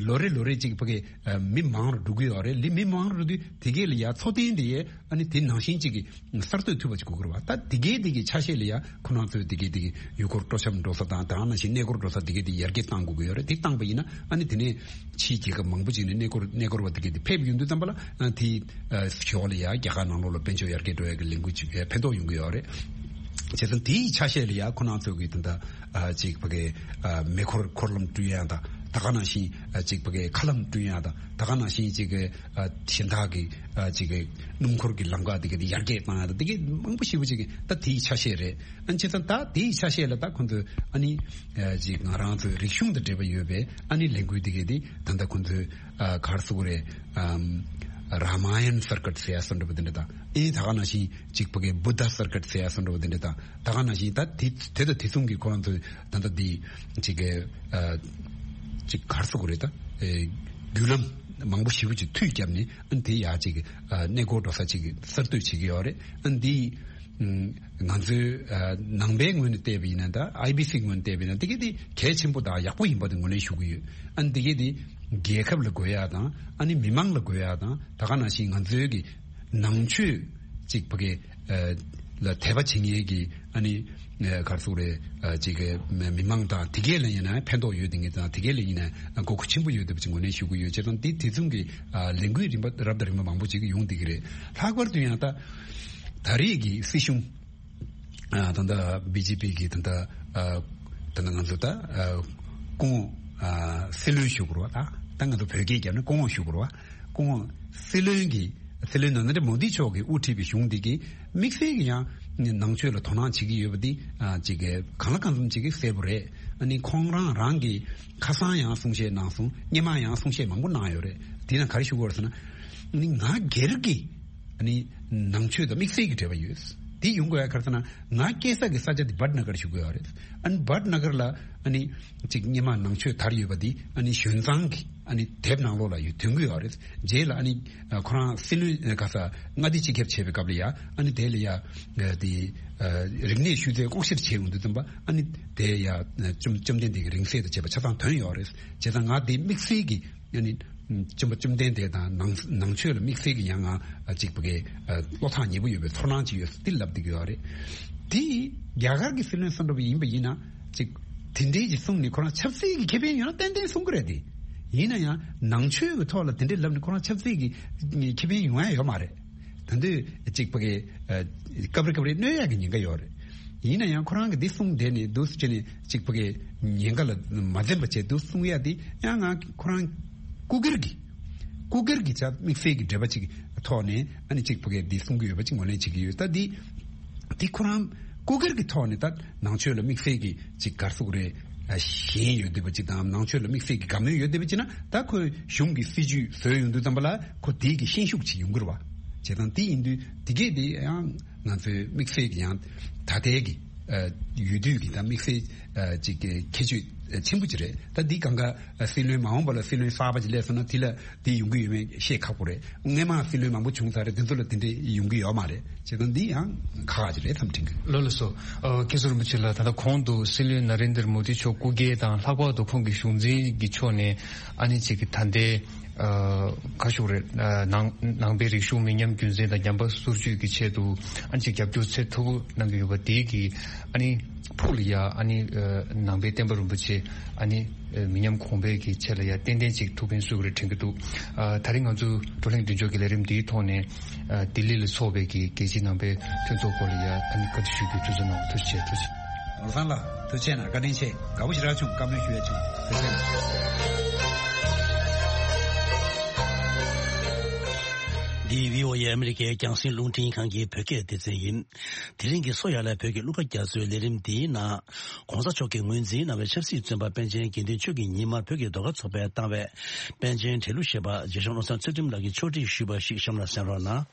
ལོ་རེ་ལོ་རེ་ཅིག་ཕ་གི་ཨ་མི་མང་རུ་འགྲོ་གི་ཡོད་རེད། ལི་མི་མང་རུ་འགྲོ་དུས་དེ་གས་ལ་ཡ་འཚོ་རྟེན་དེ་ཡས་ཨ་ནི་དེ་ནང་བཞིན་ཅིག་གི་གསར་གཏོད་ཐུབ་པ་ཅིག་དགོས་ཀྱི་རེད་བ། ད་དེ་གས་དེ་གི་ཆ་ཤས་ལ་ཡ་ཁོ་རང་ཚོས་དེ་གས་དེ་གི་ཡུལ་སྐོར་སྤྲོ་འཆམ་འགྲོ་ས་དང་དེ་ག་ནང་བཞིན་གནས་སྐོར་འགྲོ་ས་དེ་གས་དེ་ཡར་རྒྱས་གཏང་དགོས་ཀྱི་ཡོད་རེད། དེ་བཏང་པ་ཡིན་ན་ཨ་ནི་དེ་ནས་ཕྱིའི་རྒྱལ་ཁབ་མང་པོ་ཅིག་ནས་གནས་སྐོར་གནས་སྐོར་བ་དེ་གས་དེ་ཕེབས་ཡོང་དུས་ཙམ་པ་ལ་ཨ་དེའི་ཨ་ཞོར་ལ་ཡ་རྒྱ་གར་ནང་ལོགས་ལ་དཔལ་འབྱོར་ཡར་རྒྱས་འགྲོ་ཡ་གི་ལས་འགུལ་ཅིག་ཨ་ཕན་ཐོགས་ཡོང་གི་ཡོད་རེད། བྱས་ཙང་དེའི་ཆ་ཤས་ལ་ཡ་ཁོ་རང་ཚོ་གི་ད་ལྟ་ཨ་ཅིག་ཕ་གི་ཨ་མེ་འཁོར་འཁོར་ལམ་བསྐྲུན་ཡ་དང་དེ་ག་ནང་བཞིན་ཨ་ཅིག་ཕ་གི་མཁའ་ལམ་བསྐྲུན་ཡ་དང་དེ་ག་ནང་བཞིན་ཅིག་གི་ཨ་གཞན་དག་གི་ཨ་ཅིག་གི་སྣུམ་འཁོར་གྱི་ལམ་ཁ་དེ་ག་དེ་ཡར་རྒྱས་བཏང་ཡ་དང་དེ་ག་མང་པོ་ཞེ་པོ་ཅིག་གི་ད་དེའི་ཆ་ཤས་རེད། ཨ་ནི་བྱས་ཙང་ད་དེའི་ཆ་ཤས་ལ་ད་ཁོང་ཚོས་ཨ་ནི་ཨ་ཅིག་ང་རང་ཚོའི་རིག་གཞུང་དང་འབྲེལ་བ་ཡོད་པའི་ཨ་ནི་ལས་འགུལ་དེ་ག་དེ་ད་ལྟ་ཁོང་ཚོས་ཨ་ག་རེ་ཟེར་དགོས་རེད། ཨམ་ར་མ་ཡན་སར་ཀིཊ་ཟེར་ཡ་བཟོ་འདྲ་པོ་དེ་འདྲ་དང་ཨེ་ད་ག་ནང་བཞིན་ཅིག་ཕ་གི་བུདྡྷ་སར་ཀིཊ་ཟེར་ཡ་བཟོ་འདྲ་པོ་དེ་འདྲ་དང་ད་ག་ནང་བཞིན་ད་དེ་དེ་དང་དེ་མཚུངས་ཀྱི་ཁོ་རང་ཚོས་ད་ལྟ་དེ་ཅིག་གི་ཨ་ཅིག་ག་རེ་ཟེར་དགོས་རེད། ད་ཨེ་བརྒྱུད་ལམ་མང་པོ་ཞེ་པོ་ཅིག་མཐུད་བརྒྱབ་ནས་ཨ་ནི་དེ་ཡ་ཅིག་ཨ་གནས་སྐོར་འགྲོ་ས་ཅིག་གསར་གཏོད་བྱེད་ཀྱི་ཡོད་རེད། ཨ་ནི་དེ་ང་ཚོའི་ཨ་ནང་པའི་ངོས་ནས་བལྟས་པ་ཡིན་ན་ད་ཨའི་བི་སི་ངོས་ནས་བལྟས་པ་ཡིན་ན་དེ་ག་དེ་གལ་ཆེན་པོ་དང་ཡག་པོ་ཡིན་པ་དེ་ངོས་ལེན་ཞུ་གི་ཡོད། ཨ་ནི་དེ་ག་དེ་རྒྱལ་ཁབ་ལ་དགོས་ཡ་དང་ཨ་ནི་མི་མང་ལ་དགོས་ཡ་དང་ད་ག་ནང་བཞིན་ང་ཚོའི་གི་ནང་ཆོས་ཅིག་ཕ་གི་ཨ་ལ་དད་པ་བྱེད་མཁན་གི་ཨ་ནི་ཨ་ག་རེ་ཟེར་དགོས་རེད། ཨ་ཅིག་གི་མི་མང་དང་དེ་གས་ལ་ཡིན་ན་ཕན་ཐོགས་ཡོད་དེ་ངེས་དང་དེ་གས་ལ་ཡིན་ན་དགོས་མཁོ་ཆེན་པོ་ཡོད་དེ་བ་ཅིག་ངོས་ལེན་ཞུ་གི་ཡོད། བྱས་ཙང་དེ་དེ་མཚུངས་གི་ཨ་ལས་འགུལ་རིམ་པ་རབ་དང་རིམ་པ་མང་པོ་ཅིག་ཡོང་བསྡད་ཀྱི་རེད། ལྷག་པར་དུ་ཡང་ད་ད་རེས་ཀྱི་སྲིད་གཞུང་ཨ་ད་ལྟ་བི་ཇེ་པི་གི་ད་ལྟ་ཨ་ད་ལྟ་ང་ཚོ་ད་ཨ་སྐུ་ངོ་ཨ་སྲིད་བློན་ཞུ་དགོས་རེད་བ། ད་ད་ང་ཚོ་བོད་སྐད་རྒྱབ་ན་སྐུ་ངོ་ཞུ་དགོས་རེད་བ། སྐུ་ངོ་སྲིད་བློན་གྱི་སྲིད་བློན་ནཱ་རེནྡྲ་མོ་དི་མཆོག་གིས་དབུ་ཁྲིད་པའི་གཞུང་འདི་གིས་དམིགས་བསལ་གྱི་ཡང་ནང་ཆོས་ལ་དོ་སྣང་བྱེད་ཀྱི་ཡོད་པ་འདི་ཨ་ཅིག་གང་ལ་གང་འཚམ་ཅིག་གིས་གསལ་པོ་རེད། ཨ་ནི་ཁོང་རང་རང་གི་ཁ་སང་ཡང་གསུང་བཤད་གནང་སོང་། སྔོན་མ་ཡང་གསུང་བཤད་མང་པོ་གནང་ཡོད་རེད། དེ་ན་ག་རེ་ཞུ་དགོས་རེད་ཟེར་ན་ཨ་ནི་ང་སྒེར་གྱི་ཨ་ནི་ནང་ཆོས་དང་དམིགས་བསལ་གྱི་འབྲེལ་བ་ཡོད། དེ་ཡོང་དགོས་ཡ་ག་རེ་ཟེར་ན་ང་སྐྱེས་ས་གི་ས་ཆ་དེ་བྷཊ་ན་གར་ཞུ་དགོས་ཡོད་རེད། ཨ་ནི་བྷཊ་ན་གར་ལ་ཨ་ནི་ཅིག་སྔོན་མ་ནང་ཆོས་དར་ཡོད་པ་དེ་ཨ་ནི་གཞུང་ཚང་གི་ཨ་ནི་དེབ་ནང་ལོགས་ལ་ཡོད་ཐོན་གྱི་ཡོད་རེད། རྗེས་ལ་ཨ་ནི་ཁོ་རང་སྲིད་བློན་ག་ས་མངའ་སྡེ་སྤྱི་ཁྱབ་བྱས་པའི་སྐབས་ལ་ཡ་ཨ་ནི་དེ་ལ་ཡ་དེ་རིག་གནས་ཤུལ་རྫས་ལྐོག་བཤེར་བྱས་ཡོང་དུས་ཙམ་པ་ཨ་ནི་དེ་ཡ་བཅོམ་བཅོམ་ལྡན་འདས་ཀྱི་རིང་བསྲེལ་དང་བཅས་པ་ཆ་ཚང་ཐོན་ཡོད་རེད། བྱས་ཙང་ང་དེ་དམིགས་བསལ་གྱི་ཨ་ནི་བཅོམ་པ་བཅོམ་ལྡན་འདས་དང་ནང་ནང་ཆོས་ལ་དམིགས་བསལ་གྱི་ཡང་ང་ཅིག་ཕ་གི་བློ་ཐག་ཉེ་པོ་ཡོད་པའི་ཚོར་སྣང་ཅིག་ཡོད་འདི་ལབ་བསྡད་ཀྱི་ཡོད་རེད། དེ་རྒྱ་གར་གྱི་སྲིད་བློན་བསམ་འགྲུབ་ཡིན་པ་ཡིན་ན་ཅིག་དེ་འདྲའི་ཅིག་གསུངས་ནས་ཁོ་རང་ཆབ་སྲིད་ཀྱི་ཁེ་ཕན་ཡོད་ན་ཏན་ཏན་གསུང་གི་རེད་དེ། ཡིན་ན་ཡང་ནང་ཆོས་ཀྱི་ཐོག་ལ་དེ་འདྲའི་ལབ་ནས་ཁོ་རང་ཆབ་སྲིད་ཀྱི་ཁེ་ཕན་ཡོང་ཡ་ཡོད་མ་རེད། ད་དུས་ཅིག་ཕ་གི་སྐབས་རེ་སྐབས་རེ་གནོད་ཡ་གི་ཉེན་ཁ་ཡོད་རེད། ཡིན་ན་ཡང་ཁོ་རང་གི་འདི་གསུངས་བསྡད་ནས་འདུག་སེ་བྱས་ནས་ཅིག་ཕ་གི་ཉེན་ཁ་ལ་མ་འཛེམ་པ་བྱས་འདུག་གསུང་ཡ་འདི་ཡང་ང་ཁོ་རང་སྐུ་སྒེར་གྱི་སྐུ་སྒེར་གྱི་ཆ་དམིགས་བསལ་གྱི་འབྲེལ་བ་ཅིག་ཐོག་ནས་ཨ་ནི་ཅིག་ཕ་གི་འདི་གསུང་གི་ཡོད་པ་ཅིག་ངོས་ལེན་བྱེད་ཀྱི་ཡོད། ད་འདི་འདི་ཁོ་རང་སྐུ་སྒེར་གྱི་ཐོག་ནས་ད་ནང་ཆོས་ལ་དམིགས་བསལ་གྱི་ཅིག་ག་རེ་ཟེར་དགོས་རེད། ཞེན་ཡོད་བསྡད་པ་ཅིག་དང་ནང་ཆོས་ལ་དམིགས་བསལ་གྱི་དགའ་མོས་ཡོད་བསྡད་པ་ཅིག་ན་ད་ཁོས་གཞུང་གི་སྲིད་ཇུས་བཟོས་ཡོང་དུས་ཙམ་པ་ལ་ཁོ་དེའི་གི་ཤན་ཤུགས་ཅིག་ཡོང་གི་རེད་བ། བྱས་ཙང་དེ་ཡིན་དུས་དེ་གས་དེ་ཡང་ང་ཚོའི་དམིགས་བསལ་གྱི་ཡང་ད་ལྟའི་གི་ཡུལ་དུས་ཀྱི་ད་དམིགས་བསལ་ཅིག་གི་ཁྱད་ཆོས་ ཆེན་པོ་ཅིག་རེད། ད་འདི་གང་ག་སྲིད་བློན་མ་འོངས་པ་ལ་སྲིད་བློན་གསར་པ་ཅིག་སླེབས་སོང་ན་དེ་ལ་དེ་ཡོང་གི་ཡོད་མེད་བཤད་ཁག་པོ་རེད། སྔོན་མ་སྲིད་བློན་མང་པོ་བྱུང་ཚར་རེད། དེ་ཚོ་ལ་དེ་འདྲས་ཡོང་གི་ཡོད་མ་རེད། བྱས་ཙང་འདི་ཡང་ཁག་ཁག་ཅིག་རེད་བསམ་དྲན་གི། ལགས་ལགས་སོ། ཨ་མཁན་ཟུར་རིན་པོ་ཆེ་ལགས། ད་ལྟ་གོང་དུ་སྲིད་བློན་ན་རེན་དར་མོ་དི་མཆོག་སྐུ་སྒེར་དང་ལྷག་པར་དུ་ཁོང་གི་གཞུང་འཛིན་གྱི་ཕྱོགས་ནས་ཨ་ནི་ཅིག་གི་ད་ལྟའི་ཨ་ཁ་ཤོག་རེད། ཨ་ནང་ནང་པའི་རིག་གཞུང་མི་ཉམས་རྒྱུན་འཛིན་དང་ཉམས་པ་སོར་ཆུད་ཀྱི་ཆེད་དུ་ཨ་ནི་ཅིག་རྒྱབ་སྐྱོར་ཚད་མཐོ་པོ་གནང་གི་ཡོད་པ་དེའི་གི་ཨ་ནི་ཕུགས་ལ་ཡ་ཨ་ནི་ཨ་ནང་པའི་བསྟན་པ་རིན་པོ་ཆེ་ཨ་ནི་ཨ་མི་ཉམས་གོང་འཕེལ་གྱི་ཆེད་ལ་ཡ་ཏན་ཏན་ཅིག་ཐུགས་ཕན་གསོས་ཀྱི་རེད་དྲན་གྱི་འདུག། ཨ་ད་རིང་ང་ཚོ་བགྲོ་གླེང་མདུན་ལྕོག་གི་ལས་རིམ་འདིའི་ཐོག་ནས་ཨ་ལྡི་ལི་ལ་འཚོགས་པའི་གི་རྒྱལ་སྤྱིའི་ནང་པའི་མཐུན་ཚོགས་སྐོར་ལ་ཡ་ཨ་ནི་བཀའ་འདྲི་ཞུ་རྒྱུའི་དུས་ཚོད་གནང་བ་ཐུགས་རྗེ་ཆེ། ཐུགས་རྗེ་ཆེ། ནོར་བཟང་ལགས་ཐུགས་རྗེ་གནང་། བཀའ་དྲིན་ཆེ། དགའ་པོ་ཞེ་དྲག་བྱུང་། བཀའ་མོལ་ཞུ་ཡ་བྱུང་། ཐུགས་རྗེ་གནང་། འདི་བྷི་ཨོ་ཨེ་ཨ་མི་རི་ཀའི་རྒྱང་སྲིང་རླུང་འཕྲིན་ཁང་གི་བོད་སྐད་སྡེ་ཚན་ཡིན། དེ་རིང་གི་གསོ་ཡ་ལ་བོད་ཀྱི་གླུ་གར་རྒྱ་མཚོའི་ལས་རིམ་འདིའི་ནང་། ༸གོང་ས་མཆོག་གིས་ངོས་འཛིན་གནང་བའི་ཆབ་སྲིད་བཙོན་པ་པཎ་ཆེན་དགེ་འདུན་ཆོས་ཀྱི་ཉི་མ་བོད་ཀྱི་ཟློས་གར་ཚོགས་པས་བཏང་བའི་པཎ་ཆེན་བྲལ་གླུ་ཞེས་པ་རྗེ་གཞུང་བློ་བཟང་ཚུལ་ཁྲིམས་ལགས་ཀྱིས་ཕྱོགས་སྒྲིག་ཞུས་པ་ཞིག་གཤམ་ལ་གསན་རོགས་གནང་།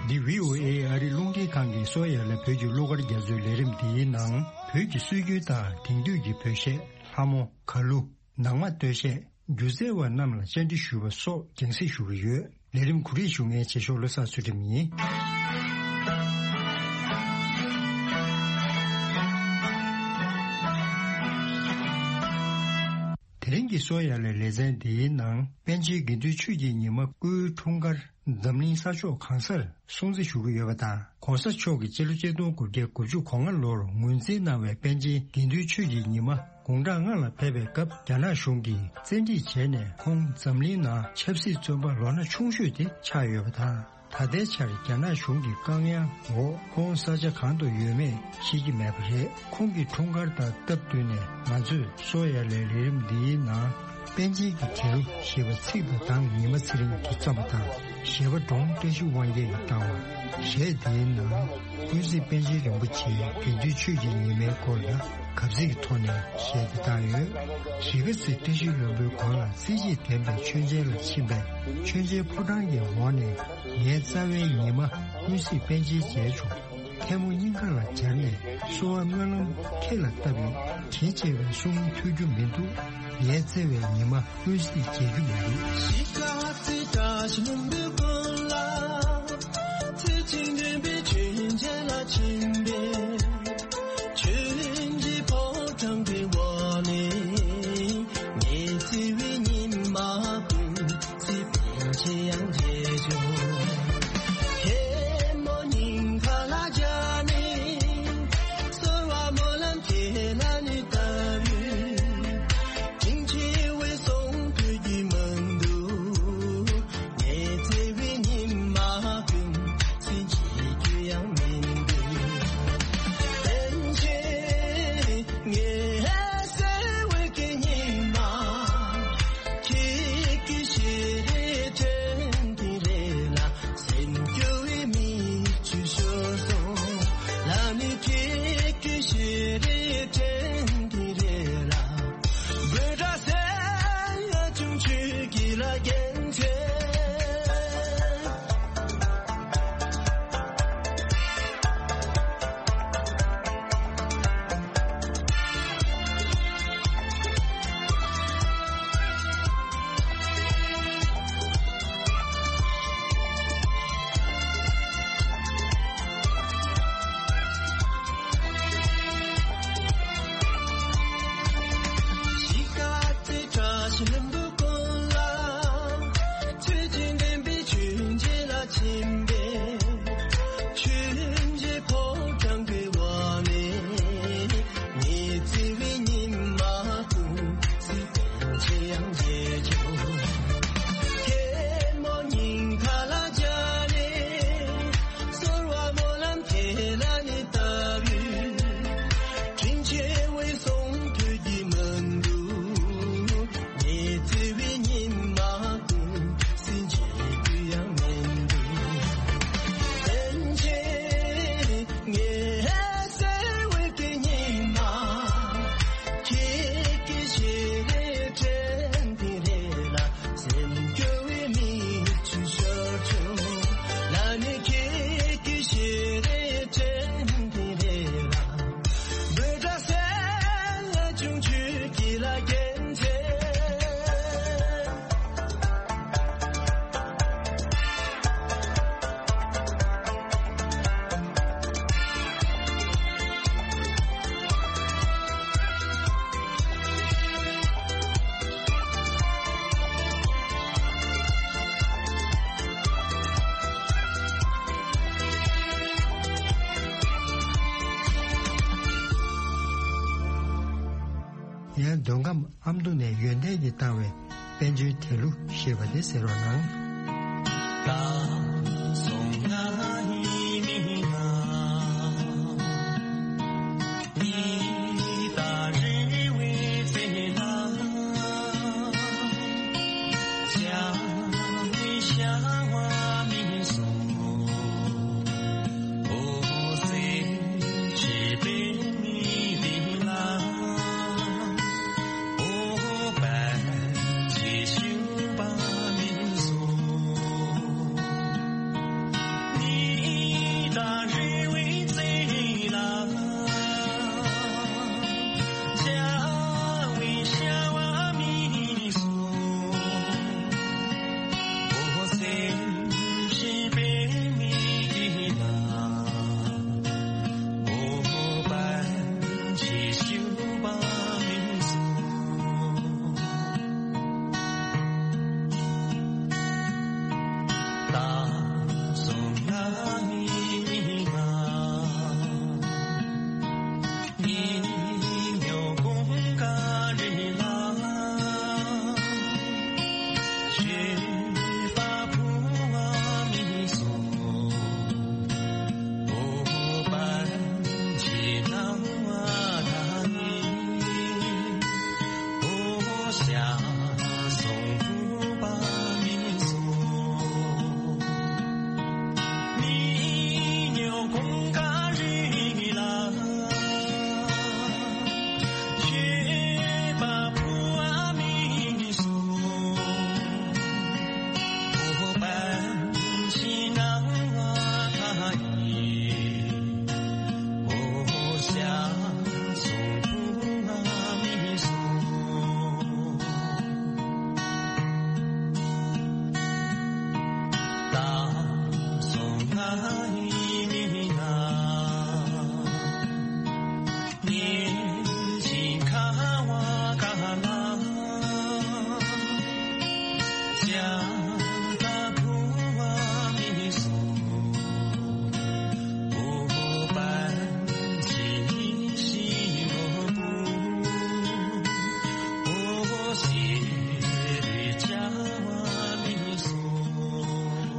འདི་བྷི་ཨོ་ཨེ་ཨ་རི་རླུང་འཕྲིན་ཁང་གི་གསོ་ཡ་ལ་བོད་ཀྱི་གླུ་གར་རྒྱ་མཚོའི་ལས་རིམ་འདིའི་ནང་བོད་ཀྱི་སྲོལ་རྒྱུན་དང་དེང་དུས་ཀྱི་བོད་གཞས། ལྷ་མོ། གར་གླུ། ནང་མ་སྟོད་གཞས། སྒྱུ་རྩལ་བ་རྣམས་ལ་བཅར་འདྲི་ཞུ་བ་སོགས་རྒྱང་སྲིང་ཞུ་གི་ཡོད། ལས་རིམ་གོ་སྒྲིག་ཞུ་མཁན་རྗེས་ཕྱོགས་བློ་བཟང་ཚུལ་ཁྲིམས་ཡིན། དེ་རིང་གི་གསོ་ཡ་ལའི་ལེ་ཚན་འདིའི་ནང་པཎ་ཆེན་དགེ་འདུན་ཆོས་ཀྱི་ཉི་མ་སྐུའི་འཁྲུངས་སྐར་འཛམ་གླིང་ས་ཕྱོགས་གང་སར་སྲུང་བརྩི་ཞུ་གི་ཡོད་པ་དང་། ༸གོང་ས་མཆོག་གིས་སྤྱི་ལོ་ཆིག་སྟོང་དགུ་བརྒྱ་དགུ་བཅུ་གོ་ལྔ་ལོར་ངོས་འཛིན་གནང་བའི་པཎ་ཆེན་དགེ་འདུན་ཆོས་ཀྱི་ཉི་མ་དགུང་གྲངས་ལྔ་ལ་ཕེབས་པའི་སྐབས་རྒྱ་ནག་གཞུང་གིས་བཙན་ཁྲིད་བྱས་ནས་ཁོང་འཛམ་གླིང་ནང་ཆབ་སྲིད་བཙོན་པ་ལོ་ན་ཆུང་ཤོས་དེ་ཆགས་ཡོད་པ་དང་། ད་ལྟའི་ཆར་རྒྱ་ནག་གཞུང་གི་བཀག་ཉར་འོག་ཁོང་ས་ཆ་གང་དུ་ཡོད་མེད་ཤེས་ཀྱི་མེད་པ་རེད། ཁོང་གི་འཁྲུངས་སྐར་དང་སྟབས་བསྟུན་ནས་ང་ཚོས་གསོ་ཡ་ལའི་ལས་རིམ་འདིའི་ནང་པཎ་ཆེན་གྱི་བྲལ་གླུ་ཞེས་པ་ཚིག་དང་གདངས་ཉི་མ་ཚེ་རིང་གིས་བརྩམས་པ་དང་། གཞས་པ་འབྲོང་བཀྲ་ཤིས་དབང་རྒྱལ་གྱིས་བཏང་བ། གཞས་འདིའི་ནང་ཀུན་གཟིགས་པཎ་ཆེན་རིན་པོ་ཆེའི་དགེ་འདུན་ཆོས་ཀྱི་ཉི་མའི་སྐོར་ལ་གབ་ཚིག་གི་ཐོག་ནས་གཞས་འདི་བཏང་ཡོད། གཞིས་ཀ་རྩེ་བཀྲ་ཤིས་ལྷུན་པོའི་དགོན་ལ་རྩེ་གཅིག་ལྡན་པའི་མཆོད་མཇལ་ལ་ཕྱིན་པས། མཆོད་མཇལ་ཕོ་བྲང་གི་འོག་ནས་ངའི་རྩ་བའི་ཉི་མ་ཀུན་གཟིགས་པཎ་ཆེན་མཇལ་བྱུང་། ཐལ་མོ་སྙིང་ག་ལ་སྦྱར་ནས་གསོལ་བ་སྨོན་ལམ་ཁྱེད་ལ་བཏབ་ཡིན། དྲིན་ཆེ་བའི་གསུང་ཐོས་རྒྱུ་མི་འདུག། ངའི་བརྩེ་བའི་ཉི་མ་ཀུན་གཟིགས་མཇལ་རྒྱུ་མི་འདུག། གཞིས་ཀ་རྩེ་བཀྲ་ཤིས་ལྷུན་པོའི་དགོན་ལ་ཚེ་གཅིག་འདྲེན་པའི་མཆོད་མཇལ་ལ་ཕྱིན་པས། མཆོད་མཇལ་ཕོ་བྲང་གི་འོག་ནས་ངའི་བརྩེ་བའི་ཉི་མ་ཀུན་གཟིགས་པཎ་ཆེན་ཡང་མཇལ་བྱུང་། ཐལ་མོ་སྙིང་ག་ལ་སྦྱར་ནས་གསོལ་བ་སྨོན་ལམ་ཁྱེད་ལ་ནི་བཏབ་ཡོད། དྲིན་ཆེ་བའི་གསུང་ཐོས་རྒྱུ་མི་འདུག། ངའི་བརྩེ་བའི་ཉི་མ་ཀུན་གཟིགས་མཇལ་ ངའི་མདུན་ཁམས་ཨ་མདོ་ནས་ཡོན་ཏན་གྱིས་བཏང་བའི་དཔལ་འབྱོར་དལ་ལུ་ཞེས་པ་དེ་གསན་རོགས་གནང་།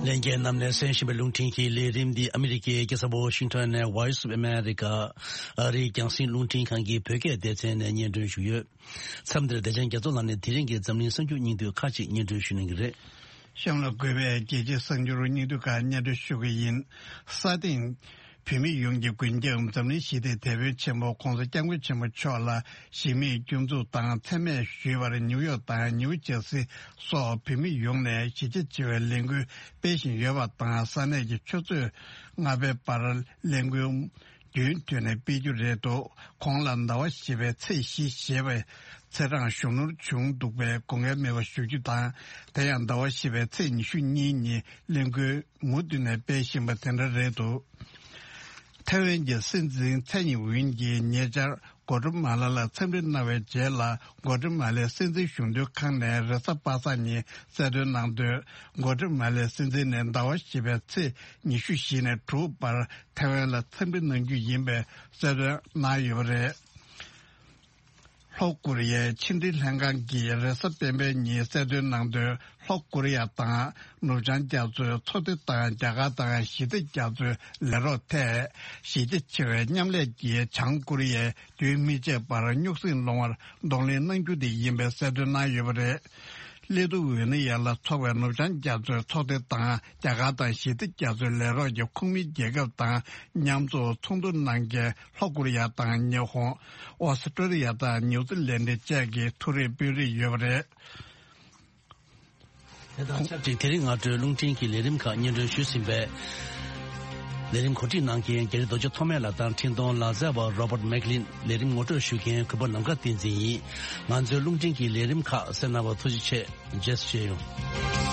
ལྷན་རྒྱས་རྣམས་ནས་གསན་བཞིན་པའི་རླུང་འཕྲིན་གྱི་ལས་རིམ་འདི་ཨ་མི་རི་ཀའི་རྒྱལ་ས་ཝ་ཤིང་ཊོན་ནས་Voice of America ཨ་རིའི་རྒྱང་སྲིང་རླུང་འཕྲིན་ཁང་གི་བོད་སྐད་སྡེ་ཚན་ནས་སྙན་སྒྲོན་ཞུས་ཡོད། མཚམས་འདིར་བདེ་ཆེན་རྒྱ་མཚོ་ལགས་ནས་དེ་རིང་གི་འཛམ་གླིང་གསར་འགྱུར་སྙིང་བསྡུས་ཁག་ཅིག་སྙན་སྒྲོན་ཞུ་གནང་གི་རེད། གཤམ་ལ་འགོད་པའི་རྒྱལ་སྤྱིའི་གསར་འགྱུར་སྙིང་བསྡུས་ཁག་སྙན་སྒྲོན་ཞུ་གི་ཡིན། ས་སྟེང་བོད་མི་ཡོངས་ཀྱི་མགོན་སྐྱབས་འཛམ་གླིང་ཞི་བདེའི་དེད་དཔོན་ཆེན་པོ་ྋགོང་ས་ྋསྐྱབས་མགོན་ཆེན་པོ་མཆོག་ལ་གཞིས་མིས་སྐྱོན་འཛུགས་དང་མཚན་སྨད་ཞུས་པར་ནིའུ་ཡོག་དང་ནིའུ་ཇར་སི་སོགས་བོད་མི་ཡོངས་ནས་གཞིས་ཆགས་ཆེ་བའི་ལས་འགུལ་སྤེལ་བཞིན་ཡོད་པ་དང་། ས་གནས་ཀྱི་ཆུ་ཚོད་ལྔ་པའི་བར་ལས་འགུལ་རྒྱུན་མཐུད་ནས་སྤེལ་རྒྱུ་རེད་འདུག་ཁོང་ལ་ཟླ་བ་བཞི་པའི་ཚེས་བཞི་ཞེས་པའི་ཚེས་གྲངས་གཞོན་ནུར་བྱུང་འདུག་པས་དགོངས་འགལ་མེད་པ་ཞུ་རྒྱུ་དང་། དེ་ཡང་ཟླ་བ་བཞི་པའི་ཚེས་ཉི་ཤུ་གཉིས་ཉིན་ལས་འགུལ་མུ་མཐུད་ནས་སྤེལ་བཞིན་པ་དེ་འདྲ་རེད་འདུག་ཐའེ་ཝན་གྱི་སྲིད་འཛིན་མཚན་ཉིད་ཝུན་གྱིས་ཉེ་ཆར་གོ་ཏྲ་མ་ལ་ལ་འཚམས་འདྲི་གནང་བའི་རྗེས་ལ། གོ་ཏྲ་མ་ལའི་སྲིད་འཛིན་གཞུང་དོན་ཁང་ནས་རེས་གཟའ་པ་སངས་ཉིན་གསལ་སྟོན་གནང་དོན། གོ་ཏྲ་མ་ལའི་སྲིད་འཛིན་ནས་ཟླ་བ་བཞི་པའི་ཚེས་ཉི་ཤུ་བཞི་ནས་དྲུག་བར་ཐའེ་ཝན་ལ་འཚམས་འདྲི་གནང་རྒྱུ་ཡིན་པའི་གསལ་སྟོན་གནང་ཡོད་པ་རེད། ལྷོ་ཀོ་རི་ཡའི་ཕྱི་འབྲེལ་ལྷན་ཁང་གིས་རེས་གཟའ་སྤེན་པའི་ཉིན་གསལ་སྟོན་གནང་དོན། ལྷོ་ཀོ་རི་ཡ་དང་ནུབ་བྱང་རྒྱ་མཚོའི་མཚོ་སྡེ་དང་རྒྱ་གར་དང་ཞི་བདེ་རྒྱ་མཚོའི་ལས་རོགས་ཐད་གཞི་རྒྱ་ཆེ་བའི་མཉམ་ལས་ཀྱིས་བྱང་ཀོ་རི་ཡས་རྒྱུན་མི་ཆད་པར་རྙོག་ཟིང་སློང་བར་གདོང་ལེན་གནང་རྒྱུ་དེ་ཡིན་པའི་གསལ་སྟོན་གནང་ཡོད་པ་རེད། ལི་ཐུ་ཝེ་ནི་ཡ་ལ་ཚོགས་པའི་ནུབ་བྱང་རྒྱ་མཚོའི་མཚོ་སྡེ་དང་རྒྱ་གར་དང་ཞི་བདེ་རྒྱ་མཚོའི་ལས་རོགས་ཀྱི་ཁོངས་མི་རྒྱལ་ཁབ་དང་མཉམ་འཛོམས་ཚོགས་འདུ་གནང་མཁན་ལྷོ་ཀོ་རི་ཡ་དང་ཉི་ཧོང་། ཨོ་སི་ཀྲོ་ལི་ཡ་དང་ནིའུ་ཛི་ལན་ཌི་བཅས་ཀྱི་ཐུགས་རེ་དཔོན་རིགས་ཡོད་པ་རེད། ཁོང་གཅིག་དེ་རིང་སྔ་དྲོའི་རླུང་འཕྲིན་གྱི་ལས་རིམ་ཁག་སྙན་སྒྲོན་ཞུས་ཟིན་པས། ལས་རིམ་གོ་སྒྲིག་གནང་མཁན་རྒྱ་རི་རྡོ་རྗེ་ཐོགས་མེད་ལགས་དང་འཕྲིན་གཏོང་ལག་རྩལ་བ་Robert Maclean། ལས་རིམ་ངོ་སྤྲོད་ཞུ་མཁན་གུས་པ་ནམ་མཁའ་བསྟན་འཛིན་ཡིན། ང་ཚོའི་རླུང་འཕྲིན་གྱི་ལས་རིམ་ཁག་གསན་གནང་བར་ཐུགས་རྗེ་ཆེ། རྗེས་སུ་མཇལ་ཡོང་།